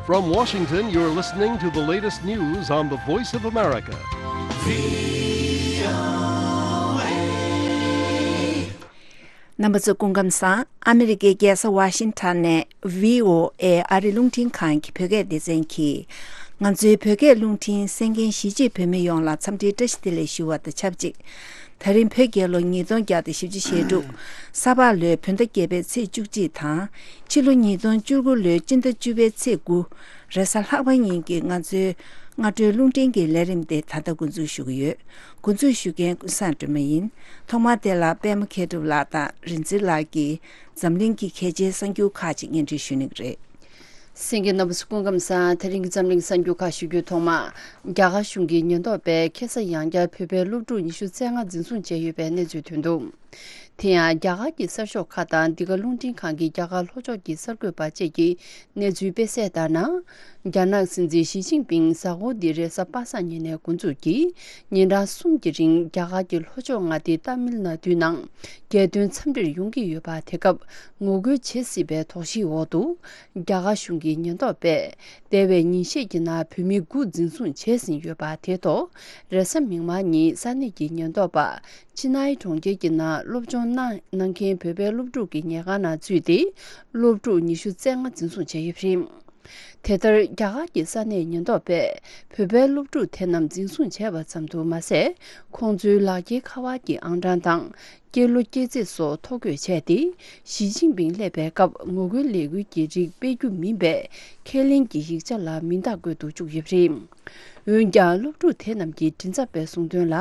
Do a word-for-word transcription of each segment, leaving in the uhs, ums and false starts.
From Washington, you're listening to the latest news on the Voice of America. རྣམ་པ་ཚོ་སྐུ་ཁམས་བཟང་། ཨ་མི་རི་ཀའི་རྒྱལ་ས་ཝ་ཤིང་ཊོན་ནས་བྷི་ཨོ་ཨེ་ཨ་རི་རླུང་འཕྲིན་ཁང་གི་བོད་སྐད་སྡེ་ཚན་གྱིས། ང་ཚོའི་བོད་སྐད་རླུང་འཕྲིན་གསན་མཁན་གཞིས་བྱེས་བོད་མི་ཡོངས་ལ་འཚམས་འདྲིའི་བཀྲ་ཤིས་བདེ་ལེགས་ཞུ་བ་དང་ཆབས་ཅིག་དེ་རིང་བོད་རྒྱལ་ལོ་ཉིས་སྟོང་བརྒྱ་དང་བཞི་བཅུ་ཞེ་དྲུག་ས་ཕག་ལོའི་བོད་ཟླ་བརྒྱད་པའི་ཚེས་བཅུ་གཅིག་དང་། ཕྱི་ལོ་ཉིས་སྟོང་བཅུ་དགུ་ལོའི་སྤྱི་ཟླ་བཅུ་པའི་ཚེས་དགུ། རེས་གཟའ་ལྷག་པ་ཉིན་གྱི་ང་ཚོའི་སྔ་དྲོའི་རླུང་འཕྲིན་གྱི་ལས་རིམ་དེ་ད་ལྟ་འགོ་འཛུགས་ཞུ་གི་ཡོད། འགོ་འཛུགས་ཞུ་མཁན་ཀུན་བཟང་སྒྲོལ་མ་ཡིན། ཐོག་མར་དེ་ལ་པད་མ་མཁས་གྲུབ་ལགས་དང་རིག་འཛིན་ལགས་ཀྱིས་འཛམ་གླིང་གི་གལ་ཆེའི་གསར་འགྱུར་ཁག་ཅིག་སྙན་སྒྲོན་ཞུ་གནང་གི་རེད། གསན་མཁན་རྣམ་པ་ཚོ་སྐུ་ཁམས་བཟང་། དེ་རིང་གི་འཛམ་གླིང་གསར་འགྱུར་ཁག་ཞུ་རྒྱུའི་ཐོག་མ། རྒྱ་གར་གཞུང་གི་ཉེན་རྟོག་པས་ཁ་སང་ཡང་བསྐྱར་བོད་པའི་སློབ་ཕྲུག་ཉི་ཤུ་རྩ་ལྔ་འཛིན་བཟུང་བྱས་ཡོད་པའི་གནས་ཚུལ་ཐོན་འདུག་དེ་ཡང་རྒྱ་གར་གྱི་གསར་ཤོག་ཁག་དང་འདི་ག་རླུང་འཕྲིན་ཁང་གི་རྒྱ་གར་ལྷོ་ཕྱོགས་ཀྱི་གསར་འགོད་པ་བཅས་ཀྱིས་གནས་ཚུལ་སྤེལ་གསལ་ལྟར་ན། རྒྱ་ནག་སྲིད་འཛིན་ཞི་ཅིན་ཕིང་གཟའ་འཁོར་འདི་རེས་གཟའ་པ་སངས་ཉིན་ནས་འགོ་འཛུགས་ཀྱིས་ཉིན་གྲངས་གསུམ་གྱི་རིང་རྒྱ་གར་གྱི་ལྷོ་ཕྱོགས་མངའ་སྡེ་ཏཱ་མིལ་ནཱ་ཌུའི་ནང་རྒྱལ་དོན་འཚམས་འདྲིར་ཡོང་གི་ཡོད་པ། དེ་སྐབས་ངོ་རྒོལ་བྱེད་སྲིད་པའི་དོགས་གཞིའི་འོག་ཏུ། རྒྱ་གར་གཞུང་གི་ཉེན་རྟོག་པས་འདས་པའི་ཉིན་ཤས་ཀྱི་ནང་བོད་མི་དགུ་འཛིན་བཟུང་བྱས་ཟིན་ཡོད་པ་དེ་ཐོག་རེས་གཟའ་མིག་དམར་ཉིན་ས་གནས་ཀྱི་ཉེན་རྟོག་པ། ཅི་ནའི་གྲོང་ཁྱེར་གྱི་ནང་སློབ་སྦྱོང་གནང་གནང་མཁན་བོད་པའི་སློབ་ཕྲུག་གི་ཉལ་ཁང་ནང་འཛུལ་ཏེ། སློབ་ཕྲུག་ཉི་ཤུ་རྩ་ལྔ་འཛིན་བཟུང་བྱས་ཡོད་པ་རེད། དེ་ལྟར་རྒྱ་གར་གྱི་ས་གནས་ཉེན་རྟོག་པས་བོད་པའི་སློབ་ཕྲུག་དེ་རྣམས་འཛིན་བཟུང་བྱས་པ་ཙམ་དུ་མ་ཟད། ཁོང་ཚོའི་ལག་འཁྱེར་ཁ་པར་གྱི་ཨང་གྲངས་དང་། སྐྱེས་ལོ་སྐྱེས་ཚེས་སོགས་ཐོ་འགོད་བྱས་ཏེ། ཞི་ཅིན་ཕིང་སླེབས་པའི་སྐབས་ངོ་རྒོལ་ལས་འགུལ་གྱི་རིགས་སྤེལ་རྒྱུ་མིན་པའི་ཁས་ལེན་གྱི་ཡིག་ཆ་ལ་མིང་རྟགས་བཀོད་དུ་བཅུག་ཡོད་པ་རེད། འོན་ཀྱང་། སློབ་ཕྲུག་དེ་རྣམས་ཀྱི་མགྲིན་ཚབ་པས་གསུངས་དོན་ལ།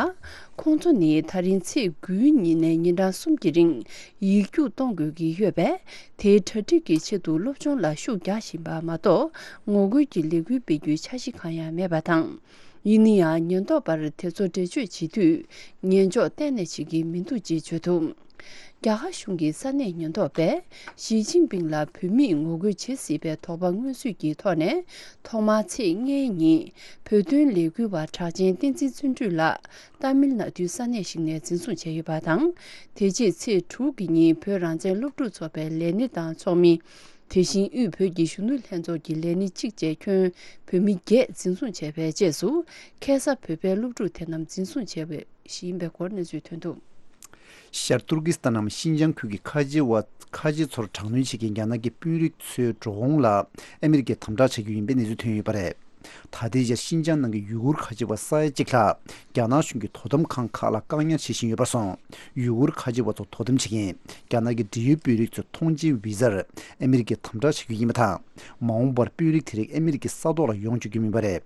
ཁོང་ཚོ་ནི་ད་རིང་ཚེས་དགུའི་ཉིན་ནས་ཉིན་གྲངས་གསུམ་གྱི་རིང་ཡིག་རྒྱུགས་གཏོང་དགོས་ཀྱི་ཡོད་པས། དེའི་གྲ་སྒྲིག་གི་ཆེད་དུ་སློབ་སྦྱོང་ལ་ཤུགས་རྒྱག་བཞིན་པ་མ་གཏོགས། ངོ་རྒོལ་གྱི་ལས་འགུལ་སྤེལ་རྒྱུའི་འཆར་གཞི་གང་ཡང་མེད་པ་དང་། ཡིན་ན་ཡང་། ཉེན་རྟོག་པར་དེ་ཚོ་འགྲེལ་བརྗོད་བྱེད་དུས། ཉན་འཇོག་གཏན་ནས་བྱེད་ཀྱི་མི་འདུག་ཅེས་བརྗོད་འདུག་རྒྱ་གར་གཞུང་གི་ས་གནས་ཉེན་རྟོག་པས་ཞི་ཅིན་ཕིང་ལ་བོད་མིས་ངོ་རྒོལ་བྱེད་སྲིད་པའི་དོགས་པ་མངོན་གསལ་གྱི་ཐོག་ནས། ཐོག་མར་ཚེས་ལྔའི་ཉིན་བོད་དོན་ལས་འགུལ་བ་གྲགས་ཅན་བསྟན་འཛིན་བརྩོན་འགྲུས་ལགས་ཏཱ་མིལ་ནཱ་ཌུའི་ས་གནས་ཤིག་ནས་འཛིན་བཟུང་བྱས་ཡོད་པ་དང་། དེ་རྗེས་ཚེས་དྲུག་གི་ཉིན་བོད་རང་བཙན་སློབ་ཕྲུག་ཚོགས་པའི་ལས་སྣེ་དང་ཚོགས་མི། དེ་བཞིན་དབུས་བོད་ཀྱི་གཞོན་ནུ་ལྷན་ཚོགས་ཀྱི་ལས་སྣེ་གཅིག་བཅས་ཁྱོན་བོད་མི་བརྒྱད་འཛིན་བཟུང་བྱས་པའི་རྗེས་སུ། ཁ་སང་བོད་པའི་སློབ་ཕྲུག་དེ་རྣམས་འཛིན་བཟུང་བྱས་པ་ཞིག་ཡིན་པའི་སྐོར་གནས་ཚུལ་ཐོན་འདུག་ཤར་ཏུར་ཀི་སི་ཐན་ནམ་ཤིན་ཅང་ཁུལ་གྱི་ཁ་ཆེ་བ་ཁ་ཆེ་ཚོར་དྲག་གནོན་བྱེད་མཁན་རྒྱ་ནག་གི་དཔོན་རིགས་ཚོའི་འགྲོ་འོང་ལ་ཨ་མི་རི་ཀས་དམ་དྲག་བྱ་རྒྱུ་ཡིན་པའི་གནས་ཚུལ་ཐོན་ཡོད་པ་རེད། ད་ལྟའི་ཆར་ཤིན་ཅང་ནང་གི་ཡུ་གུར་ཁ་ཆེ་བ་ས་ཡ་གཅིག་ལྷག་རྒྱ་ནག་གཞུང་གི་དོ་དམ་ཁང་ཁག་ལ་བཀག་ཉར་བྱེད་བཞིན་ཡོད་པར་སོང་། ཡུ་གུར་ཁ་ཆེ་བ་ཚོར་དོ་དམ་བྱེད་མཁན་རྒྱ་ནག་གི་འབྲེལ་ཡོད་དཔོན་རིགས་ཚོའི་ཐོངས་མཆན་བི་ཛར་ཨ་མི་རི་ཀས་དམ་དྲག་བྱ་རྒྱུ་ཡིན་པ་དང་། མ་འོངས་པར་དཔོན་རིགས་དེ་རིགས་ཨ་མི་རི་ཀའི་ས་ཐོག་ལ་ཡོང་བཅུག་རྒྱུ་མིན་པ་རེད།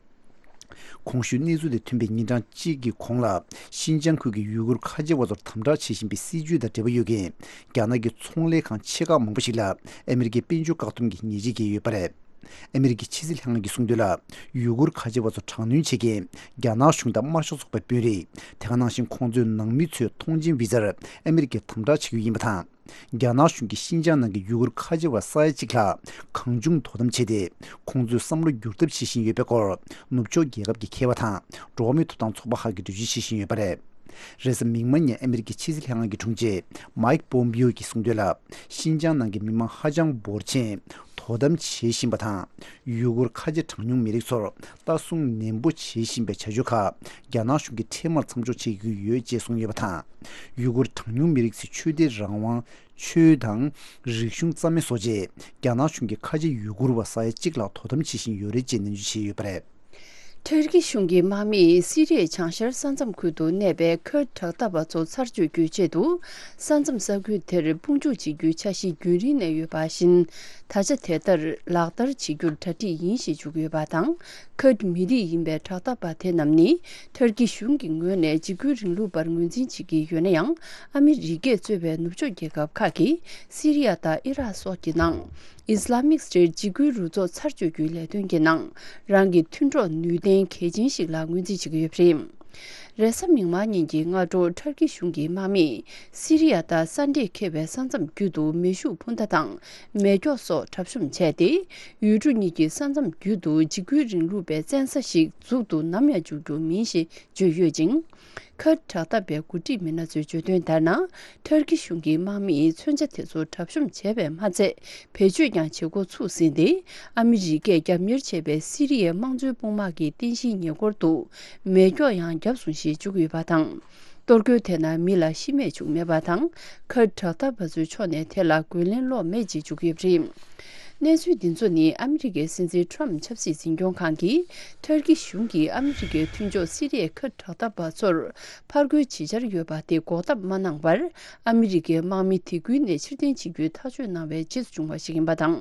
གོང་ཞུས་གནས་ཚུལ་དེ་ཐོན་པའི་ཉིན་གྲངས་གཅིག་གི་གོང་ལ། ཤིན་ཅང་ཁུལ་གྱི་ཡུ་གུར་ཁ་ཆེ་བ་ཚོར་དམ་དྲག་བྱེད་བཞིན་པའི་སྲིད་བྱུས་དང་འབྲེལ་བ་ཡོད་མཁན་རྒྱ་ནག་གི་ཚོང་ལས་ཁང་ཆེ་ཁག་མང་པོ་ཞིག་ལ་ཨ་མི་རི་ཀས་དཔལ་འབྱོར་བཀག་སྡོམ་གྱི་ཉེས་ཆད་བཀལ་ཡོད་པ་རེད། ཨ་མི་རི་ཀའི་ཕྱི་སྲིད་ལྷན་ཁང་གིས་གསུངས་དོན་ལ། ཡུ་གུར་ཁ་ཆེ་བ་ཚོར་དྲག་གནོན་བྱེད་མཁན་རྒྱ་ནག་གཞུང་དང་དམར་ཤོག་ཚོགས་པའི་དཔོན་རིགས། དེ་ག་ནང་བཞིན་ཁོང་ཚོའི་ནང་མི་ཚོའི་ཐོངས་མཆན་བི་ཛར་ཨ་མི་རི་ཀས་དམ་དྲག་བྱེད་རྒྱུ་ཡིན་པ་དང་། རྒྱ་ནག་གཞུང་གིས་ཤིན་ཅང་ནང་གི་ཡུ་གུར་ཁ་ཆེ་བ་ས་ཡ་གཅིག་ལྷག་གང་བྱུང་དོ་དམ་བྱས་ཏེ། ཁོང་ཚོའི་བསམ་བློ་འགྱུར་ཐབས་བྱེད་བཞིན་ཡོད་པའི་སྐོར། ནུབ་ཕྱོགས་རྒྱལ་ཁབ་ཀྱི་མཁས་པ་དང་འགྲོ་བ་མིའི་ཐོབ་ཐང་ཚོགས་པ་ཁག་གིས་འགྲེལ་བརྗོད་བྱེད་བཞིན་ཡོད་པ་རེད། རེས་གཟའ་མིག་དམར་ཉིན་ཨ་མི་རི་ཀའི་ཕྱི་སྲིད་ལྷན་ཁང་གི་དྲུང་ཆེ་མའིག་པོམ་པིའོ་གིས་གསུངས་དོན་ལ། ཤིན་ཅང་ནང་གི་མི་མང་ཧ་ཅང་འབོར་ཆེན་དོ་དམ་བྱེད་བཞིན་པ་དང་། ཡུ་གུར་ཁ་ཆེ་གྲངས་ཉུང་མི་རིགས་ཚོར་ལྟ་སྲུང་ནན་པོ་བྱེད་བཞིན་པའི་བྱ་སྤྱོད་ཁག་རྒྱ་ནག་གཞུང་གིས་འཕྲལ་མར་མཚམས་འཇོག་བྱེད་ཀྱི་ཡོད་ཅེས་གསུངས་ཡོད་པ་དང་། ཡུ་གུར་གྲངས་ཉུང་མི་རིགས་ཚོའི་ཆོས་དད་རང་དབང་། ཆོས་དང་། རིག་གཞུང་རྩ་མེད་བཟོ་ཆེད། རྒྱ་ནག་གཞུང་གིས་ཁ་ཆེ་ཡུ་གུར་བ་ས་ཡ་གཅིག་ལྷག་དོ་དམ་བྱེད་བཞིན་ཡོད་རེད་ཅེས་ནན་བརྗོད་བྱས་ཡོད་པ་རེད། ཐུར་ཀི་གཞུང་གི་དམག་མིས་སི་རི་ཡའི་བྱང་ཤར་ས་མཚམས་ཁུལ་དུ་གནས་པའི་ཁུར་ཌི་དྲག་འཐབ་པ་ཚོ་ཚར་གཅོད་རྒྱུའི་ཆེད་དུ། ས་མཚམས་ས་ཁུལ་དེར་དཔུང་འཇུག་བྱེད་རྒྱུའི་འཆར་གཞི་རྒྱུན་རིང་ནས་ཡོད་པ་བཞིན། ད་ཆ་དེ་ལྟར་ལག་བསྟར་བྱེད་རྒྱུར་གྲ་སྒྲིག་ཡིན་ཞེས་བརྗོད་ཀྱི་ཡོད་པ་དང་། ཁུར་ཌི་མི་རིགས་ཡིན་པའི་དྲག་འཐབ་པ་དེ་རྣམས་ནི། ཐུར་ཀི་གཞུང་གི་ངོས་ནས་འཇིགས་སྐུལ་རིང་ལུགས་པར་ངོས་འཛིན་བྱེད་ཀྱི་ཡོད་ན་ཡང་། ཨ་མི་རི་ཀས་གཙོས་པའི་ནུབ་ཕྱོགས་རྒྱལ་ཁབ་ཁག་གིས་སི་རི་ཡ་དང་ཨི་རག་སོགས་ཀྱི་ནང་། ཨི་སི་ལ་མིག་སི་ཊེཊ་འཇིགས་སྐུལ་རུ་ཚོགས་ཚར་གཅོད་རྒྱུའི་ལས་དོན་གྱི་ནང་། རང་གི་མཐུན་གྲོགས་ནུས་ལྡན་གལ་ཆེན་ཞིག་ལ་ངོས་འཛིན་བྱེད་ཀྱི་ཡོད་པ་རེད། རེས་གཟའ་མིག་དམར་ཉིན་གྱི་སྔ་དྲོ་ཊར་ཀི་གཞུང་གི་དམག་མིས་སི་རི་ཡ་དང་ས་འདྲེས་ཁེལ་བའི་ས་མཚམས་བརྒྱུད་དུ་མེ་ཤུགས་འཕུར་མདའ་དང་མེ་སྒྱོགས་སོགས་གྲབས་གཤོམ་བྱས་ཏེ། ཡུལ་གྲུ་གཉིས་ཀྱི་ས་མཚམས་བརྒྱུད་དུ་འཇིགས་སྐུལ་རིང་ལུགས་པའི་བཙན་ས་ཞིག་འཛུགས་ཏུ་ནམ་ཡང་འཇུག་རྒྱུ་མིན་ཞེས་བརྗོད་ཡོད་ཅིང་། ཁུར་ཌི་དྲག་འཐབ་པའི་འགོ་ཁྲིད་མི་སྣ་ཚོས་བརྗོད་དོན་ལྟར་ན། ཊར་ཀི་གཞུང་གི་དམག་མིས་མཚོན་ཆ་དེ་ཚོ་གྲབས་གཤོམ་བྱས་པས་མ་ཚད། བེད་སྤྱོད་ཀྱང་བྱེད་འགོ་ཚུགས་ཟིན་ཏེ། ཨ་མི་རི་ཀས་རྒྱབ་གཉེར་བྱས་པའི་སི་རི་ཡའི་དམངས་གཙོའི་དཔུང་དམག་གི་རྟེན་གཞིའི་ཉེ་འཁོར་དུ་མེ་སྒྱོགས་ཡང་བརྒྱབ་སོང་ཞེས་བརྗོད་ཀྱི་ཡོད་པ་དང་། གཏོར་རྒོལ་དེ་ནང་མི་ལ་ཤི་རྨས་བྱུང་མེད་པ་དང་། ཁུར་ཌི་དྲག་འཐབ་པ་ཚོའི་ཕྱོགས་ནས་དེ་ལ་རྒོལ་ལན་སློག་མེད་ཅེས་བརྗོད་ཀྱི་ཡོད་པ་རེད། གནས་ཚུལ་འདི་ཚོ་ནི་ཨ་མི་རི་ཀའི་སྲིད་འཛིན་ཊརམ་ཕི་ཆབ་སྲིད་འཛིན་སྐྱོང་ཁང་གིས་ཊར་ཀི་གཞུང་གིས་ཨ་མི་རི་ཀའི་མཐུན་ཕྱོགས་སི་རི་ཡའི་ཁུར་ཌི་དྲག་འཐབ་པ་ཚོར་ཕར་རྒོལ་བྱེད་འཆར་ཡོད་པ་དེ་འགོག་ཐབས་མ་གནང་བར། ཨ་མི་རི་ཀའི་དམག་མི་དེ་ཁུལ་ནས་ཕྱིར་འཐེན་བྱེད་རྒྱུའི་ཐག་གཅོད་གནང་བའི་རྗེས་སུ་བྱུང་བ་ཞིག་ཡིན་པ་དང་།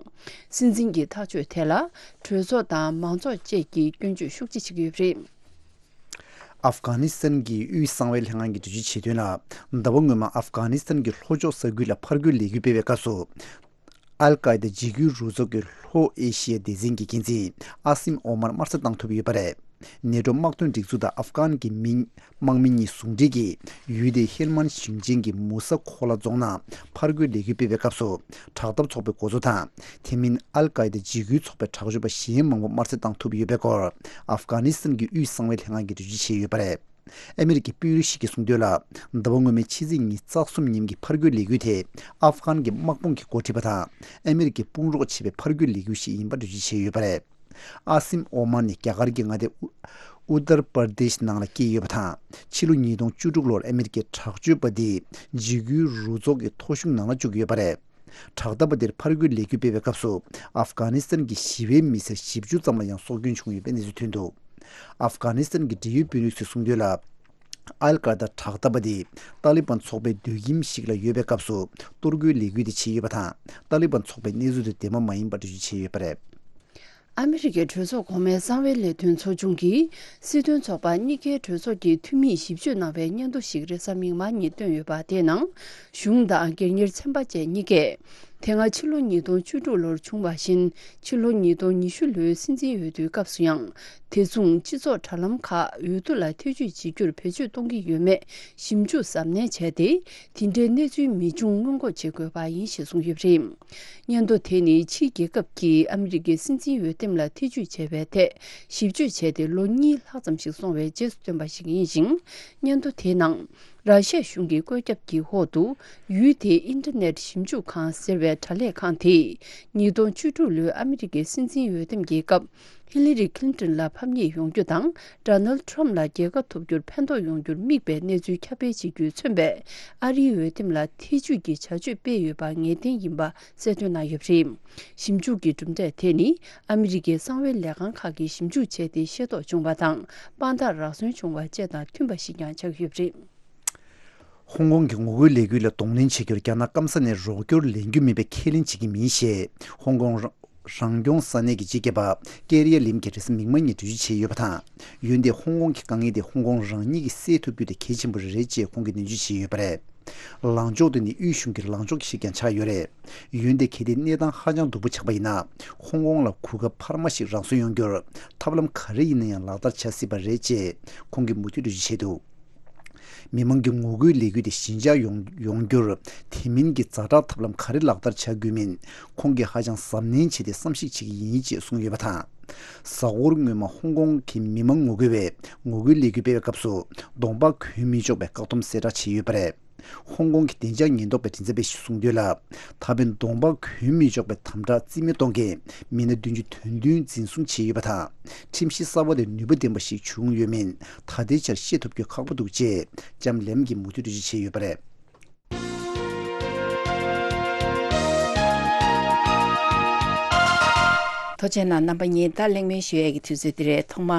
སྲིད་འཛིན་གྱི་ཐག་གཅོད་དེ་ལ་གྲོས་ཚོགས་དང་མང་ཚོགས་བཅས་ཀྱིས་སྐྱོན་བརྗོད་ཤུགས་ཆེ་བྱེད་ཀྱི་ཡོད་པ་རེད། ཨབ་གྷ་ནི་སི་ཐན་གྱི་དབུས་གསང་བའི་ལྷན་ཁང་གིས་འགྲེལ་བརྗོད་བྱས་དོན་ལ། ཟླ་བ་སྔོན་མ་ཨབ་གྷ་ནི་སི་ཐན་གྱི་ལྷོ་ཕྱོགས་ས་ཁུལ་ལ་ཕར་རྒོལ་ལས་འགུལ་སྤེལ་བའི་སྐབས་སུ། ཨལ་ཀའི་ད་འཇིགས་སྐུལ་རུ་ཚོགས་ཀྱི་ལྷོ་ཨེ་ཤི་ཡའི་སྡེ་ཚན་གྱི་འགན་འཛིན་ཨ་སིམ་ཨོ་མར་དམར་གསོད་བཏང་ཐུབ་ཡོད་པ་རེད། ནེ་ཊོ་དམག་དོན་སྒྲིག་འཛུགས་དང་ཨབ་གྷན་གྱི་མི་དམག་མི་གཉིས་ཟུང་འབྲེལ་གྱིས་ཡུལ་དེའི་ཧེལ་མན་ཞིང་ཆེན་གྱི་མུ་ས་ཁོ་ལ་རྫོང་ནང་ཕར་རྒོལ་ལས་འགུལ་སྤེལ་བའི་སྐབས་སུ། དྲག་འཐབ་ཚོགས་པའི་འགོ་གཙོ་དང་། དེ་མིན་ཨལ་ཀའི་ད་འཇིགས་སྐུལ་ཚོགས་པའི་དྲག་སྤྱོད་པ་གཞན་མང་པོ་དམར་གསོད་བཏང་ཐུབ་ཡོད་པའི་སྐོར། ཨབ་གྷ་ནི་སི་ཐན་གྱི་དབུས་གསང་བའི་ལྷན་ཁང་གིས་འགྲེལ་བརྗོད་བྱས་ཡོད་པ་རེད། ཨ་མི་རི་ཀའི་དཔོན་རིགས་ཤིག་གིས་གསུངས་དོན་ལ། ཟླ་བ་སྔོན་མའི་ཕྱི་ཚེས་ཉི་ཤུ་རྩ་གསུམ་ཉིན་གྱི་ཕར་རྒོལ་ལས་འགུལ་དེ། ཨབ་གྷན་གྱི་དམག་དཔུང་གིས་འགོ་ཁྲིད་པ་དང་། ཨ་མི་རི་ཀས་དཔུང་རོགས་བྱས་པའི་ཕར་རྒོལ་ལས་འགུལ་ཞིག་ཡིན་པར་འགྲེལ་བརྗོད་བྱས་ཡོད་པ་རེད། ཨ་སིམ་ཨོ་མར་ནི་རྒྱ་གར་གྱི་མངའ་སྡེ་ཨུ་ཨུ་ཏར་པར་དེཤ་ནང་ལ་སྐྱེས་ཡོད་པ་དང་། ཕྱི་ལོ་ཉིས་སྟོང་བཅུ་དྲུག་ལོར་ཨ་མི་རི་ཀའི་དྲག་སྤྱོད་པ་འདིས་འཇིགས་སྐུལ་རུ་ཚོགས་ཀྱི་ཐོ་གཞུང་ནང་ལ་བཅུག་ཡོད་པ་རེད། དྲག་འཐབ་པ་དེར་ཕར་རྒོལ་ལས་འགུལ་སྤེལ་བའི་སྐབས་སུ། ཨབ་གྷ་ནི་སི་ཐན་གྱི་ཞི་བའི་མི་སེར་བཞི་བཅུ་ཙམ་ལ་ཡང་སྲོག་སྐྱོན་བྱུང་ཡོད་པའི་གནས་ཚུལ་ཐོན་འདུག་ཨབ་གྷ་ནི་སི་ཐན་གྱི་འབྲེལ་ཡོད་དཔོན་རིགས་ཚོས་གསུངས་དོན་ལ། ཨལ་ཀ་ད་དྲག་འཐབ་པ་དེ་ཏཱ་ལི་བན་ཚོགས་པའི་སྡོད་ཁྱིམ་ཞིག་ལ་ཡོད་པའི་སྐབས་སུ་གཏོར་རྒོལ་ལས་འགུལ་དེ་བྱས་ཡོད་པ་དང་། ཏཱ་ལི་བན་ཚོགས་པས་གནས་ཚུལ་དེ་བདེན་པ་མ་ཡིན་པར་འགྲེལ་བརྗོད་བྱས་ཡོད་པ་རེད། ཨ་མི་རི་ཀའི་གྲོས་ཚོགས་གོང་མའི་གསང་བའི་ལས་དོན་ཚོགས་ཆུང་གིས་སྲིད་དོན་ཚོགས་པ་གཉིས་ཀའི་གྲོས་ཚོགས་ཀྱི་འཐུས་མིས་ཞིབ་དཔྱོད་གནང་བའི་སྙན་ཐོ་ཞིག་རེས་གཟའ་མིག་དམར་ཉིན་བཏོན་ཡོད་པ། དེའི་ནང་གཞུང་དང་སྒེར་གཉེར་ཚན་པ་བཅས་གཉིས་ཀས། དེ་སྔ་ཕྱི་ལོ་ཉིས་སྟོང་བཅུ་དྲུག་ལོར་བྱུང་བ་བཞིན། ཕྱི་ལོ་ཉིས་སྟོང་ཉི་ཤུ་ལོའི་སྲིད་འཛིན་འོས་བསྡུའི་སྐབས་སུ་ཡང་། དེ་མཚུངས་སྤྱི་ཚོགས་དྲ་ལམ་ཁག་འོས་བསྡུ་ལ་ཐེ་ཇུས་བྱེད་རྒྱུར་བེད་སྤྱོད་གཏོང་གི་ཡོད་མེད་ཞིབ་འཇུག་གཟབ་ནན་བྱས་ཏེ། དེ་འདྲའི་གནས་ཚུལ་མི་འབྱུང་སྔོན་འགོག་བྱེད་དགོས་པ་ཡིན་ཞེས་གསུངས་ཡོད་པ་རེད། སྙན་ཐོ་དེ་ནི་ཕྱིའི་རྒྱལ་ཁབ་ཀྱིས་ཨ་མི་རི་ཀའི་སྲིད་འཛིན་འོས་འདེམས་ལ་ཐེ་ཇུས་བྱས་པའི་ཐད་ཞིབ་དཔྱོད་བྱས་ཏེ་ལོ་གཉིས་ལྷག་ཙམ་ཞིག་སོང་བའི་རྗེས་སུ་བཏོན་པ་ཞིག་ཡིན་ཞིང་། སྙན་ཐོ་དེའི་ནང་། ར་ཤ་གཞུང་གི་བཀོད་ཁྱབ་ཀྱི་འོག་ཏུ་ཡུལ་དེའི་ཨིན་ཊར་ནེཊ་ཞིབ་འཇུག་ཁང་ཟེར་བའི་དྲ་ལས་ཁང་དེས། ཉིས་སྟོང་བཅུ་དྲུག་ལོའི་ཨ་མི་རི་ཀའི་སྲིད་འཛིན་འོས་འདེམས་ཀྱི་སྐབས། ཧི་ལི་རི་ཁི་ལིན་ཏོན་ལ་ཕམ་ཉེས་ཡོང་རྒྱུ་དང་། ཌོ་ནལ་ཌི་ཊརམ་ཕི་ལ་རྒྱལ་ཁ་ཐོབ་རྒྱུར་ཕན་ཐོགས་ཡོང་རྒྱུར་དམིགས་པའི་གནས་ཚུལ་ཁྱབ་སྤེལ་བྱེད་རྒྱུས་མཚོན་པའི་ཨ་རིའི་འོས་འདེམས་ལ་ཐེ་ཇུས་ཀྱི་བྱ་སྤྱོད་སྤེལ་ཡོད་པ་ངེས་གཏན་ཡིན་པ་གསལ་སྟོན་གནང་ཡོད་པ་རེད། ཞིབ་འཇུག་གི་གྲུབ་འབྲས་དེ་ནི་ཨ་མི་རི་ཀའི་གསང་བའི་ལས་ཁང་ཁག་གིས་ཞིབ་འཇུག་བྱས་ཏེ་ཤེས་རྟོགས་བྱུང་བ་དང་། དཔང་རྟགས་རག་སོན་བྱུང་བ་བཅས་དང་མཐུན་པ་ཞིག་ཀྱང་ཆགས་ཡོད་པ་རེད། ཧོང་ཀོང་གི་ངོ་རྒོལ་ལས་འགུལ་ལ་གདོང་ལེན་བྱེད་རྒྱུར་རྒྱ་ནག་སྐམ་ས་ནས་རོགས་སྐྱོར་ལེན་རྒྱུ་མིན་པའི་ཁས་ལེན་བྱེད་ཀྱི་མིན་ཞེས། ཧོང་ཀོང་རང་སྐྱོང་ས་གནས་ཀྱི་སྤྱི་ཁྱབ་པ་ཀེ་རི་ཡ་ལིམ་གྱིས་རེས་གཟའ་མིག་དམར་ཉིན་འགྲེལ་བརྗོད་བྱས་ཡོད་པ་དང་། འོན་ཏེ་ཧོང་ཀོང་གི་དཀའ་ངལ་དེ་ཧོང་ཀོང་རང་ཉིད་ཀྱིས་སེལ་ཐུབ་རྒྱུ་དེ་གལ་ཆེན་པོ་རེད་ཅེས་ཁོང་གིས་ནན་བརྗོད་བྱས་ཡོད་པ་རེད། ལངས་ཕྱོགས་དེ་ནི་དབུས་གཞུང་གི་ལངས་ཕྱོགས་ཤིག་ཀྱང་ཆགས་ཡོད་རེད། འོན་ཏེ་གལ་ཏེ་གནས་སྟངས་ཧ་ཅང་སྡུག་པོ་ཆགས་པ་ཡིན་ན། ཧོང་ཀོང་ལ་གོ་སྐབས་འཕར་མ་ཞིག་རག་སོན་ཡོང་རྒྱུར་ཐབས་ལམ་ག་རེ་ཡིན་ན་ཡང་ལག་བསྟར་བྱ་སྲིད་པ་རེད་ཅེས་ཁོང་གིས་མུ་མཐུད་འགྲེལ་བརྗོད་བྱས་འདུག་མི་མང་གི་ངོ་རྒོལ་ལས་འགུལ་དེ་ཞི་འཇགས་ཡོང་ཡོང་རྒྱུར་དེ་མིན་གྱི་ཛ་དྲག་ཐབས་ལམ་ག་རེ་ལག་བསྟར་བྱ་དགོས་མིན་ཁོང་གིས་ཧ་ཅང་གཟབ་ནན་བྱས་ཏེ་བསམ་གཞིག་བྱེད་ཀྱི་ཡིན་ཅེས་གསུངས་ཡོད་པ་དང་། གཟའ་འཁོར་སྔོན་མ་ཧོང་ཀོང་གི་མི་མང་ངོ་རྒོལ་བས་ངོ་རྒོལ་ལས་འགུལ་སྤེལ་བའི་སྐབས་སུ་གདོང་པ་གོན་མི་ཆོག་པའི་བཀག་སྡོམ་གསལ་བསྒྲགས་བྱས་ཡོད་པ་རེད། ཧོང་ཀོང་གི་བདེ་འཇགས་ཉེན་རྟོག་པའི་མགྲིན་ཚབ་པས་གསུངས་དོན་ལ། ད་ཕན་གདོང་པ་གོན་མི་ཆོག་པའི་དམ་དྲག་རྩིས་མེད་གཏོང་མཁན་མི་སྣ་བདུན་ཅུ་དོན་བདུན་འཛིན་བཟུང་བྱས་ཡོད་པ་དང་། ཁྲིམས་གཞི་གསར་བ་དེ་ནུས་པ་ལྡན་པ་ཞིག་བྱུང་ཡོད་མིན་ད་ལྟའི་ཆར་ཤེས་ཐུབ་རྒྱུ་ཁག་པོ་འདུག་ཅེས་ལྕམ་ལེམ་གྱིས་མུ་མཐུད་འགྲེལ་བརྗོད་བྱས་ཡོད་པ་རེད། ཐུགས་རྗེ་གནང་རྣམ་པ་གཉིས། ད་གླེང་མོལ་ཞུ་ཡས་ཀྱི་དུས་ཚོད་འདི་རེད། ཐོག་མ་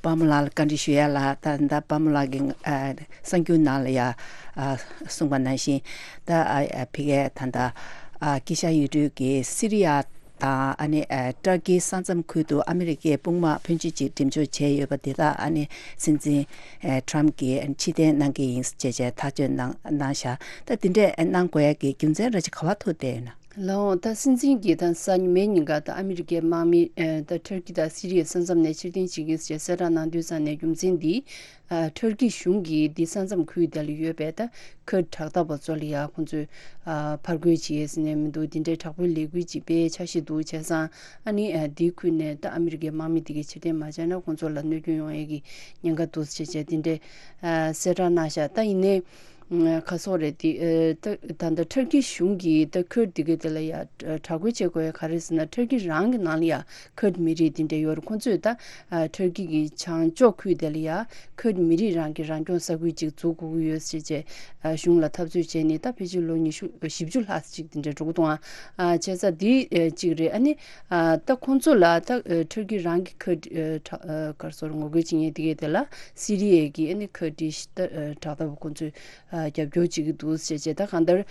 པདྨ་ལགས་ལ་བཀའ་འདྲི་ཞུ་ཡ་ལ། ད་ད་པདྨ་ལགས་ཀྱིས་ཨ་གསར་འགྱུར་ནང་ལ་ཡ་ཨ་གསུངས་པ་ནང་བཞིན། ད་ཨ་ཨ་ཕ་གིའི་ད་ད་ཨ་དཀྱིལ་ཤར་ཡུལ་གྲུ་གི་སི་རི་ཡ་དང་ཨ་ནི་ཨ་ཏུར་ཀིའི་ས་མཚམས་ཁུལ་དུ་ཨ་མི་རི་ཀའི་དཔུང་དམག་ཕོན་ཆེ་ཅིག་འགྲེམས་འཇོག་བྱས་ཡོད་པ་དེ་དག་ཨ་ནི་སྲིད་འཛིན་ཨ་ཊརམ་གྱིས་ཕྱིར་འཐེན་གནང་གི་ཡིན་ཅེས་བྱས་ཐག་གཅོད་གནང་གནང་བཞག་ད་དེ་འདྲས་གནང་དགོས་ཡ་གི་རྒྱུ་མཚན་ར་ཅིག་ག་པར་ཐུག་བསྡད་ཡོད་ན། ལགས་འོང་། ད་སྲིད་འཛིན་གྱིས་ད་གཟའ་ཉི་མའི་ཉིན་ཀ་ད་ཨ་མི་རི་ཀའི་དམག་མི་ཨ་ད་ཊར་ཀི་དང་སི་རི་ཡའི་ས་མཚམས་ནས་ཕྱིར་འཐེན་བྱེད་ཀྱི་ཡིན་ཞེས་གསལ་བསྒྲགས་གནང་དུས་ཙང་ནས་རྒྱུ་མཚན་འདི། ཨ་ཊར་ཀི་གཞུང་གིས་འདི་ས་མཚམས་ཁུལ་དེ་ལ་ཡོད་པའི་ད་ཁུར་དྲག་འཐབ་པ་ཚོ་ལ་ཡ་ཁོང་ཚོས་ཨ་ཕར་རྒོལ་བྱེད་ཡས་ཟེར་ནས་མི་འདུག་འདི་འདྲའི་དྲག་པོའི་ལས་འགུལ་ཅིག་སྤེལ་འཆར་གཞི་འདུག་བྱས་ཙང་ཨ་ནི་ཨ་འདིའི་ཁུལ་ནས་ད་ཨ་མི་རི་ཀའི་དམག་མི་འདི་གས་ཕྱིར་འཐེན་མ་བྱས་ན་ཁོང་ཚོ་ལ་གནོད་སྐྱོན་ཡོང་ཡས་ཀྱི་ཉེན་ཁ་འདུག་ཟེར་བྱས་འདི་འདྲའི་ཨ་གསལ་བསྒྲགས་གནང་ཤག་ད་ཡིན་ནའི། ཁ་སོག་རེད་དེ། ད་ད་ལྟ་ཊར་ཀི་གཞུང་གིས་ད་ཁུར་དེ་ག་དེ་ལ་ཡ་དྲག་རྒོལ་བྱེད་དགོས་ཡ་ག་རེ་ཟེར་ན། ཊར་ཀི་རང་གི་ནང་ལ་ཡ་ཁུར་མི་རིགས་དེ་འདྲ་ཡོད་རེད། ཁོ་ཚོས་ད་ཊར་ཀི་གི་བྱང་ཕྱོགས་ཁུལ་དེ་ལ་ཡ་ཁུར་མི་རིགས་རང་གི་རང་སྐྱོང་ས་ཁུལ་ཅིག་འཛུགས་དགོས་ཀྱི་ཡོད་ཟེར་བྱས་གཞུང་ལ་འཐབ་རྩོད་བྱས་ནས་ད་ཕལ་ཆེར་ལོ་ཉི་ཤུ་བཞི་བཅུ་ལྷག་ཅིག་དེ་འདྲ་འགྲོ་གི་འདུག་ཨ། བྱས་ཙང་འདི་གཅིག་རེད། ཨ་ནི་ད་ཁོ་ཚོ་ལ་ད་ཊར་ཀི་རང་གི་ཁུར་ག་རེ་ཟེར་ངོ་རྒོལ་བྱེད་མཁན་དེ་ག་དེ་ལ་སི་རི་ཡའི་གི་ཨ་ནི་ཁུར་ཌིཤ་ད་དྲག་འཐབ་པ་ཁོ་ཚོས། རྒྱབ་སྐྱོར་བྱེད་ཀྱི་འདུག་ཟེར་བྱས། ད་གང་ལྟར་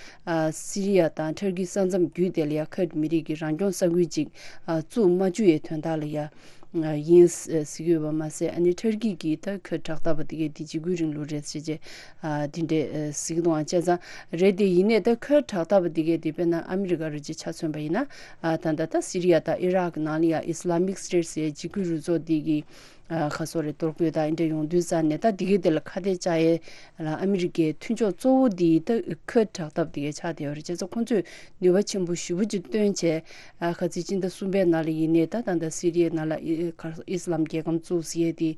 སི་རི་ཡ་དང་ཊར་ཀི་ས་མཚམས་བརྒྱུད་དེ་ལ་ཡ་ཁུར་མི་རིགས་ཀྱི་རང་སྐྱོང་ས་ཁུལ་ཅིག་བཙུགས་མ་བཅུག་ཡའི་དོན་དག་ལ་ཡ་ཡིན་ཟེར་གྱི་ཡོད་པ་མ་ཟད། ཨ་ནི་ཊར་ཀི་གིས་ད་ཁུར་དྲག་འཐབ་པ་དེ་གས་དེ་འཇིགས་སྐུལ་རིང་ལུགས་རེད་ཟེར་བྱས་དེ་འདྲས་ཟེར་གྱི་འདུག་ཨང་། བྱས་ཙང་རེད་དེ་ཡིན་ནའི་ད་ཁུར་དྲག་འཐབ་པ་དེ་གས་དེ་དཔེར་ན་ཨ་མི་རི་ཀ་རུ་ཅིག་ཆ་མཚོན་པ་ཡིན་ན་ད་ལྟ་ད་སི་རི་ཡ་དང་ཨི་རག་ནང་ལ་ཡ་ཨི་སི་ལ་མིག་སི་ཊེཊ་ཟེར་འཇིགས་སྐུལ་རུ་ཚོགས་དེ་གི་ཁ་སོག་རེད། གཏོར་རྒོལ་དང་འདྲ་ཡོང་དུས་ཙང་ནས་ད་འདི་གའི་དེ་ལ་ཁ་གཏད་བཅག་ཡས་ལ་ཨ་མི་རི་ཀའི་མཐུན་ཕྱོགས་གཙོ་བོ་འདི་ད་ཁུར་དྲག་འཐབ་འདི་གའི་ཆགས་བསྡད་ཡོད་རེད། བྱས་ཙང་ཁོང་ཚོས་ནུས་པ་ཆེན་པོ་ཞེ་པོ་ཅིག་བཏོན་བྱས་ཁ་ཚིག་སྤྱི་ཟླ་གསུམ་པའི་ནང་ལ་ཡིན་ནའི་ད་ད་ལྟ་སི་རི་ཡའི་ནང་ལ་ཨི་ཨི་སི་ལམ་རྒྱལ་ཁམས་བཙུགས་ཟེར་ཡས་དེ་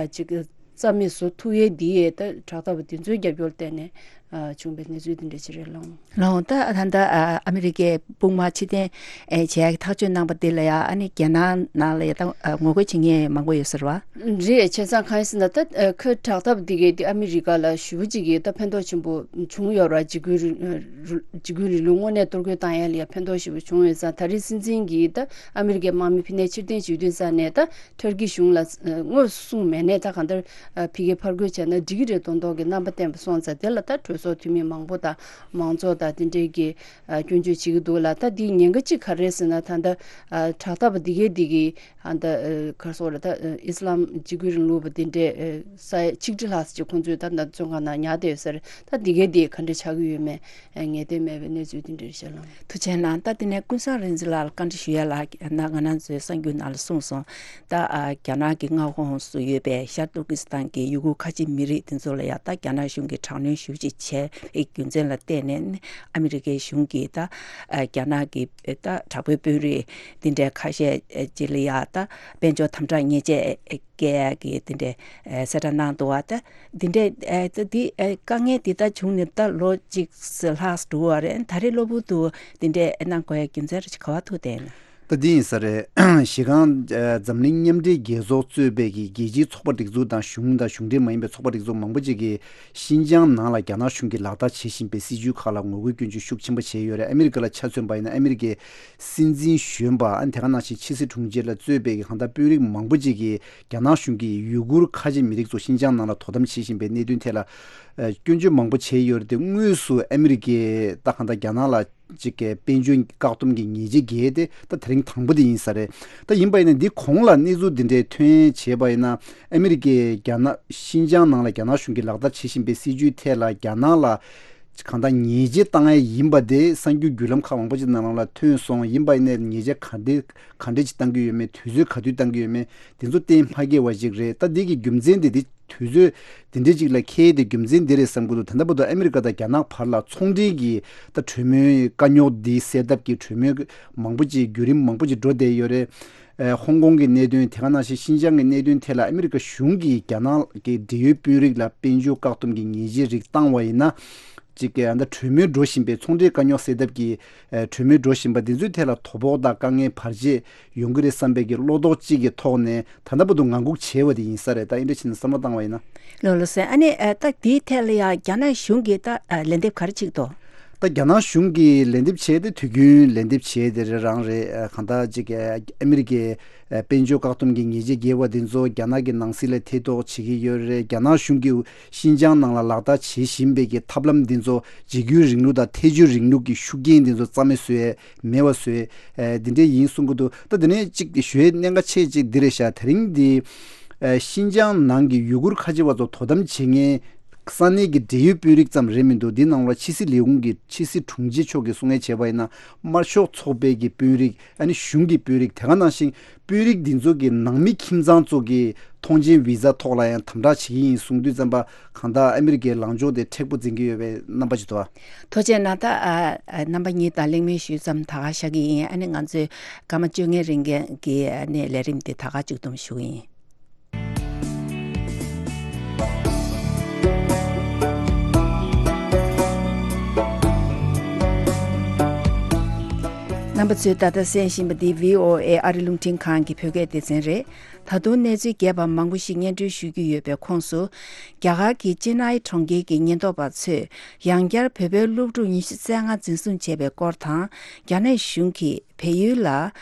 ཅིག་རྩ་མེད་བཟོ་ཐུབ་ཡས་འདི་ཡས་ད་དྲག་འཐབ་པ་འདི་ཚོའི་རྒྱབ་སྐྱོར་བརྟེན་ནས། བྱུང་བའི་གནས་ཚུལ་དེ་འདྲ་ཞིག་རེད་ལགས། ལགས་འོང་། ད་ད་ལྟ་ཨ་མི་རི་ཀའི་དཔུང་དམག་ཕྱིར་འཐེན་བྱས་ཐག་གཅོད་གནང་པ་དེ་ལ་ཡང་ཨ་ནི་རྒྱ་ནག་ནང་ལ་ཡང་ད་ངོ་རྒོལ་བྱེད་མཁན་མང་པོ་ཡོད་ས་རེད་བ། རེད། བྱས་ཙང་གང་ཡིན་ཟེར་ན་ད་ཁོའི་དྲག་འཐབ་འདི་གས་དེ་ཨ་མི་རི་ཀ་ལ་ཞེ་པོ་ཅིག་གིས་ད་ཕན་ཐོགས་ཆེན་པོ་བྱུང་ཡོད་རེད། འཇིགས་སྐུལ་རིང་འཇིགས་སྐུལ་རིང་ལུགས་དངོས་གནས་གཏོར་རྒོལ་བཏང་ཡ་ལ་ཡང་ཕན་ཐོགས་ཞེ་པོ་བྱུང་ཡོད་ཙང་། ད་རེས་སྲིད་འཛིན་གྱིས་ད་ཨ་མི་རི་ཀའི་དམག་མི་ཕྱིར་འཐེན་ཕྱིར་འཐེན་བྱེད་དུས་ཙང་ནས་ད། ཊར་ཀི་གཞུང་ལ་དངོས་སུ་གསུངས་མེད་ནའི་ད་གང་ལྟར་ཕ་གིར་ཕར་རྒོལ་བྱས་ན་འགྲིག་གི་རེད་མདོག་མདོག་གི་རྣམ་པ་བསྟན་པ་སོང་ཙང་། དེ་ལ་ད་གྲོས་ཚོགས་འཐུས་མི་མང་པོ་དང་མང་ཚོགས་དང་དེ་འདྲའི་གི་སྐྱོན་བརྗོད་བྱེད་ཀྱི་འདུག་ལ། ད་འདིའི་ཉེན་ཁ་གཅིག་ག་རེ་རེད་ཟེར་ན། ད་ལྟ་དྲག་འཐབ་པ་འདི་གས་འདི་གི་ད་ག་རེ་ཟེར་དགོས་རེད། ད་ཨི་སི་ལམ་འཇིགས་སྐུལ་རིང་ལུགས་པ་འདི་འདྲས་ས་ཡ་ཆིག་ཁྲི་ལྷག་ཅིག་ཁོང་ཚོས་ད་ད་བཙོན་ཁང་ནང་ཉར་བསྡད་ཡོད་ས་རེད། ད་འདི་གས་འདི་ག་འདྲས་ཆགས་ཀྱི་ཡོད་མེད། ངེས་གཏན་མེད་པའི་གནས་ཚུལ་དེ་འདྲ་རེད་ཤག་ལགས། ཐུགས་རྗེ་གནང་། ད་དེ་ནས་ཀུན་བཟང་རིག་འཛིན་ལགས་ལ་བཀའ་འདྲི་ཞུ་ཡ་ལ། ན་ང་རང་ཚོའི་གསར་འགྱུར་ནང་ལ་གསུངས་སོང་། ད་ཨ་རྒྱ་ནག་གི་མངའ་ཁོངས་སུ་ཡོད་པའི་ཤར་ཏུར་ཀི་སི་ཐན་གྱི་ཡུ་གུར་ཁ་ཆེ་མི་རིགས་དེ་ཚོ་ལ་ཡང་ད་རྒྱ་ནག་གཞུང་གིས་དྲག་གནོན་ཞེ་པོ་ཅིག་བྱས་པའི་རྒྱུ་མཚན་ལ་བརྟེན་ནས་ཨ་མི་རི་ཀའི་གཞུང་གིས་ད་ཨ་རྒྱ་ནག་གི་ད་དྲག་པོའི་དཔོན་རིགས་འདི་འདྲའི་ཁ་ཤས་ཅིག་ལ་ཡང་ད་དཔལ་འབྱོར་དམ་དྲག་ཉེས་ཆད་བཀལ་ཡག་གི་དེ་འདྲའི་ཨ་གསལ་བསྒྲགས་གནང་འདུག་བ། ད་འདི་འདྲའི་ཨ་ད་འདི་ཨ་དཀའ་ངལ་འདི་ད་བྱུང་ནས་ད་ལོ་གཅིག་ལྷག་འགྲོ་བ་རེད། ད་རེས་གློ་བུར་དུ་འདི་འདྲའི་གནང་དགོས་ཡ་རྒྱུ་མཚན་རེ་ག་བ་ཐུག་བསྡད་ན། ད་འདི་ཡིན་ས་རེད། གཞི་རྐང་འཛམ་གླིང་མཉམ་འབྲེལ་རྒྱལ་ཚོགས་གཙོས་པའི་གི་རྒྱལ་སྤྱིའི་ཚོགས་པ་སྒྲིག་འཛུགས་དང་གཞུང་དང་གཞུང་འབྲེལ་མ་ཡིན་པའི་ཚོགས་པ་སྒྲིག་འཛུགས་མང་པོ་ཅིག་གིས་ཤིན་ཅང་ནང་ལ་རྒྱ་ནག་གཞུང་གིས་ལག་བསྟར་བྱེད་བཞིན་པའི་སྲིད་ཇུས་ཁག་ལ་ངོ་རྒོལ་སྐྱོན་བརྗོད་ཤུགས་ཆེན་པོ་བྱས་ཡོད་རེད། ཨ་མི་རི་ཀ་ལ་ཆ་མཚོན་པ་ཡིན་ན་ཨ་མི་རི་ཀའི་སྲིད་འཛིན་གཞོན་པ་ཨ་ནི་དེ་ག་ནང་བཞིན་ཕྱི་སྲིད་དྲུང་ཆེ་ལ་གཙོས་པའི་གི་གང་ལྟར་དཔོན་རིགས་མང་པོ་ཅིག་གིས་རྒྱ་ནག་གཞུང་གིས་ཡུ་གུར་ཁ་ཆེ་མི་རིགས་ཚོ་ཤིན་ཅང་ནང་ལ་དོ་དམ་བྱེད་བཞིན་པའི་གནད་དོན་ཐད་ལ་ཨ་སྐྱོན་བརྗོད་མང་པོ་བྱས་ཡོད་རེད་དེ། དངོས་སུ་ཨ་མི་རི་ཀས་ད་གང་ལྟར་རྒྱ་ནག་ལ་ཅིག་གི་དཔལ་འབྱོར་བཀག་སྡོམ་གྱི་ཉེས་ཆད་བཀལ་ཏེ་ད་དེ་རིང་དང་པོ་དེ་ཡིན་ས་རེད། ད་ཡིན་པ་ཡིན་ན་འདི་གོང་ལ་གནས་ཚུལ་འདི་འདྲའི་ཐོན་བྱས་པ་ཡིན་ན་ཨ་མི་རི་ཀས་རྒྱ་ནག་ཤིན་ཅང་ནང་ལ་རྒྱ་ནག་གཞུང་གིས་ལག་བསྟར་བྱེད་བཞིན་པའི་སྲིད་ཇུས་ཐད་ལ་རྒྱ་ནག་ལ་གང་ལྟར་ཉེས་ཆད་བཏང་ཡས་ཡིན་པ་དེ་གསར་འགྱུར་བརྒྱུད་ལམ་ཁག་མང་པོ་ཅིག་ནང་ལ་ཐོན་སོང་། ཡིན་པ་ཡིན་ནའི་ཉེས་ཆད་ག་འདྲ་ག་འདྲ་ཅིག་བཏང་གི་ཡོད་མེད། དུས་ཚོད་ག་དུས་བཏང་གི་ཡོད་མེད་དེ་ཚོ་གཏན་མ་འཁེལ་བ་ཅིག་རེད། ད་འདི་གི་རྒྱུ་མཚན་དེ་དེ་དུས་ཚོད་དེ་འདྲ་ཅིག་ལ་འཁེལ་ཏེ་རྒྱུ་མཚན་འདི་རེད་བསམ་གྱི་འདུག་ད་ལྟ་བར་དུ་ཨ་མི་རི་ཀ་དང་རྒྱ་ནག་བར་ལ་ཚོང་འབྲེལ་གྱི་ད་གྲོས་མོལ་དཀའ་རྙོག་འདི་སེལ་ཐབས་ཀྱི་གྲོས་མོལ་མང་པོ་ཅིག་བརྒྱུད་རིམ་མང་པོ་ཅིག་འགྲོ་བསྡད་ཡོད་རེད། ཨ་ཧོང་ཀོང་གི་གནད་དོན་དེ་ག་ནང་བཞིན་ཤིན་ཅང་གི་གནད་དོན་ཐད་ལ་ཨ་མི་རི་ཀ་གཞུང་གིས་རྒྱ་ནག་གི་འབྲེལ་ཡོད་དཔོན་རིགས་ལ་དཔལ་འབྱོར་བཀག་སྡོམ་གྱི་ཉེས་ཆད་རིགས་བཏང་བ་ཡིན་ན། གཅིག་གི་ཨ་ད་གྲོས་མོལ་འགྲོ་བཞིན་པའི་ཚོང་འབྲེལ་དཀའ་རྙོག་སེལ་ཐབས་ཀྱི་ཨ་གྲོས་མོལ་འགྲོ་བཞིན་པ་འདི་ཚོའི་ཐད་ལ་དོ་ཕོག་དང་དཀའ་ངལ་བར་ཆད་ཡོང་གི་རེད་བསམ་པའི་གི་བློ་དོགས་གཅིག་གི་ཐོག་ནས་ད་ལྟ་བར་དུ་ངང་སྒུག་བྱས་པ་དེ་ཡིན་ས་རེད། ད་ཨིན་འདྲ་བྱས་ནས་བསམ་བློ་བཏང་བ་ཡིན་ན། ལགས་ལགས་སོ། ཨ་ནི་ཨ་ད་དེའི་ཐད་ལ་ཡང་རྒྱ་ནག་གཞུང་གིས་ད་ཨ་ལན་འདེབས་ག་རེ་བྱེད་ཀྱི་འདུག་ད་རྒྱ་ནག་གཞུང་གིས་ལན་འདེབས་བྱས་ཏེ་དུས་རྒྱུན་ལན་འདེབས་བྱས་དེ་རེད་རང་རེད། ཨ་གང་ལྟར་ཅིག་ཨ་ཨ་མི་རི་ཀའི་ཨ་དཔལ་འབྱོར་བཀག་སྡོམ་གྱི་ཉེས་ཆད་བཀལ་བ་དེ་ཚོ་རྒྱ་ནག་གི་ནང་སྲིད་ལ་ཐེ་གཏོགས་བྱེད་ཀྱི་ཡོད་རེད། རྒྱ་ནག་གཞུང་གིས་ཤིན་ཅང་ནང་ལ་ལག་བསྟར་བྱེད་བཞིན་པའི་གི་ཐབས་ལམ་འདི་ཚོ་འཇིགས་སྐུལ་རིང་ལུགས་དང་ཐལ་འགྱུར་རིང་ལུགས་ཀྱི་ཤུགས་རྐྱེན་འདི་ཚོ་རྩ་མེད་བཟོ་ཡས་མེད་པ་བཟོ་ཡས་འདི་འདྲས་ཡིན་གསུང་གི་འདུག་ད་དེ་ནས་གཅིག་ཞུ་ཡས་གནད་འགག་ཆེ་གཅིག་འདི་རེད་ཤག་དེ་རིང་འདི་ཤིན་ཅང་ནང་གི་ཡུ་གུར་ཁ་ཆེ་བ་ཚོ་དོ་དམ་བྱེད་མཁན་ ས་གནས་ཀྱི་འབྲེལ་ཡོད་དཔོན་རིགས་ཙམ་རེད་མི་འདུག་འདི་ནང་ལ་ཕྱི་སྲིད་ལས་ཁུངས་ཀྱི་ཕྱི་སྲིད་དྲུང་ཆེ་མཆོག་གིས་གསུང་ཡས་བྱས་པ་ཡིན་ན། དམར་ཤོག་ཚོགས་པའི་གི་དཔོན་རིགས། ཨ་ནི་གཞུང་གི་དཔོན་རིགས། དེ་ག་ནང་བཞིན་དཔོན་རིགས་འདི་ཚོ་གི་ནང་མི་ཁྱིམ་ཚང་ཚོ་གི་ཐོངས་མཆན་བི་ཟ་ཐོག་ལ་ཡང་དམ་དྲག་བྱེད་ཀྱི་ཡིན་གསུང་དུས་ཙམ་པ། གང་ལྟར་ཨ་མི་རི་ཀའི་ལངས་ཕྱོགས་དེ་མཁྲེགས་པོ་འཛིན་གྱི་ཡོད་པའི་རྣམ་པ་ཅིག་འདུག་ཨ། ཐུགས་རྗེ་གནང་། ད་ཨ་ཨ་རྣམ་པ་གཉིས་དང་གླེང་མོལ་ཞུས་ཙམ་ད་ག་བཞག་གི་ཡིན། ཨ་ནི་ང་ཚོའི་སྐར་མ་བཅོ་ལྔའི་རིང་གི་ཨ་ནི་ལས་རིམ་དེ་ད་ག་མཇུག་བསྡོམས་ཞུ་གི་ཡིན། རྣམ་པ་ཚོས་ད་ལྟ་གསན་བཞིན་པ་འདི་བྷི་ཨོ་ཨེ་ཨ་རི་རླུང་འཕྲིན་ཁང་གི་བོད་སྐད་སྡེ་ཚན་རེད། ད་དུང་གནས་ཚུལ་རྒྱས་པ་མང་པོ་ཞིག་སྙན་སྒྲོན་ཞུ་རྒྱུ་ཡོད་པའི་ཁོངས་སུ། རྒྱ་གར་གྱི་ཅེ་ནའི་གྲོང་ཁྱེར་གྱི་ཉེན་རྟོག་པ་ཚོས་ཡང་བསྐྱར་བོད་པའི་སློབ་ཕྲུག་ཉི་ཤུ་རྩ་ལྔ་འཛིན་བཟུང་བྱས་པའི་སྐོར་དང་། རྒྱ་ནག་གཞུང་གིས་བལ་ཡུལ་ལ་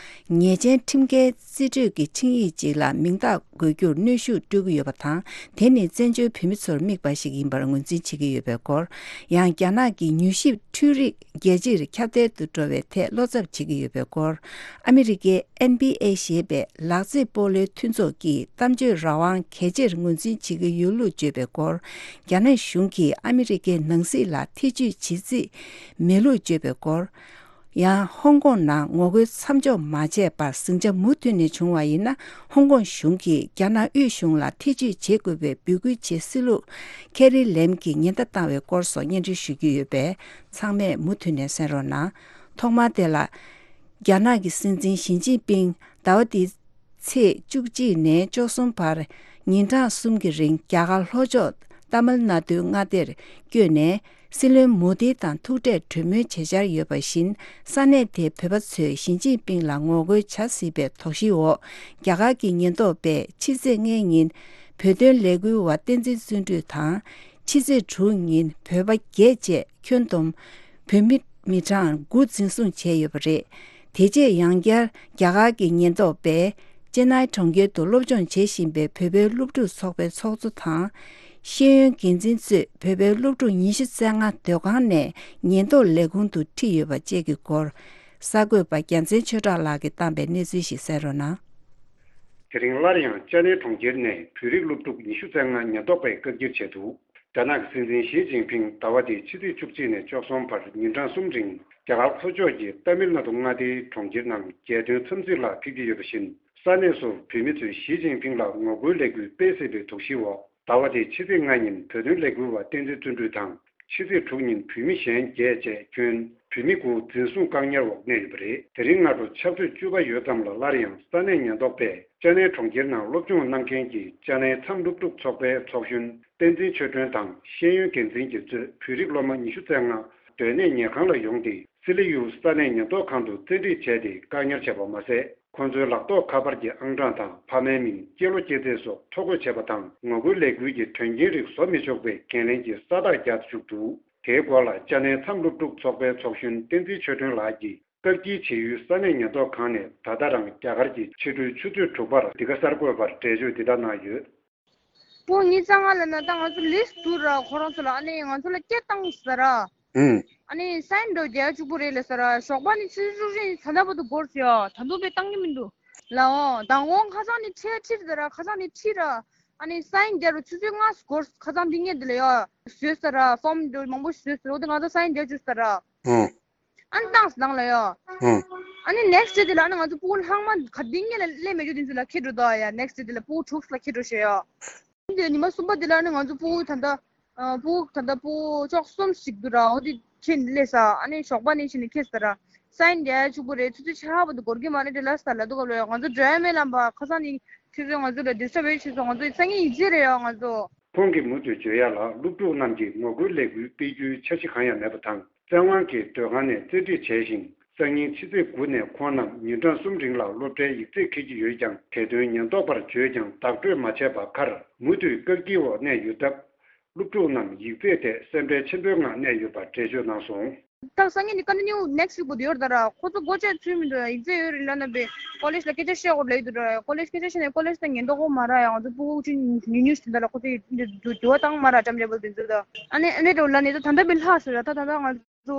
ཉེས་ཅན་ཁྲིམས་འགལ་རྩིས་སྤྲོད་ཀྱི་ཆིངས་ཡིག་ཅིག་ལ་མིང་རྟགས་འགོད་རྒྱུར་གནོན་ཤུགས་སྤྲོད་ཀྱི་ཡོད་པ་དང་། དེ་ནི་བཙན་བྱོལ་བོད་མི་ཚོར་དམིགས་པ་ཞིག་ཡིན་པར་ངོས་འཛིན་བྱེད་ཀྱི་ཡོད་པའི་སྐོར། ཡང་རྒྱ་ནག་གི་མྱུལ་ཞིབ་འཕྲུལ་རིག་རྒྱལ་སྤྱིར་ཁྱབ་གདལ་དུ་འགྲོ་བའི་ཐད་བློ་འཚབ་བྱེད་ཀྱི་ཡོད་པའི་སྐོར། ཨ་མི་རི་ཀའི་ཨེན་བྷི་ཨེ་ཞེས་པའི་ལག་རྩེད་སྤོ་ལོའི་མཐུན་ཚོགས་ཀྱིས་གཏམ་བརྗོད་རང་དབང་གལ་ཆེར་ངོས་འཛིན་བྱེད་ཀྱི་ཡོད་ལུགས་བརྗོད་པའི་སྐོར། རྒྱ་ནག་གཞུང་གིས་ཨ་མི་རི་ཀའི་ནང་སྲིད་ལ་ཐེ་བྱུས་བྱེད་རྩིས་མེད་ལུགས་བརྗོད་པའི་སྐོར། ཡང་ཧོང་ཀོང་ནང་ངོ་རྒོལ་མཚམས་འཇོག་མ་བྱས་པར་ཟིང་ཆ་མུ་མཐུད་ནས་བྱུང་བ་ཡིན་ན། ཧོང་ཀོང་གཞུང་གིས་རྒྱ་ནག་དབུས་གཞུང་ལ་ཐེ་བྱུས་བྱེད་དགོས་པའི་འབོད་སྐུལ་བྱེད་སྲིད་ལུགས་ཁེ་རི་ལེམ་གྱིས་ཉེན་བརྡ་བཏང་བའི་སྐོར་སོགས་སྙན་སྒྲོན་ཞུ་རྒྱུ་ཡོད་པས། ཚང་མས་མུ་མཐུད་ནས་གསན་རོགས་གནང་། ཐོག་མར་དེ་ལ། རྒྱ་ནག་གི་སྲིད་འཛིན་ཞི་ཅིན་ཕིང་ཟླ་བ་འདིའི་ཚེས་བཅུ་གཅིག་ནས་བཅུ་གསུམ་བར་ཉིན་གྲངས་གསུམ་གྱི་རིང་རྒྱ་གར་ལྷོ་ཕྱོགས་ཏཱ་མིལ་ནཱ་ཌུའི་མངའ་སྡེར་བསྐྱོད་ནས། སྲིད་བློན་མོ་དི་དང་ཐུག་འཕྲད་གྲོས་མོལ་བྱེད་འཆར་ཡོད་པ་བཞིན། ས་གནས་དེའི་བོད་པ་ཚོས་ཞི་ཅིན་ཕིང་ལ་ངོ་རྒོལ་བྱ་སྲིད་པའི་དོགས་གཞིའི་འོག་རྒྱ་གར་གྱི་ཉེན་རྟོག་པས་ཕྱི་ཚེས་ལྔའི་ཉིན་བོད་དོན་ལས་འགུལ་བ་བསྟན་འཛིན་བརྩོན་འགྲུས་དང་། ཕྱི་ཚེས་དྲུག་ཉིན་བོད་པ་བརྒྱད་བཅས་ཁྱོན་བསྡོམས་བོད་མི་མི་གྲངས་དགུ་འཛིན་བཟུང་བྱས་ཡོད་པ་རེད། དེ་རྗེས་ཡང་བསྐྱར་རྒྱ་གར་གྱི་ཉེན་རྟོག་པས་ཅེ་ནའི་གྲོང་ཁྱེར་དུ་སློབ་སྦྱོང་བྱེད་བཞིན་པའི་བོད་པའི་སློབ་ཕྲུག་ཚོགས་པའི་ཚོགས་གཙོ་དང་། ཤེས་ཡོན་འགན་འཛིན་གཙོས་བོད་པའི་སློབ་ཕྲུག་ཉི་ཤུ་རྩ་ལྔ་སྡོད་ཁང་ནས་ཉེན་རྟོག་ལས་ཁུངས་དུ་ཁྲིད་ཡོད་པ་བཅས་ཀྱི་སྐོར། གསར་འགོད་པ་རྒྱལ་མཚན་ཆོས་གྲགས་ལགས་ཀྱིས་བཏང་པའི་གནས་ཚུལ་ཞིག་གསན་རོགས་གནང་། དེ་རིང་སླར་ཡང་ཅེ་ནའི་གྲོང་ཁྱེར་ནས་བོད་རིགས་སློབ་ཕྲུག་ཉི་ཤུ་རྩ་ལྔ་ཉེན་རྟོག་པས་བཀག་སྐྱིལ་བྱས་འདུག་རྒྱ་ནག་གི་སྲིད་འཛིན་ཞི་ཅིན་ཕིང་ཟླ་བ་འདིའི་ཕྱི་ཚེས་བཅུ་གཅིག་ནས་བཅུ་གསུམ་བར་ཉིན་གྲངས་གསུམ་རིང་རྒྱ་གར་ལྷོ་ཕྱོགས་ཀྱི་ཏཱ་མིལ་ནཱ་ཌུ་མངའ་སྡེའི་གྲོང་ཁྱེར་ནང་རྒྱལ་དོན་འཚམས་གཟིགས་ལ་ཕེབས་ཀྱི་ཡོད་པ་བཞིན། ས་གནས་སུ་བོད་མི་ཚོས་ཞི་ཅིན་ཕིང་ལ་ངོ་རྒོལ་ལས་འགུལ་སྤེལ་སྲིད་པའི་དོགས་གཞིའི་འོག་ཟླ་བ་འདིའི་ཕྱི་ཚེས་ལྔ་ཉིན་བོད་དོན་ལས་འགུལ་བ་བསྟན་འཛིན་བརྩོན་འགྲུས་དང་། ཕྱི་ཚེས་དྲུག་ཉིན་བོད་མི་གཞན་བརྒྱད་བཅས་ཁྱོན་བོད་མི་དགུ་འཛིན་བཟུང་བཀག་ཉར་འོག་གནས་ཡོད་པ་རེད། དེ་རིང་སྔ་དྲོ་ཕྱག་ཚོད་བཅུ་པ་ཡོལ་ཙམ་ལ་སླར་ཡང་ས་གནས་ཉེན་རྟོག་པས་ཅེ་ནའི་གྲོང་ཁྱེར་ནང་སློབ་སྦྱོང་གནང་མཁན་གྱི་ཅེ་ནའི་མཚམས་སློབ་ཕྲུག་ཚོགས་པའི་ཚོགས་གཞོན་བསྟན་འཛིན་ཆོས་སྒྲོན་དང་ཤེས་ཡོན་འགན་འཛིན་གྱིས་གཙོས་བོད་རིགས་སློབ་མ་ཉི་ཤུ་རྩ་ལྔ་སྡོད་གནས་ཉལ་ཁང་ལ་ཡོང་སྟེ། སི་ལི་ཡུལ་ས་གནས་ཉེན་རྟོག་ཁང་དུ་བཙན་ཁྲིད་བྱས་ཏེ་བཀག་ཉར་བྱས་པ་མ་ཟད། ཁོ་ཚོའི་ལག་ཐོགས་ཁ་པར་གྱི་ཨང་གྲངས་དང་ཕ་མའི་མིང་། སྐྱེས་ལོ་སྐྱེས་ཚེས་སོགས་ཐོ་འགོད་བྱས་པ་དང་། ངོ་རྒོལ་ལས་འགུལ་གྱི་དོན་རྐྱེན་རིགས་བཟོ་མི་ཆོག་པའི་འགན་ལེན་གྱི་ས་རྟགས་བརྒྱབ་བཅུག་འདུག་དེའི་སྐོར་ལ་ཅེ་ནའི་མཚམས་སློབ་ཕྲུག་ཚོགས་པའི་ཚོགས་གཞོན་བསྟན་འཛིན་ཆོས་སྒྲོན་ལགས་ཀྱིས། བཀག་སྐྱིལ་བྱེད་ཡུལ་ས་གནས་ཉེན་རྟོག་ཁང་ནས་ད་ལྟ་རང་རྒྱ་གར་གྱི་ཕྱི་དྲོའི་ཆུ་ཚོད་དྲུག་པར་འདི་ག་གསར་འགོད་པར་འགྲེལ་བརྗོད་འདི་ལྟར་གནང་ཡོད། ཕྲུ་གུ་ཉི་ཤུ་རྩ་ལྔ་ལབ་ན་ད་ང་ཚོ་ལིསྟ་འདུག་ར། ཁོ་རང་ཚོ་ལ་ཨ་ནི་ང་ཚོ་ལ་སྐད་བཏང་ཟེར་ར། ཨུམ། ཨ་ནི་སའིན་འགྲོ་རྒྱག་གཅིག་པུ་རེད་ལབ་ཟེར་ར། ཞོགས་པ་ནི་ཆུ་ཚོད་བཅུ་ནས་ད་ལྟ་བར་དུ་འགོར་སོང་ཡ། ད་དུང་དཔེ་བཏང་གི་མི་འདུག་ལའོ། མདང་དགོང་ཁ་སང་ནས་ཁྲིད་ཁྲིད་ཟེར་ར། ཁ་སང་ནས་ཁྲིད་ར། ཨ་ནི་སའིན་རྒྱག་རུ་ཆུ་ཚོད་ལྔ་འགོར། ཁ་སང་འདི་ངས་འདི་ལ་ཡ་བཟོས་ཟེར་ར། ཕོམ་འདི་མང་པོ་བཟོས་ཟེར། འོ་དེ་ང་ཚོ་སའིན་རྒྱག་བཅུག་ཟེར་ར། ཨུམ། ཨ་ནི་བཏང་ཟེར་ནང་ལ་ཡ། ཨུམ། ཨ་ནི་ནེགསི་ཌེ་དེ་ལ་ཨ་ནི་ང་ཚོ་ཕྲུ་གུ་ལྷག་མ་ག་དེ་སྔོན་ལ་སླེབས་མེད་རྒྱུ་དེ་ཚོ་ལ་ཁྱེར་འགྲོ་ད་ཡ། ནེགསི་ཌེ་དེ་ལ་ཕྲུ་གུ་དྲུག་ལ་ཁྱེར་འགྲོ་ཤེས་ཡ། དེ་ཉི་མ་གསུམ་པ་དེ་ལ་ཨ་ནི་ང་ཚོ་ཕྲུ་གུ་ད་ལྟ་ཕྲུ་གུ་ད་ལྟ་ཕྲུ་གུ་བཅུ་གསུམ་ཞིག་འདུག་ར། འོ་དེ་ཁྱེར་སླེབས་ས། ཨ་ནི་ཞོགས་པ་ནས་ཕྱིན་ནས་ཁྱེར་ས་ར། སའིན་རྒྱག་ཆུག་པོ་རེད། ཆུ་ཚོད་ཆ་བོ་དེ་འགོར་གི་མ་རེད་དེ་ལ་ས་ལ་འདུག་ག་ལོ་ཡ། ང་ཚོ་ཌ་རའི་ཝར་མེད་ལམ་པ་ཁ་སང་ནས་ཁྱེད་ཚོས་ང་ཚོ་ལ་ཌིསི་ཊརབ་བྱས་སོང་། ང་ཚོ་སང་ཉིན་ཡིག་ཚད་རེད་ཡ་ང་ཚོ། ཁོང་གིས་མུ་མཐུད་བརྗོད་ཡ་ལ། སློབ་ཕྲུག་རྣམས་ཀྱིས་ངོ་རྒོལ་ལས་འགུལ་སྤེལ་རྒྱུའི་འཆར་གཞི་གང་ཡང་མེད་པ་དང་། བཙན་དབང་གིས་སྡོད་ཁང་ནས་བཙན་ཁྲིད་བྱས་ཤིང་། སང་ཉིན་ཕྱི་ཚེས་དགུ་ནས་ཁོང་རྣམས་ཉིན་གྲངས་གསུམ་རིང་ལ་སློབ་གྲྭའི་ཡིག་ཚད་འཁེལ་གྱི་ཡོད་ཀྱང་། དེ་དོན་ཉེན་རྟོག་པར་བརྗོད་ཀྱང་བདག་སྤྲོད་མ་བྱས་པ་ཁར། མུ་མཐུད་བཀག་སྐྱིལ་འོག་གནས་ཡོད་སྟབས། སློབ་ཕྲུག་རྣམས་ཡིག་ཚད་ཐད་སེམས་ཁྲལ་ཆེན་པོའི་ངང་གནས་ཡོད་པ་འགྲེལ་བརྗོད་གནང་སོང་། ད་སང་ཉིན་ནི་ཀོན་ཊི་ནིའུ་ནེགསི་ཝིག་བར་དུ་ཡོད་རེད་ད་ར། ཁོ་ཚོ་སྒོ་ཕྱེ་ཚུལ་མི་འདུག་ཡིག་ཚད་ཡོད་རེད་ལབ་ན་པས་ཀོ་ལེཇ་ལ་སྐད་ཆ་བཤད་དགོས་ལབ་ཡོད་འདུག་ར། ཀོ་ལེཇ་སྐད་ཆ་བཤད་ནས་ཀོ་ལེཇ་ད་ཉེན་རྟོག་པ་མ་རག་ཡ། ང་ཚོ་ཕྲུ་གུ་ཆུང་ཉུང་ཉུང་ཞིག་དེ་འདྲ་ལ་ཁོ་ཚོ་ཡི་འདུ་འདུ་འདུ་བ་བཏང་མ་རག་ཊམ་ཊེ་བལ་དེ་ཚོ་ད། ཨ་ནི་ཨ་ནི་འདྲ་ལབ་ནས་ད་ད་ལྟ་པས་ལྷག་ཟེར་ར། ད་ད་ལྟ་ང་ཚོ་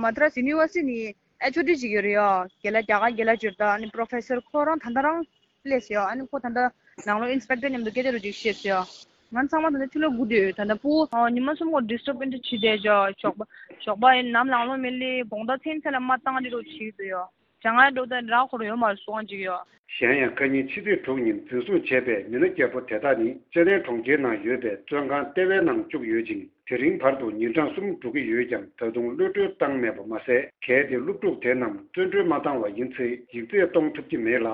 མ་དྲ་སི་ཡུ་ནི་ཝར་སི་ཊི་ནས་ཨེཆ་ཨོ་ཌི་ཅིག་ཡོད་རེད་ཡ། རྒན་ལགས་རྒྱ་གར་རྒན་ལགས་ཅིག་ཡོད་རེད་ད། ཨ་ནི་པོ་རོ་ཕེ་སར་ཁོ་རང་ད་ལྟ་རང་སླེབས་ཟེར་ཡ། ཨ་ནི་ཁོ་ད་ལྟ་ནང་ལོགས་ཨིན་སི་པེག་ཊར་མཉམ་དུ་སྐད་ཆ་རོ་ཅིག་བཤད་ཟེར་ཡ། ང་ཚང་མ་ད་ལྟ་ཕྱི་ལོགས་སྒུག་བསྡད་ཡོད། ད་ལྟ་ཕྲུ་གུ་ཉི་མ་གསུམ་གོ་ཌི་སི་ཊབ་ཨིན་ཊི་བྱེད་བསྡད་ཅོག་ཞོགས་པ་ཞོགས་པ་ཡིན་ནམ་ལངས་ལོང་མེད་ལེ་དགོང་དག་མཚན་ཚེ་ལ་མ་བཏང་རེ་རོ་བྱེད་དུ་ཡོད། ཅང་ང་འགྲོ་དང་ར་ཁོ་ར་ཡོད་མ་རེད་སོང་ཅིག་ཡོད། གཞན་ཡང་ཁ་ཉིན་ཕྱི་ཚེས་དྲུག་ཉིན་འཛིན་བཟུང་བྱས་པའི་མི་སྣ་བརྒྱད་པོ་དེ་དག་ནི་ཅེ་ནན་གྲོང་ཁྱེར་ནང་ཡོད་པའི་བཙོན་ཁང་ལྟེ་བའི་ནང་བཅུག་ཡོད་ཅིང་། དེ་རིང་བར་དུ་ཉིན་གྲངས་གསུམ་འགྲོ་གི་ཡོད་ཀྱང་ད་དུང་གློད་གྲོལ་བཏང་མེད་པ་མ་ཟད། གལ་ཏེ་སློབ་ཕྲུག་དེ་རྣམས་བཙོན་གྲོལ་མ་བཏང་བ་ཡིན་ཚེ་ཡིག་ཚད་གཏོང་ཐུབ་ཀྱི་མེད་ལ།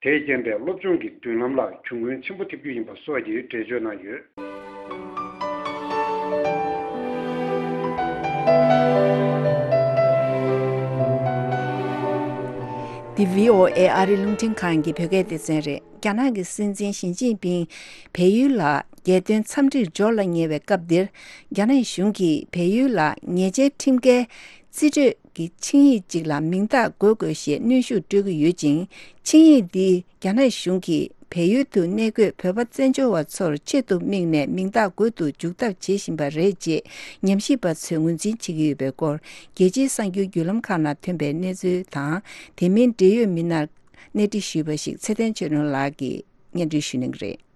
དེས་རྐྱེན་པས་སློབ་སྦྱོང་གི་མདུན་ལམ་ལ་གྱོང་གུན་ཆེན་པོ་ཐེབས་རྒྱུ་ཡིན་པ་སོགས་ཀྱི་འགྲེལ་བརྗོད་གནང་ཡོད། འདི་བྷི་ཨོ་ཨེ་ཨ་རི་རླུང་འཕྲིན་ཁང་གི་བོད་སྐད་སྡེ་ཚན་རེད། རྒྱ་ནག་གི་སྲིད་འཛིན་ཞི་ཅིན་ཕིང་བལ་ཡུལ་ལ་རྒྱལ་དོན་འཚམས་འདྲིར་འབྱོར་ལ་ཉེ་བའི་སྐབས་འདིར། རྒྱ་ནག་གཞུང་གིས་བལ་ཡུལ་ལ་ཉེས་ཅན་ཁྲིམས་འགལ་རྩིས་སྤྲོད་ཀྱི་ཆིངས་ཡིག་ཅིག་ལ་མིང་རྟགས་འགོད་དགོས་ཞེས་གནོན་ཤུགས་སྤྲོད་ཀྱི་ཡོད་ཅིང་། ཆིངས་ཡིག་འདིས་རྒྱ་ནག་གཞུང་གིས་བལ་ཡུལ་དུ་གནས་འཁོད་བོད་པ་བཙན་བྱོལ་བ་ཚོར་ཆེད་དུ་དམིགས་ནས་མིང་རྟགས་འགོད་དུ་འཇུག་ཐབས་བྱེད་བཞིན་པ་རེད་ཅེས་ཉམས་ཞིབ་པ་ཚོས་ངོས་འཛིན་བྱེད་ཀྱི་ཡོད་པའི་སྐོར། རྒྱལ་སྤྱིའི་གསར་འགྱུར་བརྒྱུད་ལམ་ཁག་ནང་ཐོན་པའི་གནས་ཚུལ་དང་། དེ་མིན་འབྲེལ་ཡོད་མི་སྣར་གནས་འདྲི་ཞུས་པ་ཞིག་ཚེ་བརྟན་ཆོས་སྒྲོན་ལགས་ཀྱིས་སྙན་སྒྲོན་ཞུ་གནང་གི་རེད།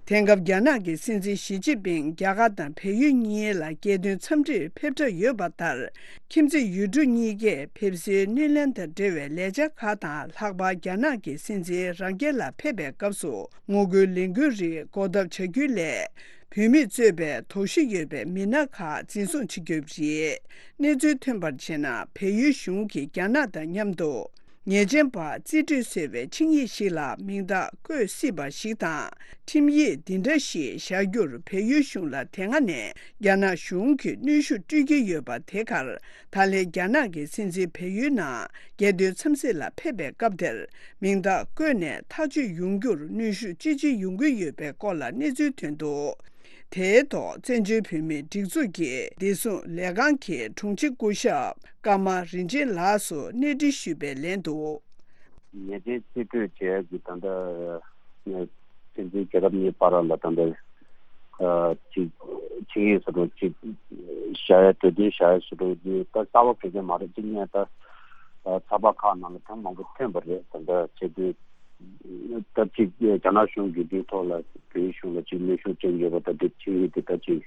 དེང་སྐབས་རྒྱ་ནག་གི་སྲིད་འཛིན་ཞི་ཅིན་ཕིང་རྒྱ་གར་དང་བལ་ཡུལ་གཉིས་ལ་རྒྱལ་དོན་འཚམས་འདྲིར་ཕེབས་གྲབས་ཡོད་པ་ལྟར། ཁྱིམ་མཚེས་ཡུལ་གྲུ་གཉིས་ཀས་ཕེབས་བསུའི་སྣེ་ལེན་དང་འབྲེལ་བའི་ལས་འཆར་ཁག་དང་། ལྷག་པར་རྒྱ་ནག་གི་སྲིད་འཛིན་རང་རྒྱལ་ལ་ཕེབས་པའི་སྐབས་སུ་ངོ་རྒོལ་ལས་འགུལ་རིགས་འགོག་ཐབས་བྱ་རྒྱུའི་སླད། བུད་མེད་གཙོས་པའི་དོགས་གཞི་ཡོད་པའི་མི་སྣ་ཁག་འཛིན་བཟུང་བྱེད་རྒྱུ་རེད། གནས་ཚུལ་ཐོན་པར་བྱས་ན། བལ་ཡུལ་གཞུང་གིས་རྒྱ་ནག་དང་མཉམ་དུ། ཉེས་ཅན་པ་རྩིས་སྤྲོད་ཟེར་བའི་ཆིངས་ཡིག་ཞིག་ལ་མིང་རྟགས་བཀོད་སྲིད་པ་ཞིག་དང་། ཁྲིམས་ཡིག་འདི་འདྲ་ཞིག་བཞག་རྒྱུར་བལ་ཡུལ་གཞུང་ལ་དེ་སྔ་ནས་རྒྱ་ནག་གཞུང་གིས་གནོན་ཤུགས་སྤྲོད་ཀྱི་ཡོད་པ་དེ་གར། ད་ལན་རྒྱ་ནག་གི་སྲིད་འཛིན་བལ་ཡུལ་ནང་རྒྱལ་དོན་འཚམས་གཟིགས་ལ་ཕེབས་པའི་སྐབས་དེར་མིང་རྟགས་བཀོད་ནས་ཐག་གཅོད་ཡོང་རྒྱུར་གནོན་ཤུགས་ཅི་ཆེ་ཡོང་གི་ཡོད་པའི་སྐོར་ལ་གནས་ཚུལ་ཐོན་འདུག་དེའི་ཐོག་བཙན་བྱོལ་བོད་མིའི་སྒྲིག་འཛུགས་ཀྱི་བདེ་སྲུང་ལས་ཁང་གི་དྲུང་ཆེ་སྐུ་ཞབས་ཀརྨ་རིན་ཆེན་ལགས་སུ་གནས་འདྲི་ཞུས་པའི་ལན་དུ། ཉེས་ཅན་རྩིས་སྤྲོད་བྱས་ཀྱི་ད་ལྟ་སྲིད་འཛིན་རྒྱལ་ཁབ་གཉིས་བར་ལ་ད་ལྟ་ཅིག་ཆིངས་ཡིག་སོ་སོ་ཅིག་བཞག་ཡ་གྲོས་མཐུན་བཞག་ཡ་སོ་སོ་ཅིག་ད་གསར་པ་ག་གེ་མ་རེད། ཅིག་ངས་ད་ཚགས་པར་ཁག་ནང་ལ་ཐེངས་མང་པོ་ཐོན་པ་རེད། ད་ལྟ་བྱས་དུས། ད་ཅིག་རྒྱ་ནག་གཞུང་གིས་འདིའི་ཐོག་ལ་བོད་གཞུང་ལ་ཅིག་གནོན་ཤུགས་སྤྲད་ཡོད་པ་དང་། འདི་ཆིངས་ཡིག་འདི་ད་ཅིག་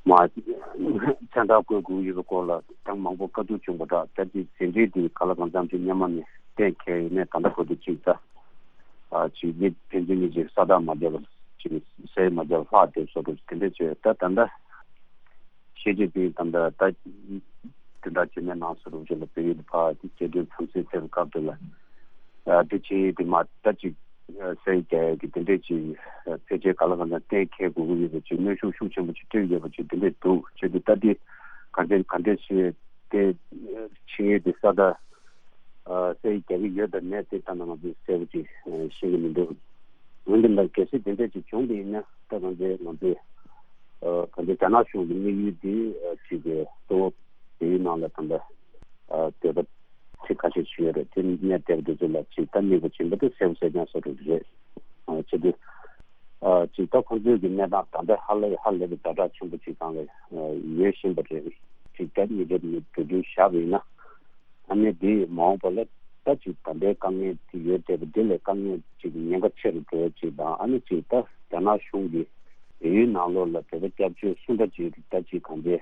མ་མཚན་རྟགས་བཀོད་དགོས་ཡོད་པའི་སྐོར་ལ་ཐེངས་མང་པོ་བཀའ་བསྡུར་བྱུང་བ་འདྲ། ད་ཅིག་ཟིན་བྲིས་འདི་ག་ལ་གང་འཚམ་ཅིག་སྔོན་མ་ནས་གཏན་འཁེལ་ཡོད་མེད་ད་ལྟ་བར་དུ་ཅིག་ད་ཨ་ཅིག་མི་ཕན་ཚུན་གཉིས་ཅིག་ས་རྟགས་མ་བརྒྱབ་པར་ཅིག་ཟས་མ་བརྒྱབ་པར་ལྷག་བསྡད་བཟོ་འདྲ་དེ་འདྲ་བྱས། ད་ད་ལྟ་ཞི་ཅིན་ཕིང་ད་ལྟ་ད་དེ་འདྲ་བྱས་ནས་ནང་སོ་རུ་ཅིག་ལ་བོད་ཡིག་ཕར་རྒྱལ་དོན་འཚམས་གཟིགས་ཕེབས་སྐབས་དེ་ལ། ཨ་དེ་ཆིངས་ཡིག་དེ་མ་ད་ཅིག་ཨ་གསལ་རྒྱག་ཡ་གི་དེ་འདྲས་ཅིག་ཨ་ཕལ་ཆེར་ག་ལ་གང་འཚམ་གཏན་འཁེལ་དགོས་ཀྱི་ཡོད་པ་ཅིག་གནོན་ཤུགས་ཤུགས་ཆེན་པོ་ཅིག་སྤྲོད་ཡོད་པ་ཅིག་དེ་འདྲས་འདུག་བྱས་དུས་ད་དེ་ག་འདྲས་ག་འདྲས་ཞིག་དེ་ཆིངས་ཡིག་དེ་ས་ད་ཨ་གསལ་རྒྱག་གི་ཡོད་དམ་མེད་དེ་ད་ནང་ང་ཚོས་གསལ་པོ་ཅིག་ཨ་ཤེས་ཀྱི་མི་འདུག་འོན་ཏེ་ལ་གལ་སྲིད་དེ་འདྲས་ཅིག་བྱུང་བ་ཡིན་ན་ད་ང་ཚོས་ང་ཚོས་ཨ་ག་འདྲས་རྒྱ་ནག་གཞུང་གི་དམིགས་ཡུལ་དེ་ཨ་ཅིག་གི་གཙོ་བོ་བོད་ཡིག་ནང་ལ་ད་ལྟ་ཨ་འདོད་པ་ཚིག་ཁ་ཤས་ཤིག་ཡོད་རེད། དེ་གནས་བསྡད་པ་དེ་ཚོ་ལ་ཅིག་ད་དམིགས་པ་བྱིན་པ་དེ་གསལ་པོ་གསལ་རྐྱང་བཟོ་འདྲ་རེད། ཨ་བྱས་ཏེ་ཨ་ཅིག་ད་ཁོང་ཚོའི་གི་གནས་སྟངས་ད་ལྟ་ཧ་ལས་ཧ་ལས་པའི་ཛ་དྲག་ཆེན་པོ་ཅིག་སྒང་ལ་ཨ་ཡོད་བཞིན་པ་རེད། ཅིག་ད་ཉིན་རེ་ཉིན་འགྲོ་རྒྱུན་བཞག་པ་ཡིན་ན་ཨ་ནི་དེ་མ་འོངས་པ་ལ་ད་ཅིག་ད་ལྟའི་དཀའ་ངལ་དེ་ཡོད་བསྡད་པ་དེ་ལས་དཀའ་ངལ་ཅིག་ཉེན་ཁ་ཆེ་རུ་འགྲོ་ཡ་ཅིག་དང་། ཨ་ནི་ཅིག་ད་རྒྱ་ནག་གཞུང་གིས་བལ་ཡུལ་ནང་ལོགས་ལ་བོད་པ་སྐྱབས་བཅོལ་སུ་འདྲ་ཅིག་ད་ཅིག་གང་དེ་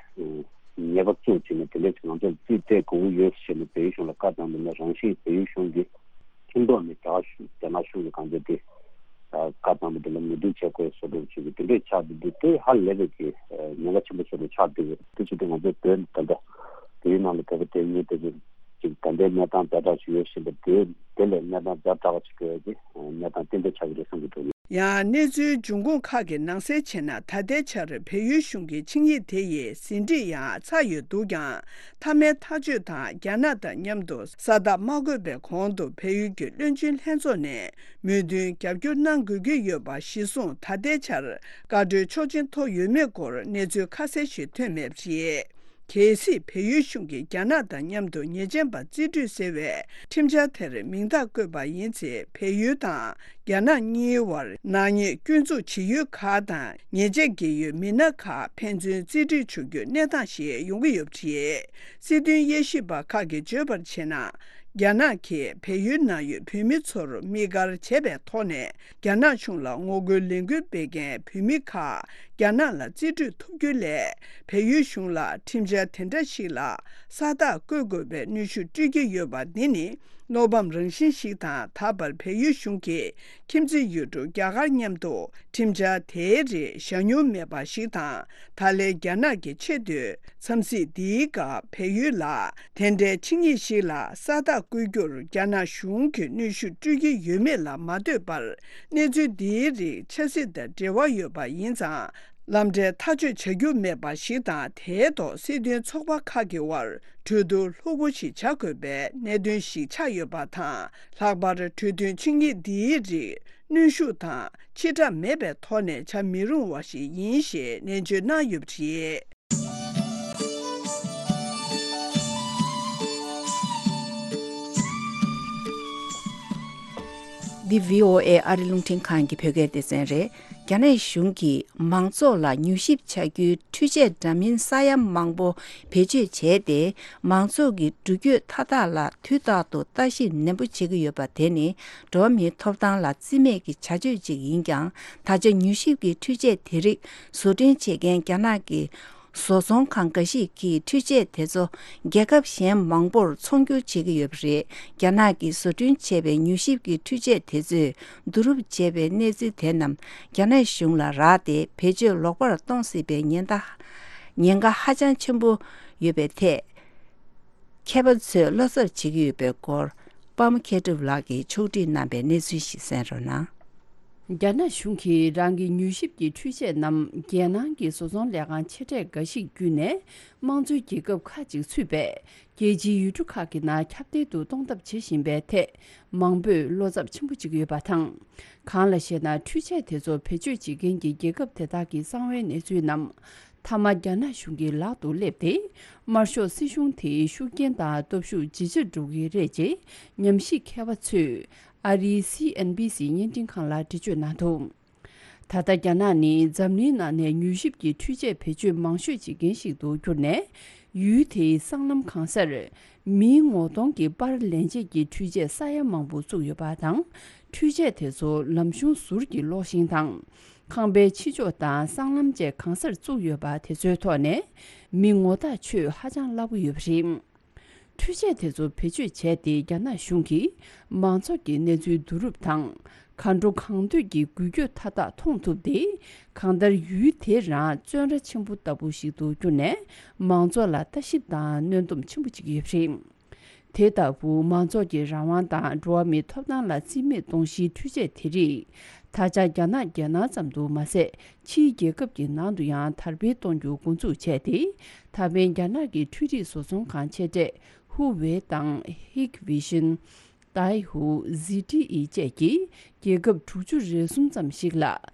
ཉེས་པ་བཙུགས་བྱས་ནས་དེ་འདྲས་ཅིག་ང་ཚོར་རྩིས་སྤྲད་དགོས་ཀྱི་ཡོད་ཟེར་ནས་བལ་ཡུལ་གཞུང་ལ་བཀའ་བཏང་བ་ན། རང་བཞིན་བལ་ཡུལ་གཞུང་གིས་ཁྲིམས་ཐོག་ནས་རྒྱ་གཞུང་རྒྱ་ནག་གཞུང་གི་གང་ལྟར་དེ་བཀའ་བཏང་བ་དེ་ལ་མོས་མཐུན་བྱེད་དགོས་བཟོ་འདྲ་ཅིག་གི་དེ་འདྲས་ཆགས་བསྡད་དུས། དེ་ཧ་ལས་པའི་གི་ཉེན་ཁ་ཆེན་པོ་བཟོ་འདྲ་ཆགས་བསྡད་ཡོད། དེ་བྱེད་དུས་ང་ཚོས་བོད་ད་ལྟ་བལ་ཡུལ་ནང་ལ་བོད་པ་དེ་ཉིད་དེ་ཚོ་ཅིག་ད་ལྟའི་གནས་སྟངས་ཛ་དྲག་ཅིག་ཡོད་བཞིན་པ་དེ་དེ་ལས་གནས་སྟངས་ཛ་དྲག་པ་ཅིག་འགྲོ་ཡ་དེ་གནས་སྟངས་ཏན་ཏན་ཆགས་ཀྱི་རེད་བསམ་གྱི་འདུག་ཡང་གནས་ཚུལ་འབྱུང་ཁུངས་ཁག་གིས་ནང་གསལ་བྱས་ན། ད་ལྟའི་ཆར་བལ་ཡུལ་གཞུང་གིས་ཆིངས་ཡིག་དེ་ཡི་ཟིན་བྲིས་ཡང་ཚར་ཡོད་འདུག་ཀྱང་། མཐའ་མའི་ཐག་གཅོད་དང་རྒྱ་ནག་དང་མཉམ་དུ་ས་རྟགས་མ་བཀོད་པའི་གོང་དུ་བལ་ཡུལ་གྱི་བློན་ཆེན་ལྷན་ཚོགས་ནས་མོས་མཐུན་རྒྱབ་སྐྱོར་གནང་དགོས་ཀྱི་ཡོད་པ་གཞིར་བཟུང་། ད་ལྟའི་ཆར་བཀའ་འཁྲོལ་ཆོག་མཆན་ཐོབ་ཡོད་མེད་སྐོར་གནས་ཚུལ་ཁ་གསལ་ཞིག་ཐོན་མེད་པ་རེད། གལ་སྲིད་བལ་ཡུལ་གཞུང་གིས་རྒྱ་ནག་དང་མཉམ་དུ་ཉེས་ཅན་པ་རྩིས་སྤྲོད་ཟེར་བའི་ཁྲིམས་འཆར་དེར་མིང་རྟགས་བཀོད་པ་ཡིན་ཚེ། བལ་ཡུལ་དང་ རྒྱ་ནག་གཉིས་བར་ནག་ཉེས་སྐྱོན་འཛུགས་བྱེད་ཡུལ་ཁག་དང་ཉེས་ཆད་འགེལ་ཡུལ་མི་སྣ་ཁག་ཕན་ཚུན་རྩིས་སྤྲོད་བྱ་རྒྱུའི་གནས་སྟངས་ཤིག་ཡོང་གི་ཡོད་པ་རེད། སྲིད་དོན་དབྱེ་ཞིབ་པ་ཁག་གིས་བརྗོད་པར་བྱས་ན། རྒྱ་ནག་གིས་བལ་ཡུལ་ནང་ཡོད་བོད་མི་ཚོར་དམིགས་བཀར་བྱས་པའི་ཐོག་ནས། རྒྱ་ནག་གཞུང་ལ་ངོ་རྒོལ་ལས་འགུལ་སྤེལ་མཁན་བོད་མི་ཁག་རྒྱ་ནག་ལ་རྩིས་སྤྲོད་ཐུབ་རྒྱུ་ལས། བལ་ཡུལ་གཞུང་ལ་ཁྲིམས་འཆར་དེ་འདྲ་ཞིག་ལ་ས་རྟགས་བཀོད་དགོས་པའི་གནོན་ཤུགས་སྤྲོད་ཀྱི་ཡོད་པ་འདི་ནི། བློ་ཕམ་རང་བཞིན་ཞིག་དང་། ད་བར་བལ་ཡུལ་གཞུང་གིས་ཁྱིམ་མཚེས་ཡུལ་གྲུ་རྒྱ་གར་མཉམ་དུ་ཁྲིམས་འཆར་དེའི་རིགས་བཞག་མྱོང་མེད་པ་ཞིག་དང་། ད་ལན་རྒྱ་ནག་གི་ཆེས་མཐོའི་འཚམས་གཟིགས་འདིའི་སྐབས་བལ་ཡུལ་ལ་དེ་འདྲའི་ཆིངས་ཡིག་ཞིག་ལ་ས་རྟགས་བཀོད་རྒྱུར་རྒྱ་ནག་གཞུང་གིས་གནོན་ཤུགས་སྤྲོད་ཀྱི་ཡོད་མེད་ལ་མ་ལྟོས་པར། གནས་ཚུལ་འདིའི་རིགས་ཆབ་སྲིད་དང་འབྲེལ་བ་ཡོད་པ་ཡིན་ཙང་། ལམ་འབྲས་ཐག་གཅོད་བྱ་རྒྱུ་མེད་པ་ཞིག་དང་། དེའི་ཐོག་སྲིད་དོན་ཚོགས་པ་ཁག་གི་དབར་གྲོས་བསྡུར་ལྷུག་པོ་ཞིག་བྱ་དགོས་པའི་གནད་དོན་ཞིག་ཆགས་ཡོད་པ་དང་། ལྷག་པར་གྲོས་མཐུན་ཆིངས་ཡིག་འདིའི་རིགས་གནོན་ཤུགས་དང་ཕྱི་བསྒྲགས་མེད་པའི་ཐོག་ནས་བྱ་མི་རུང་བ་ཞིག་ཡིན་ཞེས་ནན་བརྗོད་གནང་ཡོད་པ་རེད། འདི་བྷི་ཨོ་ཨེ་ཨ་རི་རླུང་འཕྲིན་ཁང་གི་བོད་སྐད་སྡེ་ཚན་རེད། རྒྱ་ནག་གཞུང་གིས་མང་ཚོགས་ལ་མྱུལ་ཞིབ་བྱ་རྒྱུའི་འཕྲུལ་ཆས་འདྲ་མིན་ས་ཡ་མང་པོ་བེད་སྤྱོད་བྱས་ཏེ། མང་ཚོགས་ཀྱི་འགྲུལ་སྐྱོད་མཐའ་དག་ལ་དུས་རྟག་ཏུ་ལྟ་ཞིབ་ནན་པོ་བྱེད་ཀྱི་ཡོད་པ་དེ་ནི། འགྲོ་བ་མིའི་ཐོབ་ཐང་ལ་བརྩི་མེད་ཀྱི་བྱ་སྤྱོད་ཅིག་ཡིན་ཀྱང་། ད་ཆ་མྱུལ་ཞིབ་ཀྱི་འཕྲུལ་ཆས་དེ་རིགས་བཟོ་སྐྲུན་བྱེད་མཁན་རྒྱ་ནག་གི་བཟོ་ཚོང་ཁང་འགའ་ཞིག་གིས་འཕྲུལ་ཆས་དེ་ཚོ་རྒྱལ་ཁབ་གཞན་མང་པོར་ཚོང་སྒྱུར་བྱེད་ཀྱི་ཡོད་པ་རེད། རྒྱ་ནག་གིས་བཟོ་སྐྲུན་བྱས་པའི་མྱུལ་ཞིབ་ཀྱི་འཕྲུལ་ཆས་དེ་ཚོས་བསྡུ་རུབ་བྱས་པའི་གནས་ཚུལ་དེ་རྣམས་རྒྱ་ནག་གཞུང་ལ་རག་སྟེ། བེད་སྤྱོད་ལོག་པར་གཏོང་སྲིད་པའི་ཉེན་བརྡ། ཉེན་ཁ་ཧ་ཅང་ཆེན་པོ་ཡོད་པའི་ཐད། མཁས་པ་ཚོས་བློ་འཚབ་བྱེད་ཀྱི་ཡོད་པའི་སྐོར། པདྨ་མཁས་གྲུབ་ལགས་ཀྱིས་ཕྱོགས་སྒྲིག་གནང་པའི་གནས་ཚུལ་ཞིག་གསན་རོགས་གནང་། རྒྱ་ནག་གཞུང་གིས་རང་གི་མྱུལ་ཞིབ་ཀྱི་འཕྲུལ་ཆས་རྣམས་རྒྱལ་ནང་གི་བཟོ་ཚོང་ལས་ཁང་ཆེ་གྲས་འགའ་ཞིག་བརྒྱུད་ནས། དམངས་གཙོའི་རྒྱལ་ཁབ་ཁག་ཅིག་ཚུད་པའི་རྒྱལ་སྤྱིའི་ཡུལ་གྲུ་ཁག་གི་ནང་ཁྱབ་གདལ་དུ་གཏོང་ཐབས་བྱེད་བཞིན་པའི་ཐད། མང་པོས་བློ་འཚབ་ཆེན་པོ་བྱེད་ཀྱི་ཡོད་པ་དང་། གང་ལ་ཞེ་ན། འཕྲུལ་ཆས་དེ་ཚོ་བེད་སྤྱོད་བྱེད་མཁན་གྱི་རྒྱལ་ཁབ་དེ་དག་གི་གསང་བའི་གནས་ཚུལ་རྣམས། མཐའ་མ་རྒྱ་ནག་གཞུང་གི་ལག་ཏུ་སླེབས་ཏེ། དམར་ཤོག་སྲིད་གཞུང་དེའི་ཤུགས་རྐྱེན་དང་སྟོབས་ཤུགས་ཇེ་ཆེར་འགྲོ་གི་རེད་ཅེས་ཉམས་ཞིབ་མཁས་པ་ཚོས་ཨ་རིའི་སི་ཨེན་བྷི་སི་བརྙན་འཕྲིན་ཁང་ལ་འགྲེལ་བརྗོད་གནང་འདུག། ད་ལྟ་རྒྱ་ནག་ནི་འཛམ་གླིང་ནང་ནས་མྱུལ་ཞིབ་ཀྱི་འཕྲུལ་ཆས་བེད་སྤྱོད་མང་ཤོས་བྱེད་མཁན་ཞིག་ཏུ་གྱུར་ནས། ཡུལ་དེའི་སྲང་ལམ་གང་སར་མིའི་ངོ་གདོང་གི་པར་ལེན་བྱེད་ཀྱི་འཕྲུལ་ཆས་ས་ཡ་མང་པོ་བཙུགས་ཡོད་པ་དང་། འཕྲུལ་ཆས་དེ་ཚོ་ལམ་གཞུང་ཟུར་གྱི་གློག་ཤིང་དང་། ཁང་པའི་ཕྱི་ཕྱོགས་དང་སྲང་ལམ་བཅས་གང་སར་བཙུགས་ཡོད་པ་དེ་ཚོའི་ཐོག་ནས་མི་ངོ་རྟགས་ཆོད་ཧ་ཅང་སླ་པོ་ཡོད་པ་རེད། འཕྲུལ་ཆས་དེ་ཚོ་བེད་སྤྱོད་བྱས་ཏེ། རྒྱ་ནག་གཞུང་གིས་མང་ཚོགས་ཀྱི་གནས་ཚུལ་བསྡུ་རུབ་དང་། གང་འགྲོ་གང་འདོད་ཀྱི་འགུལ་སྐྱོད་མཐའ་དག་མཐོང་ཐུབ་སྟེ། གང་ལྟར་ཡུལ་དེ་རང་བཙོན་ར་ཆེན་པོ་ལྟ་བུ་ཞིག་ཏུ་གྱུར་ནས། མང་ཚོགས་ལ་ལྟ་ཞིབ་དང་གནོན་སྡོམ་ཆེན་པོ་བྱེད་ཀྱི་ཡོད་པ་རེད། དེ་ལྟ་བུ་མང་ཚོགས་ཀྱི་རང་དབང་དང་འགྲོ་བ་མིའི་ཐོབ་ཐང་ལ་བརྩི་མེད་གཏོང་གཞིའི་འཕྲུལ་ཆས་དེ་རིགས། ད་ཆ་རྒྱ་ནག་རྒྱལ་ནང་ཙམ་དུ་མ་ཟད། ཕྱིའི་རྒྱལ་ཁབ་ཀྱི་ནང་དུ་ཡང་དར་སྤེལ་གཏོང་རྒྱུ་འགོ་འཛུགས་བྱས་ཏེ། ད་ཕན་རྒྱ་ནག་གི་འཕྲུལ་རིག་བཟོ་ཚོང་ཁང་ཆེ་གྲས་ཧུ་ཝེ་དང་Hikvision། Daihu། ཟི་ཏི་ཨི་བཅས་ཀྱིས་རྒྱལ་ཁབ་དྲུག་ཅུ་རེ་གསུམ་ཙམ་ཞིག་ལ་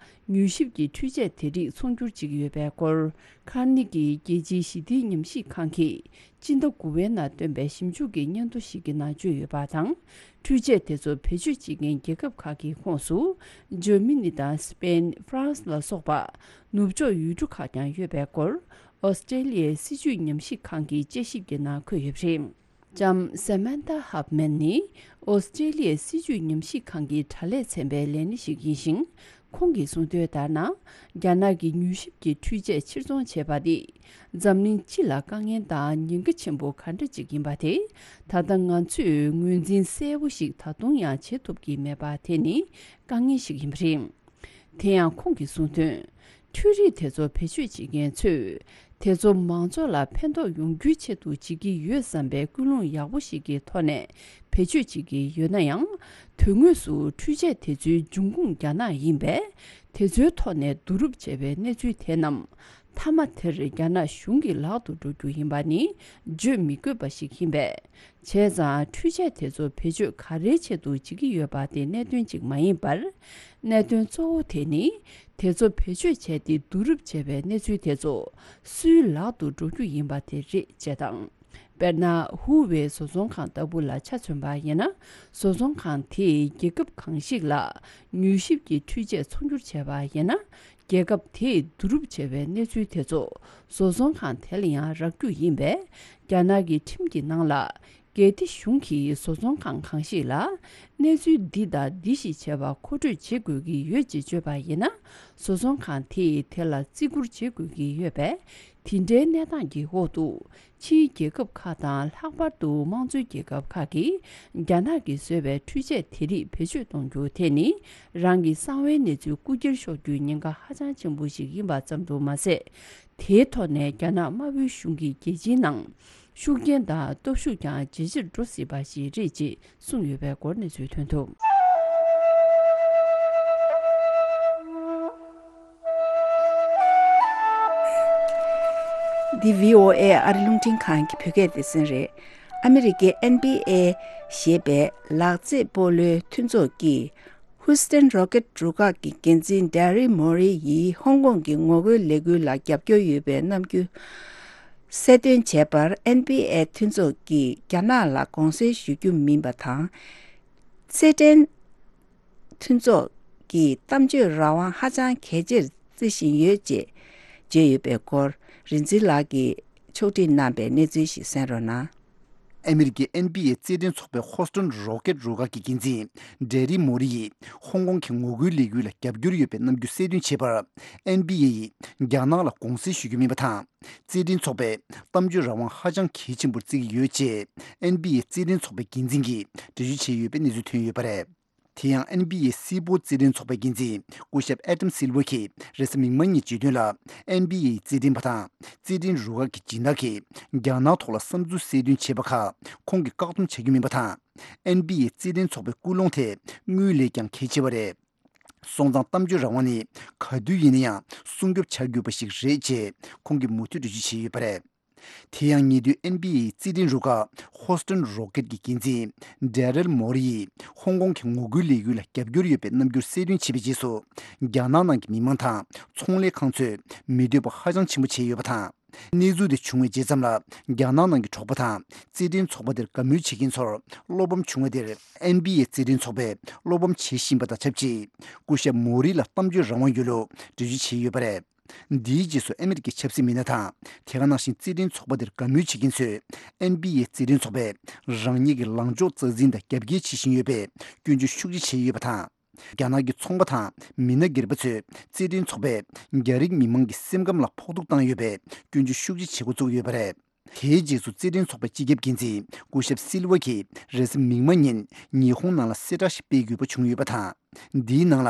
མྱུལ་ཞིབ་ཀྱི་འཕྲུལ་ཆས་དེ་རིགས་ཚོང་སྒྱུར་བྱེད་ཀྱི་ཡོད་པའི་སྐོར། ཁར་ནེ་གི་རྒྱལ་སྤྱིའི་ཞི་བདེའི་ཉམས་ཞིབ་ཁང་གིས་སྤྱི་ཟླ་དགུ་པའི་ནང་བཏོན་པའི་ཞིབ་འཇུག་གི་སྙན་ཐོ་ཞིག་གི་ནང་བརྗོད་ཡོད་པ་དང་། འཕྲུལ་ཆས་དེ་ཚོ་བེད་སྤྱོད་བྱེད་མཁན་རྒྱལ་ཁབ་ཁག་གི་ཁོངས་སུ། འཇར་མ་ནི་དང་སི་པེན། ཧྥ་རན་སི་ལ་སོགས་པ་ནུབ་ཕྱོགས་ཡུལ་གྲུ་ཁག་ཀྱང་ཡོད་པའི་སྐོར། ཨོ་སི་ཀྲེ་ལི་ཡའི་སྲིད་བྱུས་ཉམས་ཞིབ་ཁང་གི་དཔྱད་ཞིབ་ཀྱི་ནང་འཁོད་ཡོད་པ་རེད། ལྕམ་Samantha Huffman་ནི་ཨོ་སི་ཀྲེ་ལི་ཡའི་སྲིད་བྱུས་ཉམས་ཞིབ་ཁང་གི་དྲ་ལས་ཚན་པའི་ལས་སྣེ་ཞིག་ཡིན་ཞིང་། ཁོང་གིས་གསུངས་དོན་ལྟར་ན། རྒྱ་ནག་གི་མྱུལ་ཞིབ་ཀྱི་འཕྲུལ་ཆས་ཕྱིར་ཚོང་བྱས་པ་དེ། འཛམ་གླིང་སྤྱི་ལ་དཀའ་ངལ་དང་ཉེན་ཁ་ཆེན་པོ་ག་འདྲ་ཅིག་ཡིན་པ་དེ། ད་ལྟ་ང་ཚོས་ངོས་འཛིན་གསལ་པོ་ཞིག་ད་དུང་ཡང་བྱེད་ཐུབ་ཀྱི་མེད་པ་དེ་ནི་དཀའ་ངལ་ཞིག་ཡིན་པ་རེད། དེ་ཡང་ཁོང་གིས་གསུངས་དོན། འཕྲུལ་རིག་དེ་ཚོ་བེད་སྤྱོད་བྱེད་མཁན་ཚོས། དེ་ཚོ་མང་ཚོགས་ལ་ཕན་ཐོགས་ཡོང་རྒྱུའི་ཆེད་དུ་བྱེད་ཀྱི་ཡོད་བསམ་པའི་ཀུན་སློང་ཡག་པོ་ཞིག་གི་ཐོག་ནས་བེད་སྤྱོད་བྱེད་ཀྱི་ཡོད་ན་ཡང་། དོན་དངོས་སུ་འཕྲུལ་ཆས་དེ་ཚོའི་འབྱུང་ཁུངས་རྒྱ་ནག་ཡིན་པས། དེ་ཚོའི་ཐོག་ནས་བསྡུ་རུབ་བྱས་པའི་གནས་ཚུལ་དེ་རྣམས། མཐའ་མ་དེར་རྒྱ་ནག་གཞུང་གི་ལག་ཏུ་འགྲོ་རྒྱུ་ཡིན་པ་ནི་བརྗོད་མི་དགོས་པ་ཞིག་ཡིན་པས། བྱས་ཙང་འཕྲུལ་ཆས་དེ་ཚོ་བེད་སྤྱོད་ག་རེའི་ཆེད་དུ་བྱེད་ཀྱི་ཡོད་པ་དེ་གནད་དོན་གཅིག་མ་ཡིན་པར། གནད་དོན་གཙོ་བོ་དེ་ནི་དེ་ཚོ་བེད་སྤྱོད་བྱས་ཏེ་བསྡུ་རུབ་བྱས་པའི་གནས་ཚུལ་དེ་ཚོ་སུའི་ལག་ཏུ་འགྲོ་རྒྱུ་ཡིན་པ་དེ་རེད་ཅེས་དང་། དཔེར་ན། ཧུའུ་ཝེ་བཟོ་ཚོང་ཁང་ལྟ་བུ་ལ་ཆ་མཚོན་པ་ཡིན་ན། བཟོ་ཚོང་ཁང་དེས་རྒྱལ་ཁབ་གང་ཞིག་ལ་མྱུལ་ཞིབ་ཀྱི་འཕྲུལ་ཆས་ཚོང་སྒྱུར་བྱས་པ་ཡིན་ན། རྒྱལ་ཁབ་དེས་བསྡུ་རུབ་བྱས་པའི་གནས་ཚུལ་དེ་ཚོ་བཟོ་ཚོང་ཁང་དེ་ལ་ཡང་རག་རྒྱུ་ཡིན་པས། རྒྱ་ནག་གི་ཁྲིམས་ཀྱི་ནང་ལ། གལ་ཏེ་གཞུང་གིས་བཟོ་ཚོང་ཁང་གང་ཞིག་ལ་གནས་ཚུལ་འདི་དང་འདི་ཞིག་བྱས་པ་མཁོ་སྤྲོད་བྱེད་དགོས་ཀྱི་ཡོད་ཅེས་བརྗོད་པ་ཡིན་ན། བཟོ་ཚོང་ཁང་དེས་དེ་ལ་བརྩི་བཀུར་བྱེད་དགོས་ཀྱི་ཡོད་པས། དེ་འདྲའི་གནས་སྟངས་ཀྱི་འོག་ཏུ། ཕྱིའི་རྒྱལ་ཁབ་ཁག་དང་། ལྷག་པར་དུ་དམངས་གཙོའི་རྒྱལ་ཁབ་ཁག་གིས་རྒྱ་ནག་གིས་བཟོས་པའི་འཕྲུལ་ཆས་དེ་རིགས་བེད་སྤྱོད་གཏོང་རྒྱུ་དེ་ནི། རང་གི་གསང་བའི་གནས་ཚུལ་རྐུ་འཁྱེར་ཤོར་རྒྱུའི་ཉེན་ཁ་ཧ་ཅང་ཆེན་པོ་ཞིག་ཡིན་པ་ཙམ་དུ་མ་ཟད། དེའི་ཐོག་ནས་རྒྱ་ནག་དམར་པོའི་གཞུང་གིས་རྒྱལ་སྤྱིའི་ནང་ཤུགས་རྐྱེན་དང་སྟོབས་ཤུགས་ཀྱང་ཇེ་ཆེར་འགྲོ་སྲིད་པ་ཞིག་རེད་ཅེས་གསུངས་ཡོད་པའི་སྐོར་གནས་ཚུལ་ཐོན་འདུག། འདི་བྷི་ཨོ་ཨེ་ཨ་རི་རླུང་འཕྲིན་ཁང་གི་བོད་སྐད་སྡེ་ཚན་རེད། ཨ་མི་རི་ཀའི་ཨེན་བྷི་ཨེ་ཞེས་པའི་ལག་རྩེད་སྤོ་ལོའི་མཐུན་ཚོགས་ཀྱིས། ཧུའུ་སི་ཐན་རོ་ཀེད་རུ་ཁག་གི་འགན་འཛིན་ཌེ་རི་མོ་རི་ཡིས་ཧོང་ཀོང་གི་ངོ་རྒོལ་ལས་འགུལ་ལ་རྒྱབ་སྐྱོར་ཡོད་པའི་རྣམ་འགྱུར་གསལ་སྟོན་བྱས་པར། ཨེན་བྷི་ཨེ་མཐུན་ཚོགས་ཀྱིས་རྒྱ་ནག་ལ་དགོངས་སེལ་ཞུ་རྒྱུ་མིན་པ་དང་། རྩེད་འགྲན་མཐུན་ཚོགས་ཀྱི་གཏམ་བརྗོད་རང་དབང་ཧ་ཅང་གལ་ཆེར་བརྩི་བཞིན་ཡོད་ཅེས་བརྗོད་ཡོད་པའི་སྐོར། རིག་འཛིན་ལགས་ཀྱིས་ཕྱོགས་སྒྲིག་གནང་པའི་གནས་ཚུལ་ཞིག་གསན་རོགས་གནང་། ཨ་མི་རི་ཀའི་ཨེན་བྷི་ཨེ་རྩེད་འགྲན་ཚོགས་པའི་ཧོ་སི་ཊོན་རོ་ཀེད་རུ་ཁག་གི་འགན་འཛིན་ཌེ་རི་མོ་རི་ཡིས་ཧོང་ཀོང་གི་ངོ་རྒོལ་ལས་འགུལ་ལ་རྒྱབ་སྐྱོར་ཡོད་པའི་རྣམ་འགྱུར་གསལ་སྟོན་བྱས་པར། ཨེན་བྷི་ཨེ་ཡིས་རྒྱ་ནག་ལ་དགོངས་སེལ་ཞུ་རྒྱུ་མིན་པ་དང་། རྩེད་འགྲན་ཚོགས་པས་གཏམ་བརྗོད་རང་དབང་ཧ་ཅང་གལ་ཆེན་པོར་བརྩི་གི་ཡོད་ཅེས་ཨེན་བྷི་ཨེ་རྩེད་འགྲན་ཚོགས་པའི་འགན་འཛིན་གྱིས་འགྲེལ་བརྗོད་བྱས་ཡོད་པའི་གནས་ཚུལ་ཐོན་ཡོད་པ་རེད། དེ་ཡང་ཨེན་བྷི་ཨེ་སིལ་སྤོལ་རྩེད་འགྲན་ཚོགས་པའི་འགན་འཛིན་སྐུ་ཞབས་ཨེ་ཏམ་སིལ་ཝར་གྱིས་རེས་གཟའ་མིག་དམར་ཉིན་བརྗོད་དོན་ལ། ཨེན་བྷི་ཨེ་ཡི་རྩེད་འགྲན་པ་དང་རྩེད་འགྲན་རུ་ཁག་གི་སྦྱིན་བདག་གིས་རྒྱ་ནག་ཐོག་ལ་བསམ་ཚུལ་གསལ་སྟོན་བྱས་པ་ཁག་ཁོང་གིས་བཀག་སྡོམ་བྱ་རྒྱུ་མིན་པ་དང་། ཨེན་བྷི་ཨེ་རྩེད་འགྲན་ཚོགས་པའི་ཀུན་སློང་དེ་དངུལ་ལས་ཀྱང་གལ་ཆེ་བ་རེད། སོང་ཙང་གཏམ་བརྗོད་རང་དབང་ནི་ག་དུས་ཡིན་ན་ཡང་སྲུང་སྐྱོབ་བྱ་དགོས་པ་ཞིག་རེད་ཅེས་ཁོང་གིས་མུ་མཐུད་འགྲེལ་བརྗོད་བྱས་ཡོད་པ་རེད། དེ་ཡང་ཉེ་དུས་ཨེན་བྷི་ཨེ་ཡི་རྩེད་འགྲན་རུ་ཁག་ཧོ་སི་ཊོན་རོ་ཀེད་ཀྱི་འགན་འཛིན་ཌེ་རེལ་མོ་རི་ཡིས་ཧོང་ཀོང་གི་ངོ་རྒོལ་ལས་འགུལ་ལ་རྒྱབ་སྐྱོར་ཡོད་པའི་རྣམ་འགྱུར་གསལ་སྟོན་བྱས་པའི་རྗེས་སུ། རྒྱ་ནག་ནང་གི་མི་མང་དང་ཚོང་ལས་ཁང་ཚོས་མི་འདོད་པ་ཧ་ཅང་ཆེན་པོ་བྱས་ཡོད་པ་དང་། གནས་ཚུལ་དེ་བྱུང་བའི་རྗེས་ཙམ་ལ། རྒྱ་ནག་ནང་གི་གྲོགས་པོ་དང་རྩེད་འགྲན་ཚོགས་པ་དེར་དགའ་མོས་བྱེད་མཁན་ཚོར་བློ་ཕམ་བྱུང་བ་དེར། ཨེན་བྷི་ཨེ་རྩེད་འགྲན་ཚོགས་པས་བློ་ཕམ་བྱེད་བཞིན་པ་དང་ཆབས་ཅིག་སྐུ་ཞབས་མོ་རི་ལ་གཏམ་བརྗོད་རང་དབང་ཡོད་ལུགས་འགྲེལ་བརྗོད་བྱས་ཡོད་པ་རེད། འདིའི་རྗེས་སུ་ཨ་མི་རི་ཀའི་ཆབ་སྲིད་མི་སྣ་དང་། དེ་ག་ནང་བཞིན་རྩེད་འགྲན་ཚོགས་པ་དེར་དགའ་མོས་བྱེད་མཁན་ཚོས། ཨེན་བྷི་ཨེ་རྩེད་འགྲན་ཚོགས་པས་རང་ཉིད་ཀྱི་ལངས་ཕྱོགས་རྩ་འཛིན་དང་རྒྱབ་འགལ་བྱེད་བཞིན་ཡོད་པས་སྐྱོན་བརྗོད་ཤུགས་ཆེ་བྱས་ཡོད་པ་དང་། རྒྱ་ནག་གི་ཚོང་པ་དང་མི་སྣ་སྒེར་པ་ཚོས་རྩེད་འགྲན་ཚོགས་པས་རྒྱ་རིགས་མི་མང་གི་སེམས་ཁམས་ལ་ཕོག་ཐུག་བཏང་ཡོད་པས་སྐྱོན་བརྗོད་ཤུགས་ཆེ་བྱེད་འགོ་བཙུགས་ཡོད་པ་རེད། དེའི་རྗེས་སུ་རྩེད་འགྲན་ཚོགས་པའི་སྤྱི་ཁྱབ་འགན་འཛིན་སྐུ་ཞབས་སིལ་ཝ་གྱིས་རེས་གཟའ་མིག་དམར་ཉིན་ཉི་ཧོང་ནང་ལ་གསལ་བསྒྲགས་ཤིག་སྤེལ་དགོས་པ་བྱུང་ཡོད་པ་དང་། འདིའི་ནང་ལ་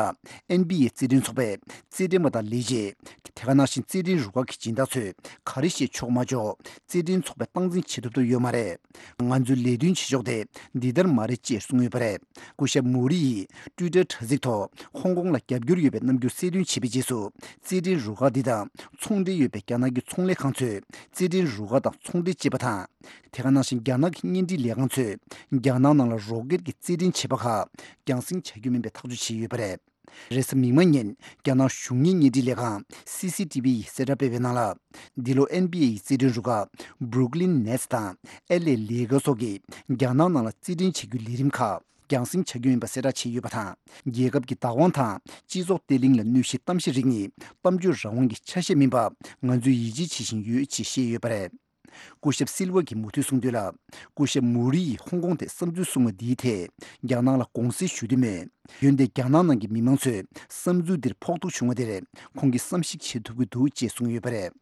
ཨེན་བྷི་ཨེ་རྩེད་འགྲན་ཚོགས་པས་རྩེད་འགྲན་པ་དང་ལས་བྱེད། དེ་ག་ནང་བཞིན་རྩེད་འགྲན་རུ་ཁག་གི་སྦྱིན་བདག་ཚོས་ག་རེ་བཤད་ཆོག་མ་ཆོག་རྩེད་འགྲན་ཚོགས་པས་སྟངས་འཛིན་བྱེད་ཐུབ་ཐབས་ཡོད་མ་རེད། ང་ཚོའི་ལས་དོན་བྱེད་ཕྱོགས་དེ་འདི་ལྟར་མ་རེད་ཅེས་གསུངས་ཡོད་པ་རེད། སྐུ་ཞབས་མོ་རི་ཡིས་ཊུའི་ཊར་དྲ་ཚིགས་ཐོག་ཧོང་ཀོང་ལ་རྒྱབ་སྐྱོར་ཡོད་པའི་རྣམ་འགྱུར་གསལ་སྟོན་བྱས་པའི་རྗེས་སུ། རྩེད་འགྲན་རུ་ཁག་འདི་དང་ཚོང་འབྲེལ་ཡོད་པའི་རྒྱ་ནག་གི་ཚོང་ལས་ཁང་ཚོས་རྩེད་འགྲན་རུ་ཁག་དང་ཚོང་འབྲེལ་བྱེད་པ་དང་། དེ་ག་ནང་བཞིན་རྒྱ་ནག་གི་བརྙན་འཕྲིན་ལས་ཁང་ཚོས་རྒྱ་ནག་ནང་ལ་རོ་ཀེད་ཀྱི་རྩེད་འགྲན་བྱེད་པ་ཁག་རྒྱང་སྲིང་བྱ་རྒྱུ་མིན་པའི་ཐག་གཅོད་བྱས་ཡོད་པ་རེད། རེས་གཟའ་མིག་དམར་ཉིན་རྒྱ་ནག་གཞུང་གཉེར་བརྙན་འཕྲིན་ལས་ཁང་སི་སི་ཊི་བི་ཡིས་གསལ་བསྒྲགས་སྤེལ་བའི་ནང་ལ། འདི་ལོ་ཨེན་བྷི་ཨེ་ཡི་རྩེད་འགྲན་རུ་ཁག་Brooklyn Nets་དང་ཨེལ་ཨེ་Lakers་སོགས་ཀྱིས་རྒྱ་ནག་ནང་ལ་རྩེད་འགྲན་བྱེད་རྒྱུའི་ལས་རིམ་ཁག་རྒྱང་སྲིང་བྱ་རྒྱུ་ཡིན་པ་གསལ་བསྒྲགས་བྱས་ཡོད་པ་དང་། རྒྱལ་ཁབ་ཀྱི་བདག་དབང་དང་སྤྱི་ཚོགས་བརྟན་ལྷིང་ལ་གནོད་གཞིའི་གཏམ་བཤད་རིགས་ནི་གཏམ་བརྗོད་རང་དབང་གི་ཆ་ཤས་མིན་པ་ང་ཚོས་ཡིད་ཆེས་བྱེད་བཞིན་ཡོད་ཅེས་བཤད་ཡོད་པ་རེད། སྐུ་ཞབས་སིལ་ཝ་གིས་མུ་མཐུད་གསུངས་དོན་ལ། སྐུ་ཞབས་མུ་རི་ཡིས་ཧོང་ཀོང་ཐད་བསམ་ཚུལ་གསུངས་པ་འདིའི་ཐད་རྒྱ་ནག་ལ་དགོངས་སེལ་ཞུ་འདོད་མེད། འོན་ཏེ་རྒྱ་ནག་ནང་གི་མི་མང་ཚོས་བསམ་ཚུལ་འདིར་ཕོག་ཐུག་བྱུང་བ་དེར་ཁོང་གིས་བསམ་གཞིག་བྱེད་ཐུབ་ཀྱི་འདུག་ཅེས་གསུངས་ཡོད་པ་རེད།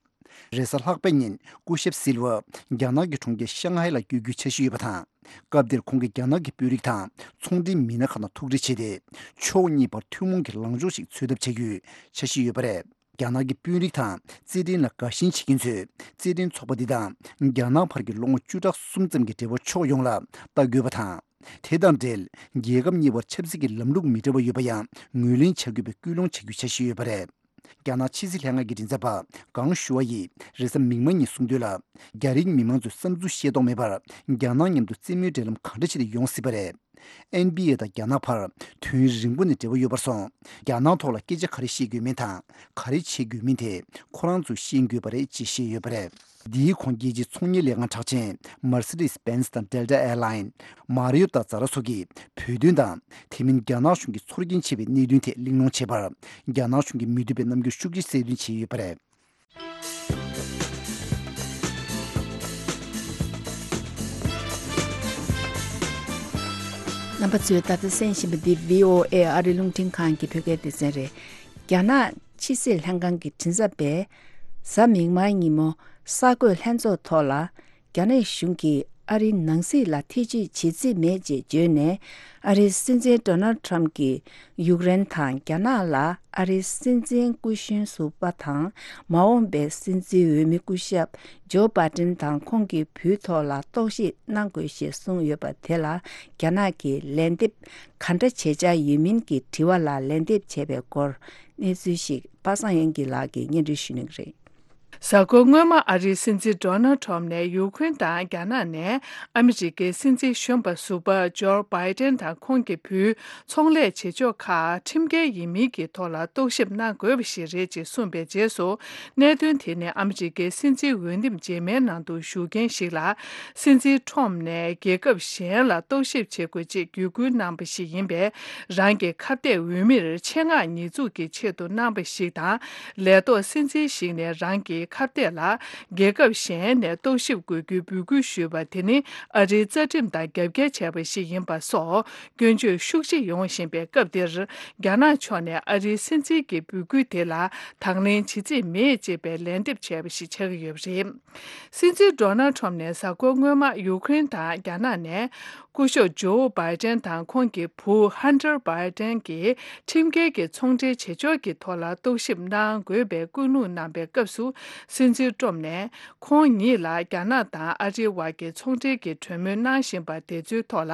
རེས་གཟའ་ལྷག་པའི་ཉིན་སྐུ་ཞབས་སིལ་ཝ་རྒྱ་ནག་གི་གྲོང་ཁྱེར་ཤང་ཧའེ་ལ་བསྐྱོད་རྒྱུའི་འཆར་གཞི་ཡོད་པ་དང་། སྐབས་དེར་ཁོང་གིས་རྒྱ་ནག་གི་དཔོན་རིགས་དང་ཚོང་འབྲེལ་མི་སྣ་ཁག་དང་ཐུག་འཕྲད་བྱས་ཏེ། ཕྱོགས་གཉིས་བར་ཐུན་མོང་གི་ལངས་ཕྱོགས་ཤིག་འཚོལ་ཐབས་བྱ་རྒྱུའི་འཆར་གཞི་ཡོད་པ་རེད། རྒྱ་ནག་གི་དཔོན་རིགས་དང་རྩེད་འགྲན་ལ་དགའ་ཞེན་བྱེད་མཁན་ཚོས་རྩེད་འགྲན་ཚོགས་པ་འདི་དང་རྒྱ་ནག་བར་གྱི་ལོ་ངོ་བཅུ་ཕྲག་གསུམ་ཙམ་གྱི་འབྲེལ་བ་ཕྱོགས་ཡོངས་ལ་ལྟ་དགོས་པ་དང་། དེ་དང་འབྲེལ་རྒྱལ་ཁབ་གཉིས་བར་ཆབ་སྲིད་ཀྱི་ལམ་ལུགས་མི་འདྲ་བ་ཡོད་པ་ཡང་ངོས་ལེན་བྱ་དགོས་པའི་སྐུལ་སློང་བྱ་རྒྱུའི་འཆར་གཞི་ཡོད་པ་རེད། རྒྱ་ནག་ཕྱི་སྲིད་ལྷན་ཁང་གི་མགྲིན་ཚབ་པ་ཀང་ཞུ་ཝ་ཡིས་རེས་གཟའ་མིག་དམར་ཉིན་གསུངས་དོན་ལ། རྒྱ་རིགས་མི་མང་ཚོས་བསམ་ཚུལ་བཤད་ཐོག་མེད་པར་རྒྱ་ནག་མཉམ་དུ་རྩེད་མོའི་འབྲེལ་ལམ་གང་འདྲ་བྱས་ཏེ་ཡོང་སྲིད་པ་རེད། ཨེན་བྷི་ཨེ་དང་རྒྱ་ནག་བར་དུས་ཡུན་རིང་པོ་ནས་འབྲེལ་བ་ཡོད་པར་སོང་། རྒྱ་ནག་ཐོག་ལ་སྐད་ཆ་ག་རེ་བཤད་དགོས་མིན་དང་ག་རེ་བྱེད་དགོས་མིན་དེ་ཁོ་རང་ཚོས་ཤེས་དགོས་པ་རེད་ཅེས་བཤད་ཡོད་པ་རེད། འདིའི་གོང་རྒྱལ་སྤྱིའི་ཚོང་གཉེར་ལས་ཁང་གྲགས་ཅན་Mercedes-Benz་དང་Delta Airline། Marriott་དང་Zara་སོགས་ཀྱི་བོད་དོན་དང་། དེ་མིན་རྒྱ་ནག་གཞུང་གི་ཚོར་སྐྱེན་ཆེ་བའི་གནད་དོན་ཐད་གླེང་སློང་བྱས་པར། རྒྱ་ནག་གཞུང་གིས་མི་འདོད་པའི་རྣམ་འགྱུར་ཤུགས་ཆེ་གསལ་སྟོན་བྱས་ཡོད་པ་རེད། རྣམ་པ་ཚོས་ད་ལྟ་གསན་བཞིན་པ་འདི་V O A་ཨ་རི་རླུང་འཕྲིན་ཁང་གི་བོད་སྐད་སྡེ་ཚན་རེད། རྒྱ་ནག་ཕྱི་སྲིད་ལྷན་ཁང་གི་མགྲིན་ཚབ་པས། གཟའ་མིག་དམར་ཉིན་མོ། གསར་འགོད་ལྷན་ཚོགས་ཐོག་ལ། རྒྱ་ནག་གཞུང་གིས་ཨ་རིའི་ནང་སྲིད་ལ་ཐེ་བྱུས་བྱེད་རྩིས་མེད་ཅེས་བརྗོད་ནས། ཨ་རིའི་སྲིད་འཛིན་Donald Trump་གྱིས་ཡུཀ་རེན་དང་རྒྱ་ནག་ལ་ཨ་རིའི་སྲིད་འཛིན་སྐུ་གཞོན་ཟུར་པ་དང་། མ་འོངས་པའི་སྲིད་འཛིན་འོས་མི་སྐུ་ཞབས་ཇོ་བྷའི་ཏིན་དང་ཁོང་གི་བུའི་ཐོག་ལ་རྟོག་ཞིབ་གནང་དགོས་ཞེས་གསུངས་ཡོད་པ་དེ་ལ། རྒྱ་ནག་གིས་ལན་འདེབས་ག་འདྲ་བྱེད་འཆར་ཡོད་མིན་གྱི་དྲི་བ་ལ་ལན་འདེབས་བྱས་པའི་སྐོར། གནས་ཚུལ་ཞིག་པ་སངས་དབྱངས་སྐྱིད་ལགས་ཀྱིས་སྙན་སྒྲོན་ཞུ་གནང་གི་རེད། གཟའ་འཁོར་སྔོན་མ་ཨ་རིའི་སྲིད་འཛིན་Donald Trump་ནས་ཡུ་ཁུ་རེན་དང་རྒྱ་ནག་ནས་ཨ་མི་རི་ཀའི་སྲིད་འཛིན་གཞོན་པ་ཟུར་པ་ཇོ་བྷའི་ཏན་དང་ཁོང་གི་བུའི་ཚོང་ལས་བྱེད་ཕྱོགས་ཁག་ཁྲིམས་འགལ་ཡིན་མིན་གྱི་ཐོག་ལ་རྟོག་ཞིབ་གནང་དགོས་པ་ཞིག་རེད་ཅེས་གསུངས་པའི་རྗེས་སུ། གནད་དོན་དེ་ནི་ཨ་མི་རི་ཀའི་སྲིད་འཛིན་འོས་འདེམས་རྗེས་མའི་ནང་དུ་ཞུགས་མཁན་ཞིག་ལ། སྲིད་འཛིན་Trump་ནས་རྒྱལ་ཁབ་གཞན་ལ་རྟོག་ཞིབ་བྱེད་དགོས་ཅེས་བརྒྱུད་སྐུལ་གནང་པ་ཞིག་ཡིན་པས། རང་གི་ཁ་གཏད་འོས་མིར་ཆེད་མངགས་ཉེས་འཛུགས་ཀྱི་ཆེད་དུ་གནང་པ་ཞིག་དང་། ལས་ཐོག་སྲིད་འཛིན་ཞིག་ནས་རང་གི་ཁ་གཏད་ལ་རྒྱལ་ཁབ་གཞན་ནས་རྟོག་ཞིབ་དགོས་རྒྱུའི་འབོད་སྐུལ་ཞུས་པ་དེ་ནི་ཨ་རིའི་རྩ་ཁྲིམས་དང་རྒྱབ་འགལ་བྱས་པ་ཞིག་ཡིན་པ་སོགས་སྐྱོན་བརྗོད་ཤུགས་ཆེ་ཡོང་བཞིན་པའི་སྐབས་འདིར། རྒྱ་ནག་ཕྱོགས་ནས་ཨ་རིའི་སྲིད་འཛིན་གྱི་འབོད་སྐུལ་དེ་ལ་དང་ལེན་བྱེད་རྩིས་མེད་ཅེས་པའི་ལན་འདེབས་བྱས་པ་ཞིག་ཆགས་ཀྱི་ཡོད་པ་རེད། སྲིད་འཛིན་Donald Trump་ནས་གཟའ་འཁོར་སྔོན་མ་ཡུ་ཁུ་རེན་དང་རྒྱ་ནག་ནས་སྐུ་ཞབས་ཇོ་བྷའི་ཏན་དང་ཁོང་གི་བུ་ཧན་ཏར་བྷའི་ཏན་གྱིས་ཁྲིམས་འགལ་གྱི་ཚོང་འབྲེལ་བྱེད་ཕྱོགས་ཀྱི་ཐོག་ལ་རྟོག་ཞིབ་གནང་དགོས་པའི་བཀོད་ལུགས་གནང་པའི་སྐབས་སུ། སྲིད་འཛིན་ཊམ་ནས་ཁོང་ཉིད་ལ་རྒྱ་ནག་དང་ཨ་རིའི་བར་གྱི་ཚོང་འབྲེལ་གྱི་གྲོས་མོལ་གནང་བཞིན་པ་དེ་ཚོའི་ཐོག་ལ་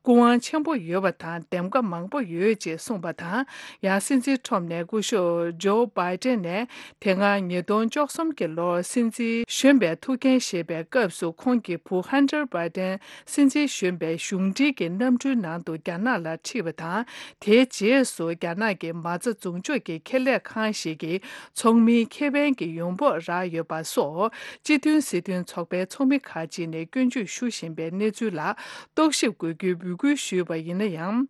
སྐུ་དབང་ཆེན་པོ་ཡོད་པ་དང་འདེམས་ཀ་མང་པོ་ཡོད་ཅེས་གསུངས་པ་དང་། ཡང་སྲིད་འཛིན་ཊམ་ནས་སྐུ་ཞབས་ཇོ་བྷའི་ཏན་ནས། དེ་སྔ་ཉིས་སྟོང་བཅུ་གསུམ་གྱི་ལོར་སྲིད་འཛིན་གཞོན་པའི་ཐུགས་འགན་བཞེས་པའི་སྐབས་སུ་ཁོང་གི་བུ་ཧན་ཏར་བྷའི་ཏན་སྲིད་འཛིན་གཞོན་པའི་གཞུང་འབྲེལ་གྱི་གནམ་གྲུའི་ནང་དུ་རྒྱ་ནག་ལ་ཁྲིད་པ་དང་། དེའི་རྗེས་སུ་རྒྱ་ནག་གི་མ་རྩ་འཛུགས་འཇོག་གི་ཁེ་ལས་ཁང་ཞིག་གི་ཚོགས་མིའི་ཁེ་ཕན་གྱི་ཡོང་འབབ་རག་ཡོད་པ་སོགས། སྤྱི་མཐུན་སྲིད་དོན་ཚོགས་པའི་ཚོགས་མི་ཁག་ཅིག་ནས་སྐྱོན་བརྗོད་ཞུ་བཞིན་པའི་གནས་ཚུལ་ལ་རྟོག་ཞིབ་དགོས་རྒྱུའི་འབོད་སྐུལ་ཞུས་པ་ཡིན་ན་ཡང་།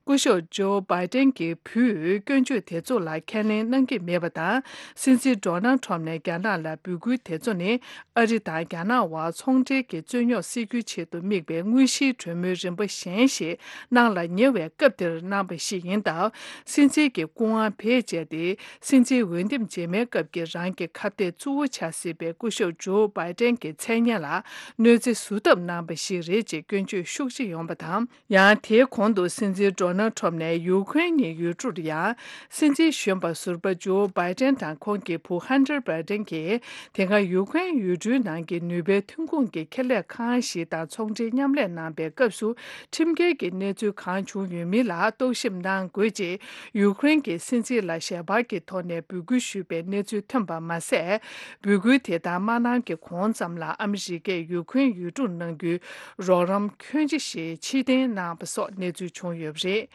སྐུ་ཞབས་ཇོ་བྷའི་ཏན་གྱི་བུས་སྐྱོན་བརྗོད་དེ་ཚོ་ལ་ཁས་ལེན་གནང་གི་མེད་པ་དང་། སྲིད་འཛིན་ཌོ་ནལ་ཊམ་ནས་རྒྱ་ནག་ལ་འབོད་སྐུལ་དེ་ཚོ་ནི། ཨ་རི་དང་རྒྱ་ནག་དབར་ཚོང་འབྲེལ་གྱི་རྩོད་རྙོག་སེལ་རྒྱུའི་ཆེད་དུ་དམིགས་པའི་དངོས་གཞིའི་གྲོས་མོལ་རིམ་པ་གཞན་ཞིག་གནང་ལ་ཉེ་བའི་སྐབས་དེར་གནང་པ་ཞིག་ཡིན་སྟབས། སྲིད་འཛིན་གྱི་སྐུ་དབང་བེད་སྤྱད་དེ། སྲིད་འཛིན་འོས་འདེམས་རྗེས་མའི་སྐབས་ཀྱི་རང་གི་ཁ་གཏད་གཙོ་བོ་ཆགས་སྲིད་པའི་སྐུ་ཞབས་ཇོ་བྷའི་ཏན་གྱི་མཚན་སྙན་ལ་གནོད་འཚེ་བཟོ་ཐབས་གནང་པ་ཞིག་རེད་ཅེས་སྐྱོན་བརྗོད་ཤུགས་ཆེ་ཡོང་པ་དང་། ཡང་དེའི་གོང་དུ་སྲིད་འཛིན་ཌོ་ནལ་ཊམ་ནས་ཡུ་ཁུ་རེན་གྱི་ཡུལ་གྲུར་ཡང་། སྲིད་འཛིན་གཞོན་པ་ཟུར་པ་ཇོ་བྷའི་ཏན་དང་ཁོང་གི་བུ་ཧན་ཏར་བྷའི་ཏན་གྱིས། དེ་སྔ་ཡུ་ཁུ་རེན་ཡུལ་གྲུའི་ནང་གི་ནུས་པའི་ཐོན་ཁུངས་ཀྱི་ཁེ་ལས་ཁང་ཞིག་དང་ཚོང་འབྲེལ་མཉམ་ལས་གནང་པའི་སྐབས་སུ། ཁྲིམས་འགལ་གྱི་གནས་ཚུལ་གང་བྱུང་ཡོད་མིན་ལ་རྟོག་ཞིབ་གནང་དགོས་ཅེས། ཡུ་ཁུ་རེན་གྱི་སྲིད་འཛིན་ལ་ཞལ་པར་གྱི་ཐོག་ནས་འབོད་སྐུལ་ཞུས་པའི་གནས་ཚུལ་ཐོན་པ་མ་ཟད། འབོད་སྐུལ་དེ་དག་མ་གནང་གི་གོང་ཙམ་ལ་ཨ་མི་རི་ཀས་ཡུ་ཁུ་རེན་ཡུལ་གྲུར་གནང་རྒྱུའི་རོགས་རམ་ཁྱོན་ཆེ་ཞིག་ཕྱིར་འཐེན་གནང་པ་སོགས་གནས་ཚུལ་བྱུང་ཡོད་པ་རེད།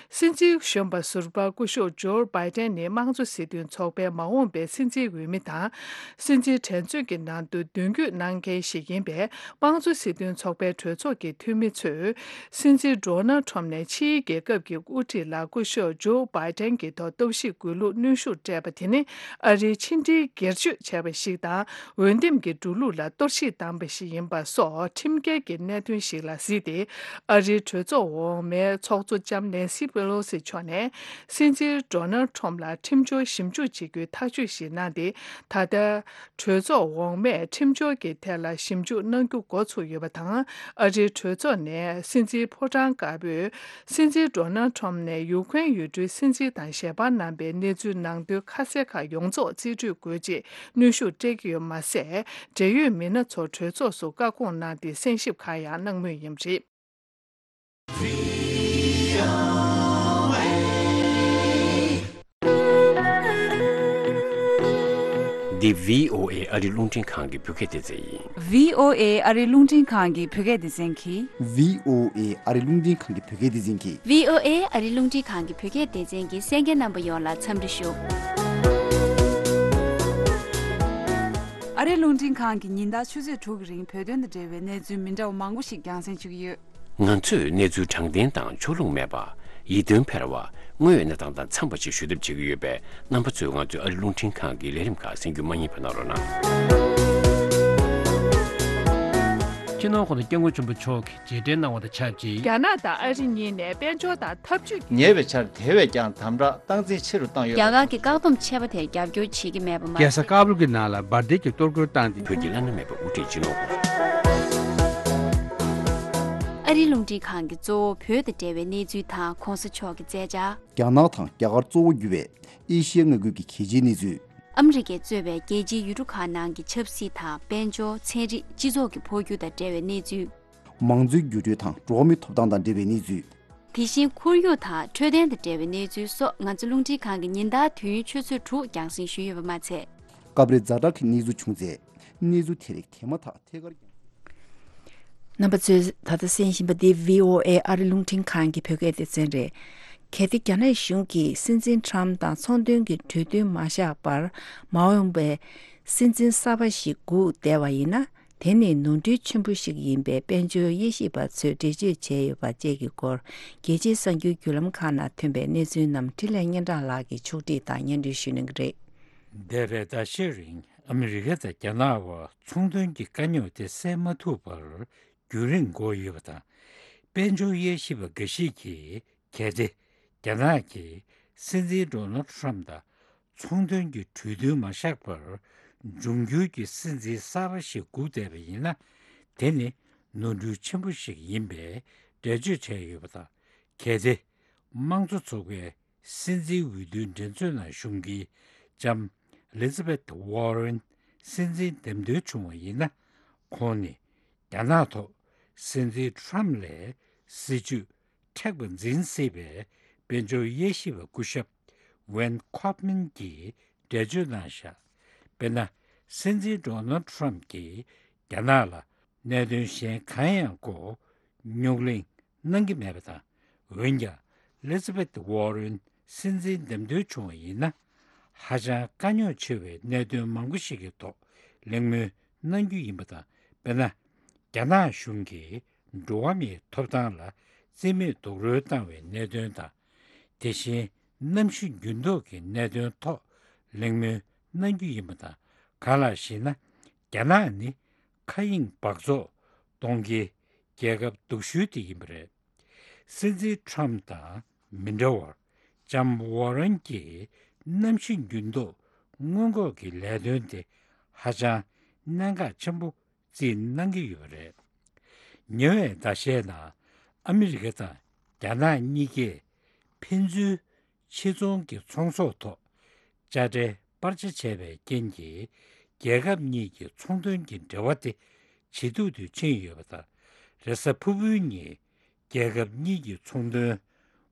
སྲིད་འཛིན་གཞོན་པ་ཟུར་པ་སྐུ་ཞབས་ཇོ་བྷའི་ཏན་ནི་དམངས་གཙོ་སྲིད་དོན་ཚོགས་པའི་མ་འོངས་པའི་སྲིད་འཛིན་འོས་མི་དང་། སྲིད་འཛིན་འགྲན་རྩོད་ཀྱི་ནང་དུ་མདུན་སྐྱོད་གནང་མཁན་ཞིག་ཡིན་པས། དམངས་གཙོ་སྲིད་དོན་ཚོགས་པའི་གྲོས་ཚོགས་ཀྱི་འཐུས་མི་ཚོས། སྲིད་འཛིན་ཌོ་ནལ་ཊམ་ནས་ཕྱིའི་རྒྱལ་ཁབ་ཀྱི་དབུ་ཁྲིད་ལ་སྐུ་ཞབས་ཇོ་བྷའི་ཏན་གྱི་ཐོག་རྟོག་ཞིབ་དགོས་ལུགས་གནོན་ཤུགས་སྤྲད་པ་དེ་ནི། ཨ་རིའི་ཕྱི་འབྲེལ་སྒེར་གཅོད་བྱས་པ་ཞིག་དང་། འོས་འདེམས་ཀྱི་འགྲོ་ལུགས་ལ་གཏོར་བཤིག་བཏང་པ་ཞིག་ཡིན་པ་སོགས་ཁྲིམས་འགལ་གྱི་གནད་དོན་ཞིག་ལ་གཟིགས་ཏེ། ཨ་རིའི་གྲོས་ཚོགས་འོག་མའི་ཚོགས་གཙོ་ལྕམ་ནེན་སི་པེ་ལོ་སི་མཆོག་ནས། སྲིད་འཛིན་ཌོ་ནལ་ཊམ་ལ་ཁྲིམས་སྦྱོར་ཞིབ་འཇུག་བྱེད་རྒྱུའི་ཐག་གཅོད་ཞིག་གནང་སྟེ། ད་ལྟ། གྲོས་ཚོགས་འོག་མས་ཁྲིམས་སྦྱོར་གྱི་ཐད་ལ་ཞིབ་འཇུག་གནང་རྒྱུ་འགོ་ཚུགས་ཡོད་པ་དང་། ཨ་རིའི་གྲོས་ཚོགས་ནས་སྲིད་འཛིན་ཕོ་བྲང་དཀར་པོས། སྲིད་འཛིན་ཌོ་ནལ་ཊམ་ནས་ཡུ་ཁུ་རེན་ཡུལ་གྲུའི་སྲིད་འཛིན་དང་ཞལ་པར་གནང་པའི་གནས་ཚུལ་ནང་དོན་ཁ་གསལ་ཁག་ཡོངས་རྫོགས་རྩིས་སྤྲོད་དགོས་ཅེས་གནོན་ཤུགས་སྤྲད་ཀྱི་ཡོད་མ་ཟད། འབྲེལ་ཡོད་མི་སྣ་ཚོར་གྲོས་ཚོགས་སུ་བཀའ་དགོངས་གནང་སྟེ་གསན་ཞིབ་ཁག་ཡང་གནང་མུས་ཡིན་པ་རེད། འདི་V O A་ཨ་རི་རླུང་འཕྲིན་ཁང་གི་བོད་སྐད་སྡེ་ཚན་ཡིན། V O A་ཨ་རི་རླུང་འཕྲིན་ཁང་གི་བོད་སྐད་སྡེ་ཚན་གྱིས། V O A་ཨ་རི་རླུང་འཕྲིན་ཁང་གི་བོད་སྐད་སྡེ་ཚན་གྱིས། V O A་ཨ་རི་རླུང་འཕྲིན་ཁང་གི་བོད་སྐད་སྡེ་ཚན་གྱི་གསན་མཁན་རྣམ་པ་ཡོངས་ལ་འཚམས་འདྲི་ཞུ། རི་རླུང་འཕྲིན་ཁང་གིས་ཉིན་ལྟར་ཆུ་ཚོད་དྲུག་གི་རིང་བོད་དོན་དང་འབྲེལ་བའི་གནས་ཚུལ་མི་འདྲ་བ་མང་པོ་ཞིག་རྒྱང་སྲིང་ཞུ་གི་ཡོད། ང་ཚོས་གནས་ཚུལ་དྲང་བདེན་དང་ཕྱོགས་ལྷུང་མེད་པ། ཡིད་རྟོན་འཕེར་བ། དངོས་ཡོད་གནས་སྟངས་དང་འཚམས་པ་ཞིག་ཞུ་ཐབས་བྱེད་ཀྱི་ཡོད་པས། རྣམ་པ་ཚོས་ང་ཚོའི་ཨ་རི་རླུང་འཕྲིན་ཁང་གི་ལས་རིམ་ཁག་གསན་རྒྱུ་མ་བསྙེལ་བ་གནང་རོགས་གནང་། སྤྱི་ནོར་༸གོང་ས་༸སྐྱབས་མགོན་ཆེན་པོ་མཆོག་གིས་རྗེས་དྲན་གནང་བ་དང་ཆབས་ཅིག་རྒྱ་ནག་དང་ཨ་རི་གཉིས་ནས་དཔལ་འབྱོར་དང་འཐབ་ཇུས་ཉེ་བའི་ཆར་དེ་བས་ཀྱང་དམ་དྲག་སྟངས་འཛིན་ཆེ་རུ་བཏང་ཡོད། རྒྱ་གར་གྱི་བཀག་སྡོམ་ཆད་པ་དེར་རྒྱབ་སྐྱོར་བྱེད་ཀྱི་མེད་པ་མ་རྒྱལ་ས་ཟད། ཀ་བུལ་གྱི་ནང་ལ་འབར་མདེལ་གྱིས་གཏོར་རྒོལ་བཏང་སྟེ། བོད་ཀྱི་བླ་ན་མེད་པའི་དབུ་ཁྲིད་སྤྱི་ནོར་གོང་། ཨ་རིའི་རླུང་འཕྲིན་ཁང་གིས་གཙོ་བོ་བོད་དང་འབྲེལ་བའི་གནས་ཚུལ་དང་གོང་ས་མཆོག་གི་མཛད་འཆར། རྒྱ་ནག་དང་རྒྱ་གར་གཙོ་བོ་གྱུར་བའི་ཨེ་ཤི་ཡའི་མངའ་ཁུལ་གྱི་གལ་ཆེའི་གནས་ཚུལ། ཨ་མི་རི་ཀས་གཙོས་པའི་རྒྱལ་སྤྱིའི་ཡུལ་གྲུ་ཁག་ནང་གི་ཆབ་སྲིད་དང་དཔལ་འབྱོར། ཚན་རིག་སྤྱི་ཚོགས་ཀྱི་འཕོ་འགྱུར་དང་འབྲེལ་བའི་གནས་ཚུལ། མང་གཙོའི་འགྱུར་འགྲོས་དང་འགྲོ་བ་མིའི་ཐོབ་ཐང་དང་འབྲེལ་བའི་གནས་ཚུལ། དེ་བཞིན་ཁོར་ཡུག་དང་འཕྲོད་བསྟེན་དང་འབྲེལ་བའི་གནས་ཚུལ་སོགས་ང་ཚོ་རླུང་འཕྲིན་ཁང་གིས་ཉིན་ལྟར་དུས་ཡུན་ཆུ་ཚོད་དྲུག་རྒྱང་སྲིང་ཞུས་ཡོད་པ་མ་ཚད། སྐབས་རེ་ཛ་དྲག་གི་གནས་ཚུལ་བྱུང་ཚེ། གནས་ཚུལ་དེ་རིགས་དེ་མ་ཐག་ཐད་ཀར་ཀྱང་། རྣམ་པ་ཚོས་ད་ལྟ་གསན་བཞིན་པ་འདི་བྷི་ཨོ་ཨེ་ཨ་རི་རླུང་འཕྲིན་ཁང་གི་བོད་སྐད་སྡེ་ཚན་རེད། གལ་ཏེ་རྒྱ་ནག་གཞུང་གིས་སྲིད་འཛིན་ཁྲམ་དང་ཚོང་དོན་གྱི་གྲོས་མཐུན་མ་བཞག་པར་མ་འོངས་པའི་སྲིད་འཛིན་གསར་པ་ཞིག་སྒུག་བསྡད་པ་ཡིན་ན། དེ་ནི་ནོར་འཁྲུལ་ཆེན་པོ་ཞིག་ཡིན་པས། དཔལ་འབྱོར་དབྱེ་ཞིབ་པ་ཚོས་འགྲེལ་བརྗོད་བྱས་ཡོད་པ་བཅས་ཀྱི་སྐོར། རྒྱལ་སྤྱིའི་གསར་འགྱུར་བརྒྱུད་ལམ་ཁག་ནང་ཐོན་པའི་གནས་ཚུལ་རྣམས་འཕྲིན་ལས་སྙན་གྲགས་ལགས་ཀྱིས་ཕྱོགས་སྒྲིག་དང་སྙན་སྒྲོན་ཞུ་གནང་གི་རེད། འདས་པའི་ཟླ་ཤས་རིང་ཨ་མི་རི་ཀ་དང་རྒྱ་ནག་བར་ཚོང་དོན་གྱི་དཀའ་རྙོག་དེ་སེལ་མ་ཐུབ་པར་རྒྱུན་རིང་འགོར་ཡོད་པ་དང་། དཔལ་འབྱོར་དབྱེ་ཞིབ་པ་འགའ་ཞིག་གིས། གལ་ཏེ་རྒྱ་ནག་གིས་སྲིད་འཛིན་ཌོ་ནལ་ཁྲམ་དང་ཚོང་དོན་གྱི་གྲོས་མཐུན་མ་བཞག་པར། འབྱུང་འགྱུར་གྱི་སྲིད་འཛིན་གསར་པ་ཞིག་སྒུག་བསྡད་པ་ཡིན་ན། དེ་ནི་ནོར་འཁྲུལ་ཆེན་པོ་ཞིག་ཡིན་པའི་འགྲེལ་བརྗོད་བྱས་ཡོད་པ་དང་། གལ་ཏེ་དམངས་གཙོ་ཚོགས་པའི་སྲིད་འཛིན་འོས་བསྡུའི་འགྲན་རྩོད་ནང་ཞུགས་མཁན་ལྕམ་ཨེ་ལི་ཛ་བེད་ཝོ་རན་སྲིད་འཛིན་འདེམས་ཐོན་བྱུང་བ་ཡིན་ན། ཁོང་ནི་རྒྱ་ནག་ཐོག་སྲིད་འཛིན་ཁྲམ་ལས་སྲིད་ཇུས་མཁྲེགས་པ་འཛིན་སྲིད་པའི་དཔལ་འབྱོར་དབྱེ་ཞིབ་པ་སྐུ་ཞབས་ཝན་ཁོབ་མན་གྱིས་འགྲེལ་བརྗོད་གནང་བཞག་དཔེར་ན། སྲིད་འཛིན་ཌོ་ནལ་ཁྲམ་གྱིས་རྒྱ་ནག་ལ་གནད་དོན་གཞན་གང་ཡང་སྐོར་རྙོག་གླེང་གནང་གི་མེད་པ་དང་། འོན་ཀྱང་ཨེ་ལི་ཛ་བེད་ཝོ་རན་སྲིད་འཛིན་འདེམས་ཐོན་བྱུང་བ་ཡིན་ན། ཧ་ཅང་དཀའ་རྙོག་ཆེ་བའི་གནད་དོན་མང་པོ་ཞིག་གི་ཐོག་གླེང་མོལ་གནང་རྒྱུ་ཡིན་པ་དང་། དཔེར་ན། རྒྱ་ནག་གཞུང་གིས་འགྲོ་བ་མིའི་ཐོབ་ཐང་ལ་རྩིས་མེད་རྡོག་རོལ་བཏང་བའི་གནད་དོན་དང་། དེ་བཞིན་གནམ་གཤིས་འགྱུར་ལྡོག་གི་གནད་དོན་ཐོག་གླེང་མོལ་གནང་རྒྱུ་ཡིན་པ་དང་། གང་ལགས་ཤེ་ན། རྒྱ་ནག་ནི་མཁའ་དབྱིངས་འབག་བཙོག་གཏོང་མཁན་རྒྱལ་ཁབ་སྡུག་ཤོས་དེ་ཡིན་པ་རེད། སྲིད་འཛིན་ཁྲམ་དང་མི་འདྲ་བར། ལྕམ་ཝོ་རན་གྱིས་གནམ་གཤིས་འགྱུར་ལྡོག་སྔོན་འགོག་གི་ལས་དོན་དེ་ཧ་ཅང་གནད་འགག་ཆེན་པོ་བརྩིས་གནང་གི་ཡོད་པ་རེད། ཉེ་བའི་ཟླ་ཤས་ནང་ཨ་མི་རི་ཀ་དང་རྒྱ་ནག་གཉིས་ཀས་ཕན་ཚུན་ཕྱི་ཚོང་གི་ཚོང་ཟོག་ཐོག་དཔྱ་ཁྲལ་སྤར་ཆ་བྱས་པའི་རྐྱེན་གྱིས། རྒྱལ་ཁབ་གཉིས་ཀྱི་ཚོང་དོན་གྱི་འབྲེལ་བ་དེ་ཇེ་སྡུག་ཏུ་ཕྱིན་ཡོད་པ་དང་། རེས་གཟའ་ཕུར་བུའི་ཉིན་རྒྱལ་ཁབ་གཉིས་ཀྱི་ཚོང་དོན་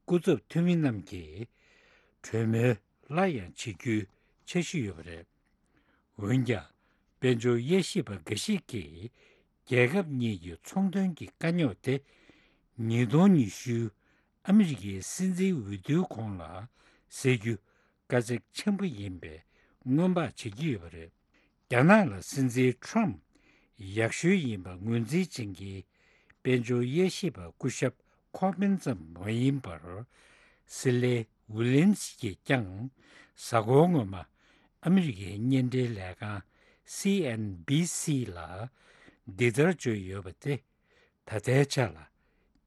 སྐུ་ཚབ་འཐུས་མི་རྣམས་ཀྱིས་གྲོས་མོལ་སླར་ཡང་བྱེད་རྒྱུའི་འཆར་གཞི་ཡོད་པ་རེད། འོན་ཀྱང་། དཔལ་འབྱོར་དབྱེ་ཞིབ་པ་འགའ་ཞིག་གིས། རྒྱལ་ཁབ་གཉིས་ཀྱི་ཚོང་དོན་གྱི་དཀའ་རྙོག་དེ། ཉིས་སྟོང་ཉི་ཤུ་ཨ་མི་རི་ཀའི་སྲིད་འཛིན་འོས་བསྡུའི་གོང་ལ་སེལ་རྒྱུ་དཀའ་ཚེགས་ཆེན་པོ་ཡིན་པའི་སྔོན་དཔག་བྱེད་ཀྱི་ཡོད་པ་རེད། རྒྱ་ནག་ལ་སྲིད་འཛིན་ཁྲམ་ཡག་ཤོས་ཡིན་པ་ངོས་འཛིན་བྱེད་མཁན་དཔལ་འབྱོར་དབྱེ་ཞིབ་པ་སྐུ་ཞབས་ཁོ་ཕིན་ཙམ་མ་ཡིན་པར། སི་ལེ་ཝི་ལི་ཡམ་སི་གྱིས་ཀྱང་གཟའ་འཁོར་སྔོན་མ་ཨ་མི་རི་ཀའི་བརྙན་འཕྲིན་ལས་ཁང་སི་ཨེན་བྷི་སི་ལ་འདི་ལྟར་བརྗོད་ཡོད་པ་སྟེ། ད་ལྟའི་ཆ་ལ་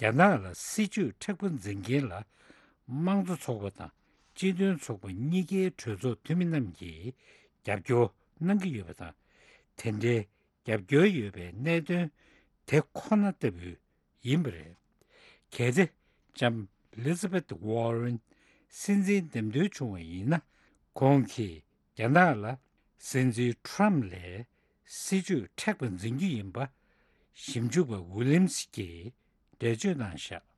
རྒྱ་ནག་ལ་སྲིད་ཇུས་མཁྲེགས་པོ་འཛིན་མཁན་ལ་དམངས་གཙོ་ཚོགས་པ་དང་སྤྱི་མཐུན་ཚོགས་པ་གཉིས་ཀའི་གྲོས་ཚོགས་འཐུས་མི་རྣམས་ཀྱིས་རྒྱབ་སྐྱོར་གནང་གི་ཡོད་པ་དང་། དེ་འདྲའི་རྒྱབ་སྐྱོར་ཡོད་པའི་གནད་དོན་དེ་ཁོ་ན་ལྟ་བུ་ཡིན་པ་རེད། གལ་ཏེ་ལྕམ་ཨེ་ལི་ཛ་བེད་ཝོ་རན་སྲིད་འཛིན་འདེམས་ཐོན་བྱུང་བ་ཡིན་ན། ཁོང་གིས་རྒྱ་ནག་ལ་སྲིད་འཛིན་ཁྲམ་ལས་སྲིད་ཇུས་མཁྲེགས་པ་འཛིན་རྒྱུ་ཡིན་པ་ཞིབ་འཇུག་པ་ཝི་ལི་ཡམ་སི་གྱིས་འགྲེལ་བརྗོད་གནང་བཞག་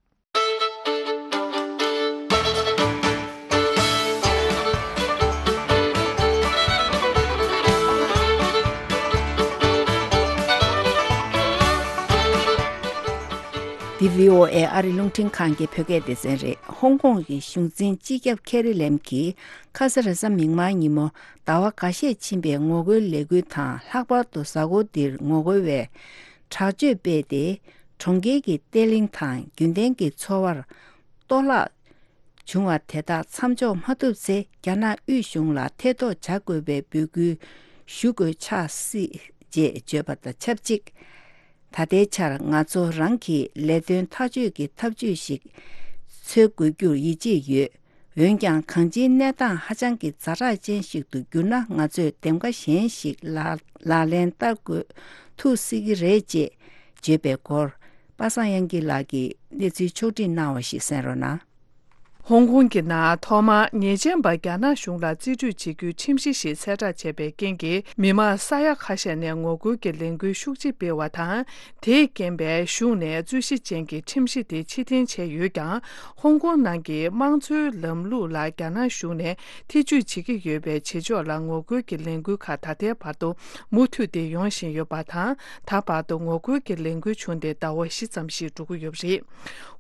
འདི་བྷི་ཨོ་ཨེ་ཨ་རི་རླུང་འཕྲིན་ཁང་གི་བོད་སྐད་སྡེ་ཚན་རེད། ཧོང་ཀོང་གི་གཞུང་འཛིན་སྤྱི་ཁྱབ་ཁེ་རི་ལེམ་གྱིས་ཁ་ས་རེས་གཟའ་མིག་དམར་ཉིན་མོ་ཟླ་བ་འགའ་ཤས་ཕྱིན་པའི་ངོ་རྒོལ་ལས་འགུལ་དང་། ལྷག་པར་དུ་གཟའ་འཁོར་འདིར་ངོ་རྒོལ་བས་དྲག་སྤྱོད་སྤེལ་ཏེ། གྲོང་ཁྱེར་གྱི་བརྟན་ལྷིང་དང་རྒྱུན་ལྡན་གྱི་འཚོ་བར་གཏོར་བརླག་བྱུང་བ་དེ་དག་མཚམས་འཇོག་མ་ཐུབ་ཚེ། རྒྱ་ནག་དབུས་གཞུང་ལ་ཐེ་གཏོགས་བྱ་དགོས་པའི་འབོད་སྐུལ་ཞུ་དགོས་ཆགས་སྲིད་ཅེས་བརྗོད་པ་དང་ཆབས་ཅིག་ད་ལྟའི་ཆར་ང་ཚོ་རང་གི་ལས་དོན་ཐག་གཅོད་ཀྱི་ཐབས་ཇུས་ཤིག་འཚོལ་དགོས་རྒྱུར་ཡིད་ཆེས་ཡོད། འོན་ཀྱང་། གང་ཅིའི་གནས་སྟངས་ཧ་ཅང་གི་ཛ་དྲག་ཅན་ཞིག་ཏུ་གྱུར་ན། ང་ཚོས་འདེམས་ཀ་གཞན་ཞིག་ལག་ལག་ལེན་བསྟར་དགོས་ཐུག་སྲིད་ཀྱི་རེད་ཅེས་བརྗོད་པའི་སྐོར། པ་སངས་དབྱངས་སྐྱིད་ལགས་ཀྱིས་གནས་ཚུལ་ཕྱོགས་བསྒྲིགས་གནང་བ་ཞིག་གསན་རོགས་གནང་། ཧོང་ཀོང་གི་ནང་ཐོག་མར་ཉེས་ཅན་པ་རྒྱ་ནག་གཞུང་ལ་རྩིས་སྤྲོད་བྱེད་རྒྱུའི་ཁྲིམས་གཞི་ཞིག་གསལ་བསྒྲགས་བྱས་པའི་རྐྱེན་གྱིས། མི་མང་ས་ཡ་ཁ་ཤས་ནས་ངོ་རྒོལ་གྱི་ལས་འགུལ་ཤུགས་ཆེ་སྤེལ་བ་དང་། དེས་རྐྱེན་པས་གཞུང་ནས་རྩོད་གཞི་ཅན་གྱི་ཁྲིམས་གཞི་དེ་ཕྱིར་འཐེན་བྱས་ཡོད་ཀྱང་། ཧོང་ཀོང་ནང་གི་དམངས་གཙོའི་ལམ་ལུགས་ལ་རྒྱ་ནག་གཞུང་ནས་ཐེ་ཇུས་བྱེད་ཀྱི་ཡོད་པའི་བྱེད་ཕྱོགས་ལ་ངོ་རྒོལ་གྱི་ལས་འགུལ་ཁག་ད་ལྟའི་བར་དུ་མུ་མཐུད་དེ་ཡོང་བཞིན་ཡོད་པ་དང་། ད་བར་དུ་ངོ་རྒོལ་གྱི་ལས་འགུལ་བྱུང་སྟེ་ཟླ་བ་བཞི་ཙམ་ཞིག་འགྲོ་གི་ཡོད་པ་རེད།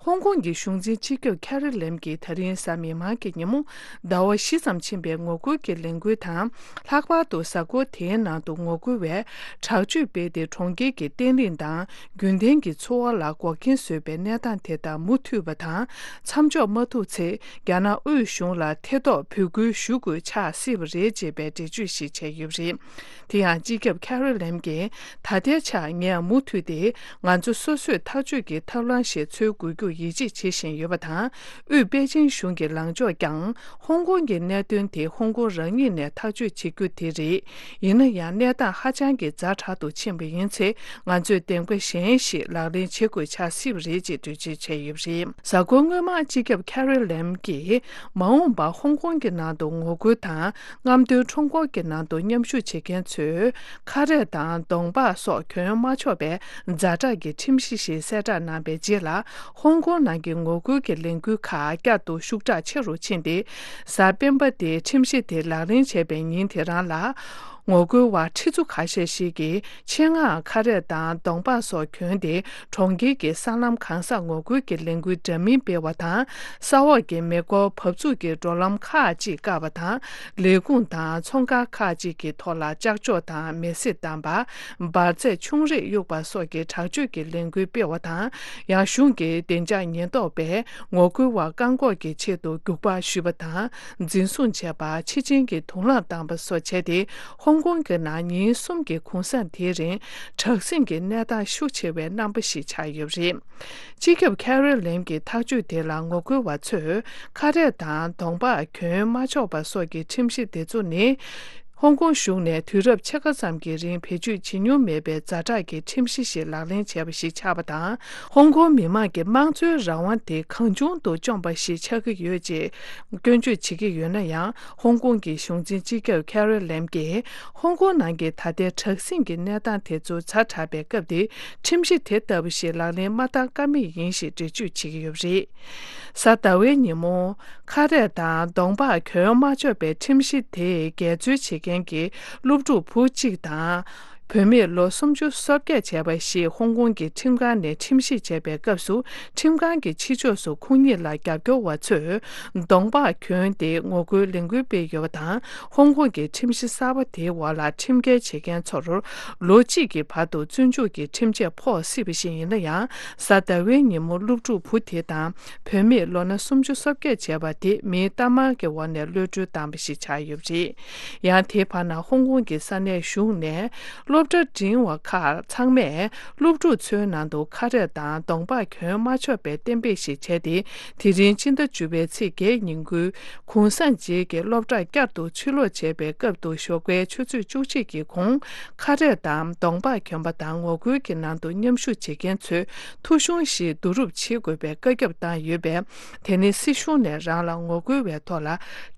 ཧོང་ཀོང་གི་གཞུང་འཛིན་སྤྱི་ཁྱབ་ཁེ་རི་ལེམ་གྱིས་ད་རིང་གཟའ་མིག་དམར་གྱི་ཉིན་མོ། ཟླ་བ་བཞི་ཙམ་ཕྱིན་པའི་ངོ་རྒོལ་གྱི་ལས་འགུལ་དང་། ལྷག་པར་དུ་གཟའ་འཁོར་དེའི་ནང་དུ་ངོ་རྒོལ་བས་དྲག་སྤྱོད་སྤེལ་ཏེ། གྲོང་ཁྱེར་གྱི་བརྟན་ལྷིང་དང་རྒྱུན་ལྡན་གྱི་འཚོ་བ་ལ་འགོག་རྐྱེན་བཟོས་པའི་གནས་སྟངས་དེ་དག་མུ་མཐུད་པ་དང་། མཚམས་འཇོག་མ་ཐུབ་ཚེ། རྒྱ་ནག་དབུས་གཞུང་ལ་ཐེ་གཏོགས་འབོད་སྐུལ་ཞུ་དགོས་ཆགས་སྲིད་པ་རེད་ཅེས་པའི་འགྲེལ་བརྗོད་ཞིག་བྱས་ཡོད་པ་རེད། དེ་ཡང་། སྤྱི་ཁྱབ་ཁེ་རི་ལེམ་གྱིས། ད་ལྟའི་ཆར་ངས་མུ་མཐུད་དེ་ང་ཚོ་སོ་སོས་ཐག་གཅོད་ཀྱི་ཐབས་ལམ་ཞིག་འཚོལ་དགོས་རྒྱུར་ཡིད་ཆེས་བྱེད་བཞིན་ཡོད་པ་དང་། དབུས་པེ་ཅིང་གཞུང་གི་ལངས་ཕྱོགས་ཀྱང་ཧོང་ཀོང་གི་གནད་དོན་དེ་ཧོང་ཀོང་རང་ཉིད་ནས་ཐག་གཅོད་བྱེད་རྒྱུ་དེ་རེད། ཡིན་ན་ཡང་། གནས་སྟངས་ཧ་ཅང་གི་ཛ་དྲག་ཏུ་ཕྱིན་པ་ཡིན་ཚེ། ང་ཚོས་འདེམས་ཀ་གཞན་ཞིག་ལག་ལེན་བྱེད་དགོས་ཆགས་སྲིད་པ་རེད་ཅེས་འགྲེལ་བརྗོད་བྱས་ཡོད་པ་རེད། གཟའ་འཁོར་སྔོན་མ། སྤྱི་ཁྱབ་ཁེ་རི་ལེམ་གྱིས། མ་འོངས་པར་ཧོང་ཀོང་གི་ནང་དུ་ངོ་རྒོལ་དང་། རྔམ་སྟོན་ཁྲོམ་སྐོར་གྱི་ནང་དུ་མཉམ་ཞུགས་བྱེད་མཁན་ཚོས། ཁ་རས་དང་གདོང་པགས་སོགས་གྱོན་མ་ཆོག་པའི་ཛ་དྲག་གི་ཁྲིམས་གཞི་ཞིག་གསལ་བསྒྲགས་གནང་པའི་རྗེས་ལ། ཧོང་ཀོང་ནང་གི་ངོ་རྒོལ་གྱི་ལས་འགུལ་ཁག་བསྐྱར་དུ་ཤུགས་དྲག་ཆེ་རུ་ཕྱིན་ཏེ། གཟའ་སྤེན་པ་སྟེ། ཁྲིམས་གཞི་དེ་ལག་ལེན་བྱས་པའི་ཉིན་དེ་རང་ལ། ངོ་རྒོལ་བ་ཁྲི་ཚོ་ཁ་ཤས་ཤིག་གིས་ཆེད་མངགས་ཁ་རས་དང་གདོང་པགས་སོགས་གྱོན་ཏེ། གྲོང་ཁྱེར་གྱི་སྲང་ལམ་གང་སར་ངོ་རྒོལ་གྱི་ལས་འགུལ་འདྲ་མིན་སྤེལ་བ་དང་། ས་འོག་གི་མེ་འཁོར་འབབ་ཚུགས་ཀྱི་འགྲོ་ལམ་ཁག་ཅིག་བཀག་པ་དང་། ལས་ཁུངས་དང་ཚོང་ཁང་ཁག་ཅིག་གི་ཐོག་ལ་ལྕགས་ཀྱོག་དང་མེ་སྲེག་བཏང་པ། འབར་རྫས་ཆུང་རིགས་གཡུགས་པ་སོགས་ཀྱི་དྲག་སྤྱོད་ཀྱི་ལས་འགུལ་སྤེལ་བ་དང་། ཡང་། གཞུང་གི་བདེ་འཇགས་ཉེན་རྟོག་པས་ངོ་རྒོལ་བ་བཀག་འགོག་གི་ཆེད་དུ་རྒྱུག་པ་གཞུས་པ་དང་། འཛིན་བཟུང་བྱས་པ། ཕྱི་ཆིངས་ཀྱི་དུག་རླངས་བཏང་པ་སོགས་བྱས་ཏེ། ཧོང་ཀོང་གི་ནང་ཉིན་གསུམ་གྱི་གུང་སེང་དེའི་རིང་། དྲག་ཟིང་གི་གནས་སྟངས་ཤུགས་ཆེ་བའི་རྣམ་པ་ཞིག་ཆགས་ཡོད་པ་རེད། སྤྱི་ཁྱབ་ཁེ་རི་ལེམ་གྱི་ཐག་གཅོད་དེ་ལ་ངོ་རྒོལ་བ་ཚོས། ཁ་རས་དང་གདོང་པགས་གྱོན་མ་ཆོག་པ་སོགས་ཀྱི་ཁྲིམས་གཞི་དེ་ཚོ་ནི། ཧོང་ཀོང་གཞུང་ནས་དུས་རབས་ཕྱེད་ཀ་ཙམ་གྱི་རིང་བེད་སྤྱོད་བྱེད་མྱོང་མེད་པའི་ཛ་དྲག་གི་ཁྲིམས་གཞི་ཞིག་ལག་ལེན་བྱས་པ་ཞིག་ཆགས་པ་དང་། ཧོང་ཀོང་མི་མང་གི་དམངས་གཙོའི་རང་དབང་དེ་གང་བྱུང་དུ་བཅོམ་པ་ཞིག་ཆགས་ཀྱི་ཡོད་ཅེས་སྐྱོན་བརྗོད་བྱེད་ཀྱི་ཡོད་ན་ཡང་། ཧོང་ཀོང་གི་གཞུང་འཛིན་སྤྱི་ཁྱབ་ཁེ་རི་ལེམ་གྱིས། ཧོང་ཀོང་ནང་གི་ད་ལྟའི་དྲག་ཟིང་གི་གནས་སྟངས་དེ་ཚོ་ཛ་དྲག་པའི་སྐབས་འདིར། ཁྲིམས་གཞི་དེ་ལྟ་བུ་ཞིག་ལག་ལེན་མ་བསྟར་ཀ་མེད་ཡིན་ཞེས་འགྲེལ་བརྗོད་བྱེད་ཀྱི་ཡོད་པ་རེད། གཟའ་ཟླ་བའི་ཉིན་མོ། ཁ་རས་དང་གདོང་པགས་གྱོན་མ་ཆོག་པའི་ཁྲིམས་གཞི་དེས་འགལ་འཛོལ་བྱེད་མཁན་གྱི་སློབ་ཕྲུག་བུ་གཅིག་དང་། བུད་མེད་ལོ་སུམ་ཅུ་སོ་བརྒྱད་བྱས་པ་ཞིག་ཧོང་ཀོང་གི་ཁྲིམས་ཁང་ནས་ཁྲིམས་ཞིབ་བྱས་པའི་སྐབས་སུ། ཁྲིམས་ཁང་གི་ཕྱི་ཕྱོགས་སུ་ཁོང་གཉིས་ལ་རྒྱབ་སྐྱོར་བ་ཚོས་གདོང་པགས་གྱོན་ཏེ་ངོ་རྒོལ་ལས་འགུལ་སྤེལ་ཡོད་པ་དང་། ཧོང་ཀོང་གི་ཁྲིམས་གཞི་གསར་པ་དེའི་འོག་ལ་ཁྲིམས་འགལ་བྱེད་མཁན་ཚོར་ལོ་གཅིག་གི་བར་དུ་བཙོན་འཇུག་གི་ཁྲིམས་ཆད་ཕོག་སྲིད་པ་ཞིག་ཡིན་ན་ཡང་། གཟའ་ཟླ་བའི་ཉིན་མོ་སློབ་ཕྲུག་བུ་དེ་དང་། བུད་མེད་ལོ་ན་སུམ་ཅུ་སོ་བརྒྱད་བྱས་པ་དེ་མིའི་གཏའ་མར་གྱི་འོག་ནས་གློད་གྲོལ་བཏང་བ་ཞིག་ཆགས་ཡོད་པ་རེད། ཡང་དེའི་བར་ན་ཧོང་ཀོང་གི་ས་གནས་གཞུང་ནས་སློབ་གྲྭ་འབྲིང་བ་ཁག་ཚང་མས་སློབ་ཕྲུག་ཚོའི་ནང་དུ་ཁ་རས་དང་གདོང་པགས་གྱོན་མ་ཆོག་པའི་གཏན་འབེབས་ཤིག་བྱས་ཏེ། དེ་རིང་སྤྱི་ཟླ་བཅུ་པའི་ཚེས་བརྒྱད་ཉིན་དགུན་གུང་སེང་རྗེས་ཀྱི་སློབ་གྲྭ་བསྐྱར་དུ་ཕྱིར་ལོག་བྱས་པའི་སྐབས་དུ། ཞོགས་པའི་ཆུ་ཚོད་བཅུ་གཅིག་གི་གོང་ཁ་རས་དང་གདོང་པགས་གྱོན་པ་དང་ངོ་རྒོལ་གྱི་ནང་དུ་མཉམ་ཞུགས་བྱེད་མཁན་ཚོས་ཐོ་གཞུང་ཞིག་བསྡུ་རུབ་བྱེད་དགོས་པའི་བཀའ་ཁྱབ་བཏང་ཡོད་པས། དེ་ནི་སྲིད་གཞུང་ནས་རང་ལ་ངོ་རྒོལ་བའི་ཐོག་ལ་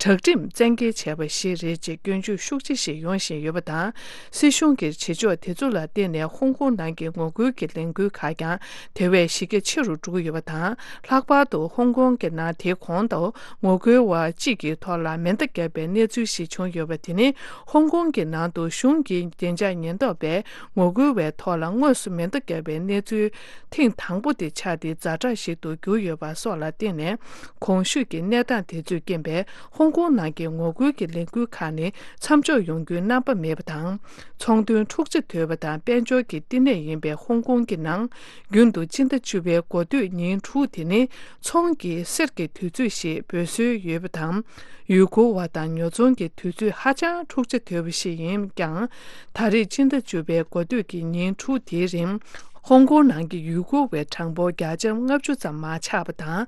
དྲག་ཁྲིམས་བཙན་འགེལ་བྱས་པ་ཞིག་རེད་ཅེས་སྐྱོན་བརྗོད་ཤུགས་ཆེ་ཞིག་ཡོང་བཞིན་ཡོད་པ་དང་། སྲིད་གཞུང་གིས་ བྱེད་ཕྱོགས་དེ་ཚོ་ལ་བརྟེན་ནས་ཧོང་ཀོང་ནང་གི་ངོ་རྒོལ་གྱི་ལས་འགུལ་ཁག་ཀྱང་དེ་བས་གཞི་རྒྱ་ཆེ་རུ་འགྲོ་གི་ཡོད་པ་དང་། ལྷག་པར་དུ་ཧོང་ཀོང་གི་ནང་དེ་གོང་དུ་ངོ་རྒོལ་བ་གཅིག་གི་ཐོག་ལ་མེ་མདའ་བརྒྱབ་པའི་གནས་ཚུལ་ཞིག་བྱུང་ཡོད་པ། དེ་ནི་ཧོང་ཀོང་གི་ནང་དུ་གཞུང་གི་བདེ་འཇགས་ཉེན་རྟོག་པས་ངོ་རྒོལ་བའི་ཐོག་ལ་དངོས་སུ་མེ་མདའ་བརྒྱབ་པའི་གནས་ཚུལ་ཐེངས་དང་པོ་དེ་ཆགས་ཏེ་ཛ་དྲག་ཞིག་ཏུ་གྱུར་ཡོད་པ་སོགས་ལ་བརྟེན་ནས། གོང་ཞུས་ཀྱི་གནས་སྟངས་དེ་ཚོས་རྐྱེན་པས་ཧོང་ཀོང་ནང་གི་ངོ་རྒོལ་གྱི་ལས་འགུལ་ཁག་ནི་མཚམས་འཇོག་ཡོང་རྒྱུའི་རྣམ་པ་མེད་པ་དང་། ཚོང་དོན་འཁྲུག་ཆ་དོད་པ་དང་དཔལ་འབྱོར་གྱི་བསྟི་གནས་ཡིན་པའི་ཧོང་ཀོང་གི་ནང་རྒྱུན་དུ་སྤྱི་ཟླ་བཅུ་པའི་འགོ་སྟོད་ཉིན་དྲུག་དེ་ནི་ཚོང་གི་གསེར་གྱི་དུས་ཚོད་ཞེས་འབོད་སྲོལ་ཡོད་པ་དང་། ཡུལ་སྐོར་བ་དང་ཉོ་ཚོང་གི་དུས་ཚོད་ཧ་ཅང་འཁྲུག་ཆ་དོད་པ་ཞིག་ཡིན་ཀྱང་། ད་རེས་སྤྱི་ཟླ་བཅུ་པའི་འགོ་སྟོད་ཀྱི་ཉིན་དྲུག་དེའི་རིང་། ཧོང་ཀོང་ནང་གི་ཡུལ་སྐོར་བའི་གྲངས་འབོར་བརྒྱ་ཆ་ལྔ་བཅུ་ཙམ་མར་ཆག་པ་དང་།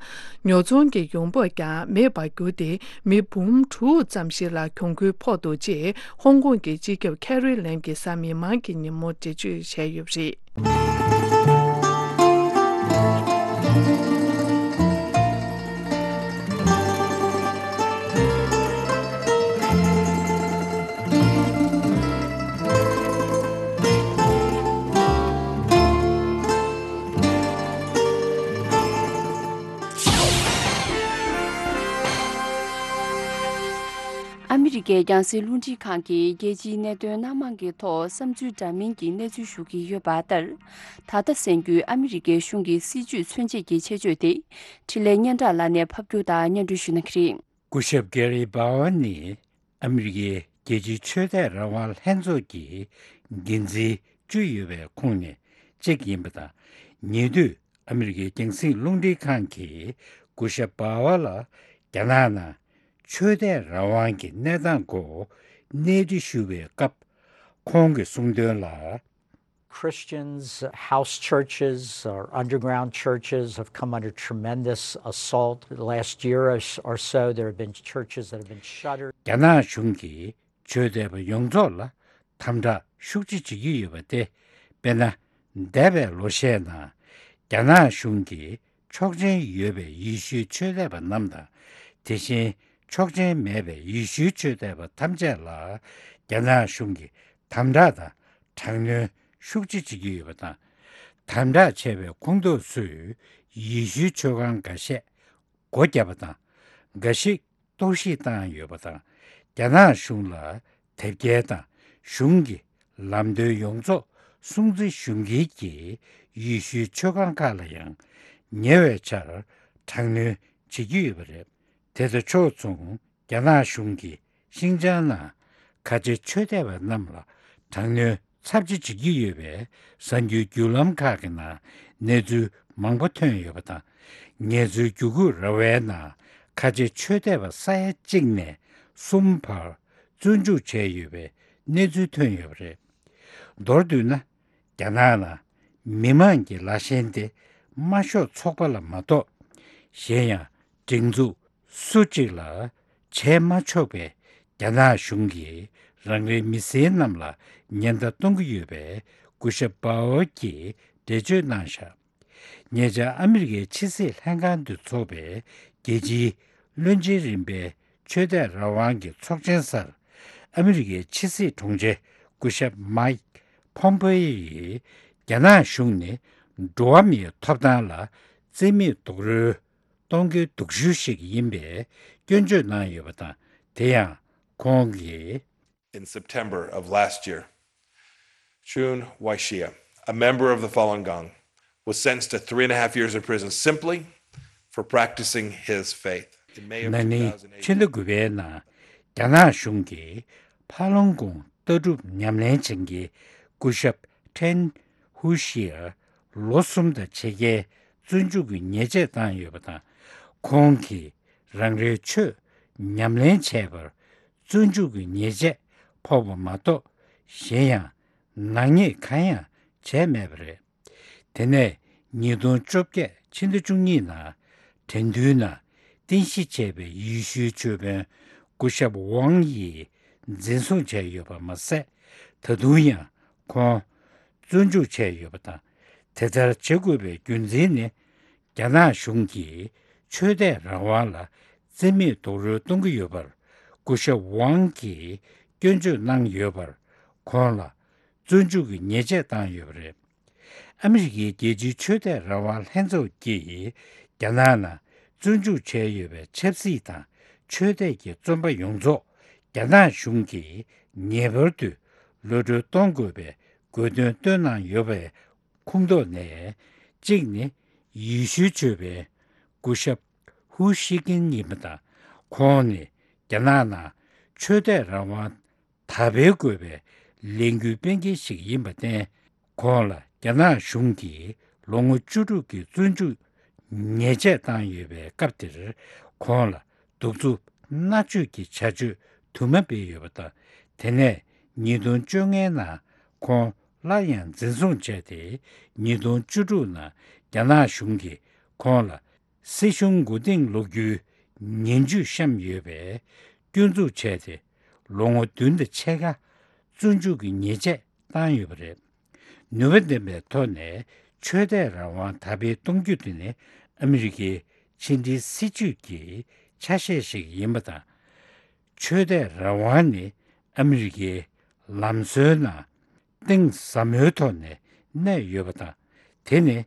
ཉོ་ཚོང་གི་ཡོང་འབབ་ཀྱང་མེད་པར་གྱུར་ཏེ། མི་འབུམ་དྲུག་ཙམ་ཞིག་ལ་གྱོང་གུན་ཕོག་འདུག་ཅེས་ཧོང་ཀོང་གི་སྤྱི་ཁྱབ་ཁེ་རི་ལེམ་གྱིས་གཟའ་མིག་དམར་གྱི་ཉིན་མོ་འགྲེལ་བརྗོད་བྱས་ཡོད་པ་རེད། ཨ་མི་རི་ཀའི་རྒྱང་སྲིང་རླུང་འཕྲིན་ཁང་གིས་རྒྱལ་སྤྱིའི་གནད་དོན་སྣ་མང་གི་ཐོག་བསམ་ཚུལ་འདྲ་མིན་གྱི་གནས་ཚུལ་ཞུ་གི་ཡོད་པ་ལྟར། ད་ལྟ་གསན་རྒྱུའི་ཨ་མི་རི་ཀའི་གཞུང་གི་སྲིད་ཇུས་མཚོན་བྱེད་ཀྱི་ཆེད་བརྗོད་དེ། འཕྲིན་ལས་སྙན་གྲགས་ལགས་ནས་ཕབ་སྒྱུར་དང་སྙན་སྒྲོན་ཞུ་གནང་གི་རེད། སྐུ་ཞབས་གྷེ་རི་སྦ་ཝར་ནི་ཨ་མི་རི་ཀའི་རྒྱལ་སྤྱིའི་ཆོས་དད་རང་དབང་ལྷན་ཚོགས་ཀྱི་འགན་འཛིན་བཅུ་ཡོད་པའི་ཁོངས་ནས་གཅིག་ཡིན་པ་དང་། ཉེ་དུས་ཨ་མི་རི་ཀའི་རྒྱང་སྲིང་རླུང་འཕྲིན་ཁང་གིས་སྐུ་ཞབས་སྦ་ཝར་ལ་རྒྱ་ནག་ནང་ཆོས་དད་རང་དབང་གི་གནས་སྟངས་སྐོར་གནས་འདྲི་ཞུ་བའི་སྐབས། ཁོང་གིས་གསུངས་དོན་ལ། Christians, house churches or underground churches have come under tremendous assault. The last year or s- or so, there have been churches that have been shuttered. རྒྱ་ནག་གཞུང་གིས་ཆོས་དད་པ་ཡོངས་རྫོགས་ལ་དམ་དྲག་ཤུགས་ཆེ་བྱེད་ཀྱི་ཡོད་པ་སྟེ། དཔེར་ན། འདས་པའི་ལོ་ཤས་ནང་རྒྱ་ནག་གཞུང་གིས་ཆོག་མཆན་ཡོད་པའི་ཡེ་ཤུའི་ཆོས་དད་པ་རྣམས་དང་། དེ་བཞིན་ཆོག་མཆན་མེད་པའི་ཡེ་ཤུའི་ཆོས་དད་པ་ཐམས་ཅད་ལ་རྒྱ་ནག་གཞུང་གིས་དམ་དྲག་དང་། དྲག་གནོན་ཤུགས་ཆེ་བྱེད་ཀྱི་ཡོད་པ་དང་། དམ་དྲག་བྱས་པའི་ཁོངས་གཏོགས་ཚོས་ཡེ་ཤུའི་མཆོད་ཁང་འགའ་ཤས་སྒོ་བརྒྱབ་པ་དང་། འགའ་ཞིག་གཏོར་བཤིག་བཏང་ཡོད་པ་དང་། རྒྱ་ནག་གཞུང་ལ་དེབ་སྐྱེལ་དང་གཞུང་གི་ལམ་སྟོན་ཡོངས་རྫོགས་སྲུང་བརྩི་ཞུ་མཁན་གྱི་ཡེ་ཤུའི་མཆོད་ཁང་ཁག་ལ་ཡང་ཉེ་བའི་ཆར་དྲག་གནོན་བྱེད་ཀྱི་ཡོད་པ་རེད། དེ་དང་ཕྱོགས་མཚུངས། རྒྱ་ནག་གཞུང་གིས་ཤིང་ཅང་ནང་ཁ་ཆེ་ཆོས་དད་པ་རྣམས་ལ་དྲག་གནོན་ཚབས་ཆེ་བྱེད་ཀྱི་ཡོད་པའི་གསར་འགྱུར་བརྒྱུད་ལམ་ཁག་གི་ནང་གནས་ཚུལ་མང་པོ་ཐོན་ཡོད་པ་དང་། ངལ་རྩོལ་བརྒྱུད་སྐུལ་ར་བའི་ནང་ཁ་ཆེ་ཆོས་དད་པ་ས་ཡ་གཅིག་ནས་གསུམ་བར་བཙོན་འཇུག་བྱས་ཡོད་པའི་གནས་ཚུལ་ཐོན་ཡོད་པ་རེད། མདོར་བསྡུས་ན། རྒྱ་ནག་ནང་མི་མང་གི་ལཱ་ཞེན་དེ་དམར་ཤོག་ཚོགས་པ་ལ་མ་གཏོགས། གཞན་ཡང་སྒྲིག་འཛུགས་སུ་གཅིག་ལ་བྱས་མ་ཆོག་པས། རྒྱ་ནག་གཞུང་གིས་རང་རེའི་མི་སེར་རྣམས་ལ་ཉེན་བརྡ་གཏོང་གི་ཡོད་པའི་སྐུ་ཞབས་སྦ་ཝར་གྱིས་འགྲེལ་བརྗོད་གནང་བཞག་ཉེ་ཆར་ཨ་མི་རི་ཀའི་ཕྱི་སྲིད་ལྷན་ཁང་དུ་འཚོགས་པའི་རྒྱལ་སྤྱིའི་བློན་ཆེན་རིམ་པའི་ཆོས་དད་རང་དབང་གི་ཚོགས་ཆེན་སར། ཨ་མི་རི་ཀའི་ཕྱི་སྲིད་དྲུང་ཆེ་སྐུ་ཞབས་མཱིག་ཕོམ་པེ་ཡིས། རྒྱ་ནག་གཞུང་ནི་འགྲོ་བ་མིའི་ཐོབ་ཐང་ལ་བརྩི་མེད་རྡོག་རོལ་གཏོང་མཁན་སྡུག་ཤོས་ཤིག་ཡིན་པའི་སྐྱོན་བརྗོད་གནང་ཡོད་པ་དང་། དེ་ཡང་ཁོང་གིས། In September of last year, Chun Wai-shia, a member of the Falun Gong, was sentenced to three and a half years in prison simply for practicing his faith. In May of ན་ནིང་ཕྱི་ཟླ་དགུ་པའི་ནང་རྒྱ་ནག་གཞུང་གིས་ཕ་ལོང་ཀོང་ལྟ་གྲུབ་ཉམས་ལེན་བྱེད་མཁན་སྐུ་ཞབས་ཁྲེན་ཧུ་ཤིར་ལོ་གསུམ་དང་ཕྱེད་ཀའི་བཙོན་འཇུག་གི་ཉེས་ཆད་བཏང་ཡོད་པ་དང་། ཁོང་གིས་རང་རེའི་ཆོས་ཉམས་ལེན་བྱས་པར་བཙོན་འཇུག་གི་ཉེས་ཆད་ཕོག་པ་མ་གཏོགས། གཞན་ཡང་ནག་ཉེས་གང་ཡང་བྱས་མེད་པ་རེད། དེ་ནས་ཉིས་སྟོང་བཅོ་བརྒྱད་ཕྱི་ཟླ་བཅུ་གཉིས་ནང་དྲན་འདུན་ནང་རྟེན་གཞི་བྱས་པའི་ཡེ་ཤུའི་ཆོས་དཔོན་སྐུ་ཞབས་ཝང་ཡིས་འཛིན་བཟུང་བྱས་ཡོད་པ་མ་ཟད། ད་དུང་ཡང་ཁོང་བཙོན་འཇུག་བྱས་ཡོད་པ་དང་། དེ་ལྟར་བྱེད་དགོས་པའི་རྒྱུ་མཚན་ནི། རྒྱ་ནག་གཞུང་གིས་ཆོས་དད་རང་དབང་ལ་བརྩི་མེད་རྡོག་རོལ་གཏོང་གི་ཡོད་པར་སྐུ་ཞབས་ཝང་གིས་སྐྱོན་བརྗོད་གནང་ཡོད་པར། ཁོང་ལ་ བཙོན་འཇུག་གི་ཉེས་ཆད་བཏང་ཡོད་པ་རེད། ཨ་མི་རི་ཀའི་རྒྱལ་སྤྱིའི་ཆོས་དད་རང་དབང་ལྷན་ཚོགས་ཀྱིས་རྒྱ་ནག་ནང་བཙོན་འཇུག་བྱས་ཡོད་པའི་ཆབ་སྲིད་དང་ཆོས་དད་ཀྱི་བཙོན་པ་ཡོངས་རྫོགས་རྒྱ་ནག་གཞུང་གིས་ངེས་པར་དུ་གློད་གྲོལ་གཏོང་དགོས་པའི་དགོས་འདུན་བཏོན་གནང་ཡོད་པའི་ཁོངས་གཏོགས་ནས་གཅིག་ནི་ཡེ་ཤུའི་ཆོས་པའི་སྐུ་ཞབས་ཧུ་ཤི་ཀིན་ཡིན་པ་དང་། ཁོང་ནི་རྒྱ་ནག་ནང་ཆོས་དད་རང་དབང་དར་སྤེལ་དགོས་པའི་ལས་འགུལ་སྤེལ་མཁན་ཞིག་ཡིན་པར་བརྟེན། ཁོང་ལ་རྒྱ་ནག་གཞུང་གིས་ལོ་ངོ་བཅུ་དྲུག་གི་བཙོན་འཇུག་ཉེས་ཆད་བཏང་ཡོད་པའི་སྐབས་དེར། ཁོང་ལ་གདུག་རྩུབ་མནར་གཅོད་ཀྱི་བྱ་སྤྱོད་དུ་མ་སྤེལ་ཡོད་པ་དང་། དེ་ནས་ཉིས་སྟོང་བཅོ་ལྔའི་ནང་ཁོང་སླར་ཡང་འཛིན་བཟུང་བྱས་ཏེ། ཉིས་སྟོང་བཅུ་དྲུག་ནང་རྒྱ་ནག་གཞུང་གིས་ཁོང་ལ་སྲིད་གཞུང་མགོ་རྟིང་སློག་རྒྱུའི་ངན་ཇུས་བཤམས་ཡོད་པས་སྐྱོན་འཛུགས་བྱས་ཏེ། ལོ་ངོ་བདུན་དང་ཕྱེད་ཀ་བཙོན་འཇུག་གི་ཉེས་ཆད་བཏང་ཡོད་པ་རེད། ནུས་པ་ལྡན་པའི་ཐོག་ནས་ཆོས་དད་རང་དབང་དར་སྤེལ་གཏོང་རྒྱུ་དེ་ནི་ཨ་མི་རི་ཀའི་ཕྱི་འབྲེལ་སྲིད་ཇུས་ཀྱི་ཆ་ཤས་ཤིག་ཡིན་པ་དང་། ཆོས་དད་རང་དབང་ནི་ཨ་མི་རི་ཀའི་ལམ་སྲོལ་ནང་གཏིང་ཟབ་མོའི་ཐོག་ནས་གནས་ཡོད་པ་དང་། དེ་ནི་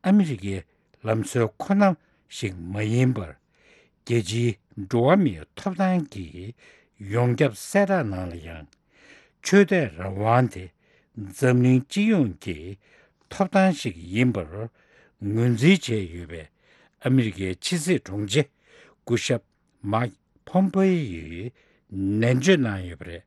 ཨ་མི་རི་ཀའི་ལམ་སྲོལ་ཁོ་ན་ཞིག་མ་ཡིན་པར། རྒྱལ་སྤྱིའི་འགྲོ་བ་མིའི་ཐོབ་ཐང་གི་ཡོངས་ཁྱབ་གསལ་བསྒྲགས་ནང་ལ་ཡང་། ཆོས་དད་རང་དབང་དེ་འཛམ་གླིང་སྤྱི་ཡོངས་ཀྱི་ཐོབ་ཐང་ཞིག་ཡིན་པར་ངོས་འཛིན་བྱས་ཡོད་པའི་ཨ་མི་རི་ཀའི་ཕྱི་སྲིད་དྲུང་ཆེ་སྐུ་ཞབས་མཱིག་ཕོམ་པེ་ཡིས་ནན་བརྗོད་གནང་ཡོད་པ་རེད།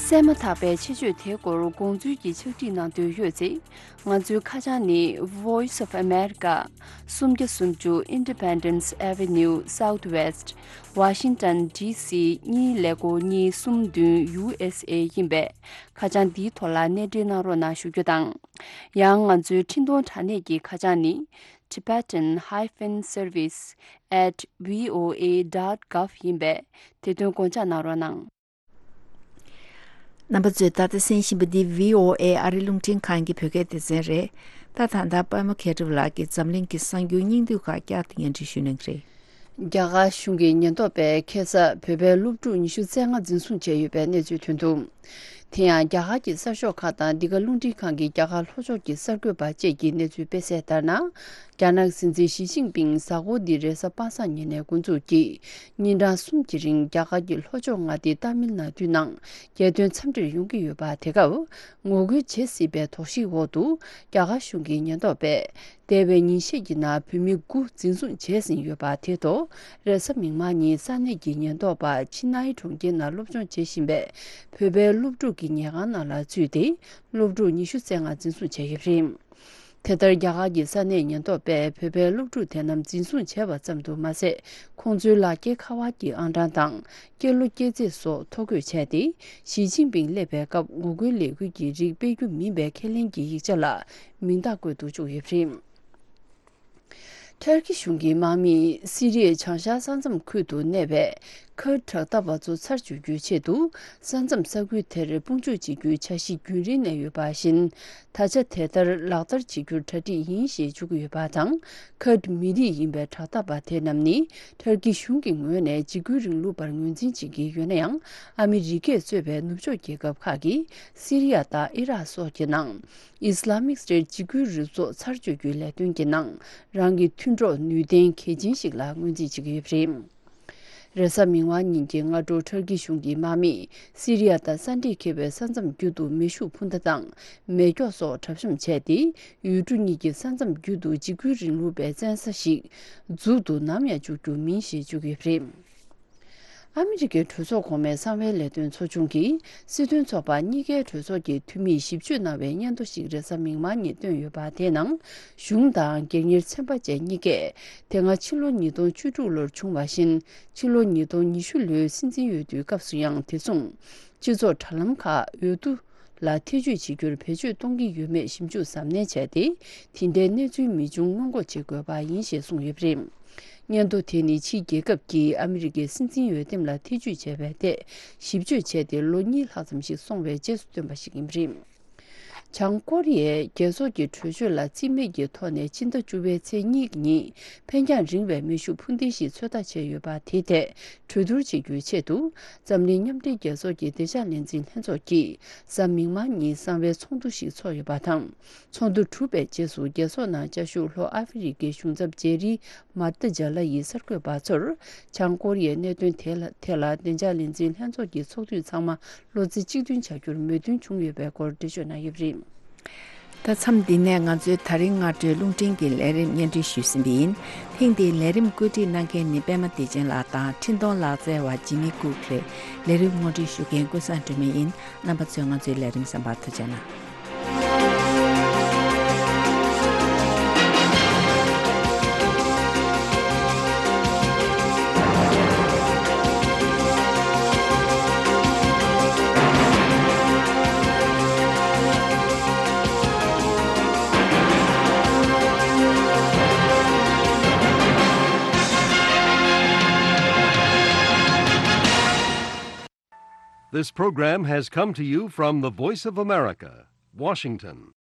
གསན་མ་ཐག་པའི་ཆེད་བརྗོད་དེའི་སྐོར་དགོངས་ཚུལ་གྱི་ཕྱག་བྲིས་གནང་འདོད་ཡོད་ཚེ། ང་ཚོའི་ཁ་བྱང་ནི། Voice of America། སུམ་བརྒྱ་སུམ་ཅུ། Independence Avenue Southwest། Washington D C གཉིས་ཀླད་ཀོར་གཉིས་གསུམ་བདུན། U S A ཡིན་པས། ཁ་བྱང་འདིའི་ཐོག་ལ་གནས་འབྲེལ་གནང་རོགས་གནང་ཞུ་རྒྱུ་དང་། ཡང་ང་ཚོའི་འཕྲིན་གཏོང་དྲ་གནས་ཀྱི་ཁ་བྱང་ནི། Tibetan hyphen service at V O A dot gov ཡིན་པས། དེ་དོན་དགོངས་འཇགས་གནང་རོགས་གནང་། རྣམ་པ་ཚོས་ད་ལྟ་གསན་བཞིན་པ་འདི་V O A ཨ་རི་རླུང་འཕྲིན་ཁང་གི་བོད་སྐད་སྡེ་ཚན་རེད། ད་ད་ལྟ་པད་མ་མཁས་གྲུབ་ལགས་ཀྱིས་འཛམ་གླིང་གི་གསར་འགྱུར་སྙིང་བསྡུས་ཁག་བསྐྱར་དུ་སྙན་སྒྲོན་ཞུ་གནང་གི་རེད། རྒྱ་གར་གཞུང་གི་ཉེན་རྟོག་པས་ཁ་སང་བོད་པའི་སློབ་ཕྲུག་ཉི་ཤུ་རྩ་ལྔ་འཛིན་བཟུང་བྱས་ཡོད་པའི་གནས་ཚུལ་ཐོན་འདུག་དེ་ཡང་རྒྱ་གར་གྱི་གསར་ཤོག་ཁག་དང་འདི་ག་རླུང་འཕྲིན་ཁང་གི་རྒྱ་གར་ལྷོ་ཕྱོགས་ཀྱི་གསར་འགོད་པ་བཅས་ཀྱིས་གནས་ཚུལ་སྤེལ་གསལ་ལྟར་ན། རྒྱ་ནག་སྲིད་འཛིན་ཞི་ཅིན་ཕིང་གཟའ་འཁོར་འདི་རེས་གཟའ་པ་སངས་ཉིན་ནས་འགོ་འཛུགས་ཀྱིས་ཉིན་གྲངས་གསུམ་གྱི་རིང་རྒྱ་གར་གྱི་ལྷོ་ཕྱོགས་མངའ་སྡེ་ཏཱ་མིལ་ནཱ་ཌུའི་ནང་རྒྱལ་དོན་འཚམས་འདྲིར་ཡོང་གི་ཡོད་པ། དེ་སྐབས་ངོ་རྒོལ་བྱེད་སྲིད་པའི་དོགས་གཞིའི་འོག་ཏུ་རྒྱ་གར་གཞུང་གི་ཉེན་རྟོག་པས་འདས་པའི་ཉིན་ཤས་ཀྱི་ནང་བོད་མི་དགུ་འཛིན་བཟུང་བྱས་ཟིན་ཡོད་པ། དེ་ཐོག་རེས་གཟའ་མིག་དམར་ཉིན་ས་གནས་ཀྱི་ཉེན་རྟོག་པ་ཆི་ནའི་གྲོང་ཁྱེར་ནང་སློབ་སྦྱོང་བྱེད་བཞིན་པའི་བོད་པའི་སློབ་ཕྲུག་གི་ཉལ་ཁང་ནང་ལ་ཚུད་དེ་སློབ་ཕྲུག་ཉི་ཤུ་རྩ་ལྔ་འཛིན་བཟུང་བྱས་ཡོད་པ་རེད། དེ་ལྟར་རྒྱ་གར་གྱི་ས་གནས་ཉེན་རྟོག་པས་བོད་པའི་སློབ་ཕྲུག་དེ་རྣམས་འཛིན་བཟུང་བྱས་པ་ཙམ་དུ་མ་ཟད། ཁོང་ཚོའི་ལག་འཁྱེར་ཁ་པར་གྱི་ཨང་གྲངས་དང་སྐྱེས་ལོ་སྐྱེས་ཚེས་སོགས་ཐོ་འགོད་བྱས་ཏེ། ཞི་ཅིན་ཕིང་སླེབས་པའི་སྐབས་ངོ་རྒོལ་ལས་འགུལ་གྱི་རིགས་སྤེལ་རྒྱུ་མིན་པའི་ཁས་ལེན་གྱི་ཡིག་ཆ་ལ་མིང་རྟགས་བཀོད་དུ་བཅུག་ཡོད་པ་རེད། ཐར་ཀི་གཞུང་གི་དམག་མིས་སི་རི་ཡའི་བྱང་ཤར་ས་མཚམས་ཁུལ་དུ་གནས་པའི་ཁུར་ཌི་དྲག་འཐབ་པ་ཚོ་ཚར་གཅོད་རྒྱུའི་ཆེད་དུ་ས་མཚམས་ས་ཁུལ་དེར་དཔུང་འཇུག་བྱེད་རྒྱུའི་འཆར་གཞི་རྒྱུན་རིང་ནས་ཡོད་པ་བཞིན། ད་ཆ་དེ་ལྟར་ལག་བསྟར་བྱེད་རྒྱུར་གྲ་སྒྲིག་ཡིན་ཞེས་བརྗོད་ཀྱི་ཡོད་པ་དང་། ཁུར་ཌི་མི་རིགས་ཡིན་པའི་དྲག་འཐབ་པ་དེ་རྣམས་ནི་ཐར་ཀི་གཞུང་གི་ངོས་ནས་འཇིགས་སྐུལ་རིང་ལུགས་པར་ངོས་འཛིན་བྱེད་ཀྱི་ཡོད་ན་ཡང་། ཨ་མི་རི་ཀས་གཙོས་པའི་ནུབ་ཕྱོགས་རྒྱལ་ཁབ་ཁག་གིས་སི་རི་ཡ་དང་ཨི་རག་སོགས་ཀྱི་ནང་ཨི་སི་ལ་མིག་སི་ཊེཊ་འཇིགས་སྐུལ་རུ་ཚོགས་ཚར་གཅོད་རྒྱུའི་ལས་དོན་གྱི་ནང་རང་གི་མཐུན་གྲོགས་ནུས་ལྡན་གལ་ཆེན་ཞིག་ལ་ངོས་འཛིན་བྱེད་ཀྱི་ཡོད་པ་རེད། རེས་གཟའ་མིག་དམར་ཉིན་གྱི་སྔ་དྲོ་ཐར་ཀི་གཞུང་གི་དམག་མིས་སི་རི་ཡ་དང་ས་འདྲེས་འཁེལ་བའི་ས་མཚམས་རྒྱུད་དུ་མེ་ཤུགས་འཕུར་མདའ་དང་མེ་སྒྱོགས་སོགས་གྲབས་གཤོམ་བྱས་ཏེ། ཡུལ་གྲུ་གཉིས་ཀྱི་ས་མཚམས་རྒྱུད་དུ་འཇིགས་སྐུལ་རིང་ལུགས་པའི་བཙན་ས་ཞིག་འཛུགས་འདུག་ནམ་ཡང་འཇུག་རྒྱུ་མིན་ཞེས་བརྗོད་ཀྱི་ཡོད་པ་རེད། ཨ་མི་རི་ཀའི་གྲོས་ཚོགས་གོང་མའི་གསང་བའི་ལས་དོན་ཚོགས་ཆུང་གིས་སྲིད་དོན་ཚོགས་པ་གཉིས་ཀའི་གྲོས་ཚོགས་ཀྱི་འཐུས་མིས་ཞིབ་དཔྱོད་གནང་བའི་སྙན་ཐོ་ཞིག་རེས་གཟའ་མིག་དམར་ཉིན་བཏོན་ཡོད་པ། དེའི་ནང་གཞུང་དང་སྒེར་གཉེར་ཚན་པ་བཅས་གཉིས་ཀས། དེ་སྔ་ཕྱི་ལོ་ཉིས་སྟོང་བཅུ་དྲུག་ལོར་བྱུང་བ་བཞིན། ཕྱི་ལོ་ཉིས་སྟོང་ཉི་ཤུ་ལོའི་སྲིད་འཛིན་འོས་བསྡུའི་སྐབས་སུ་ཡང་དེ་མཚུངས། སྤྱི་ཚོགས་དྲ་ལམ་ཁག་འོས་བསྡུ་ལ་ཐེ་ཇུས་བྱེད་རྒྱུར་བེད་སྤྱོད་གཏོང་གི་ཡོད་མེད་ཞིབ་འཇུག་གཟབ་ནན་བྱས་ཏེ། དེ་འདྲའི་གནས་ཚུལ་མི་འབྱུང་སྔོན་འགོག་བྱེད་དགོས་པ་ཡིན་ཞེས་གསུངས་ཡོད་པ་རེད། སྙན་ཐོ་དེ་ནི་ཕྱིའི་རྒྱལ་ཁབ་ཀྱིས་ཨ་མི་རི་ཀའི་སྲིད་འཛིན་འོས་འདེམས་ལ་ཐེ་ཇུས་བྱས་པའི་ཐད་ཞིབ་དཔྱོད་བྱས་ཏེ། ལོ་གཉིས་ལྷག་ཙམ་ཞིག་སོང་བའི་རྗེས་སུ་བཏོན་པ་ཞིག་ཡིན་པ་རེད། བྱང་ཀོ་རི་ཡས་རྒྱལ་ཚོགས་ཀྱི་གྲོས་ཆོད་ལ་རྩིས་མེད་ཀྱི་ཐོག་ནས་སྤྱི་ཟླ་བཅུ་པའི་ཚེས་གཉིས་ཉིན་འཕེན་རྒྱང་རིང་བའི་མེ་ཤུགས་འཕུར་མདེལ་ཞིག་ཚོད་ལྟ་བྱས་ཡོད་པ་དེའི་ཐད་གྲོས་བསྡུར་བྱེད་རྒྱུའི་ཆེད་དུ། འཛམ་གླིང་མཉམ་འབྲེལ་རྒྱལ་ཚོགས་ཀྱི་བདེ་འཇགས་ལས་འཛིན་ལྷན་ཚོགས་ཀྱིས་གཟའ་མིག་དམར་ཉིན་གསང་བའི་ཚོགས་འདུ་ཞིག་ཚོགས་ཡོད་པ་དང་། ཚོགས་འདུ་གྲུབ་པའི་རྗེས་སུ་རྒྱལ་ཚོགས་ནང་བཅའ་བཞུགས་ལྷོ་ཨ་ཧྥེ་རི་ཁའི་གཞུང་ཚབ་ཇེ་རི་མར་ཏི་ཇ་ལ་ཡིས་གསར་འགོད་པ་ཚོར། བྱང་ཀོ་རི་ཡའི་གནད་དོན་དེ་ལ་ཐད་ལ་བདེ་འཇགས་ལས་འཛིན་ལྷན་ཚོགས་ཀྱི་ཚོགས་དུས་ཚང་མ་བློ་རྩེ་གཅིག་མཐུན་བྱ་རྒྱུར་མོས་མཐུན་བྱུང་ཡོད་པའི་སྐོར་འགྲེལ་བརྗོད་གནང་ཡོད་པ་རེད། ད་མཚམས་འདི་ནས་ང་ཚོའི་ད་རིང་སྔ་དྲོའི་རླུང་འཕྲིན་གྱི་ལས་རིམ་སྙན་སྒྲོན་ཞུས་ཟིན་པ་ཡིན། ཐེངས་འདིའི་ལས་རིམ་བཀོད་སྒྲིག་གནང་མཁན་ནི་པད་མ་བདེ་ཆེན་ལགས་དང་འཕྲིན་གཏོང་ལག་རྩལ་བ་ཇི་མི་ཀུག་རེད། ལས་རིམ་སྔོན་སྒྲིག་ཞུ་མཁན་ཀུན་བཟང་སྒྲོལ་མ་ཡིན། རྣམ་པ་ཚོས་ང་ཚོའི་ལས་རིམ་གསན་པར་ཐུགས་རྗེ་གནང་། This program has come to you from the Voice of America, Washington.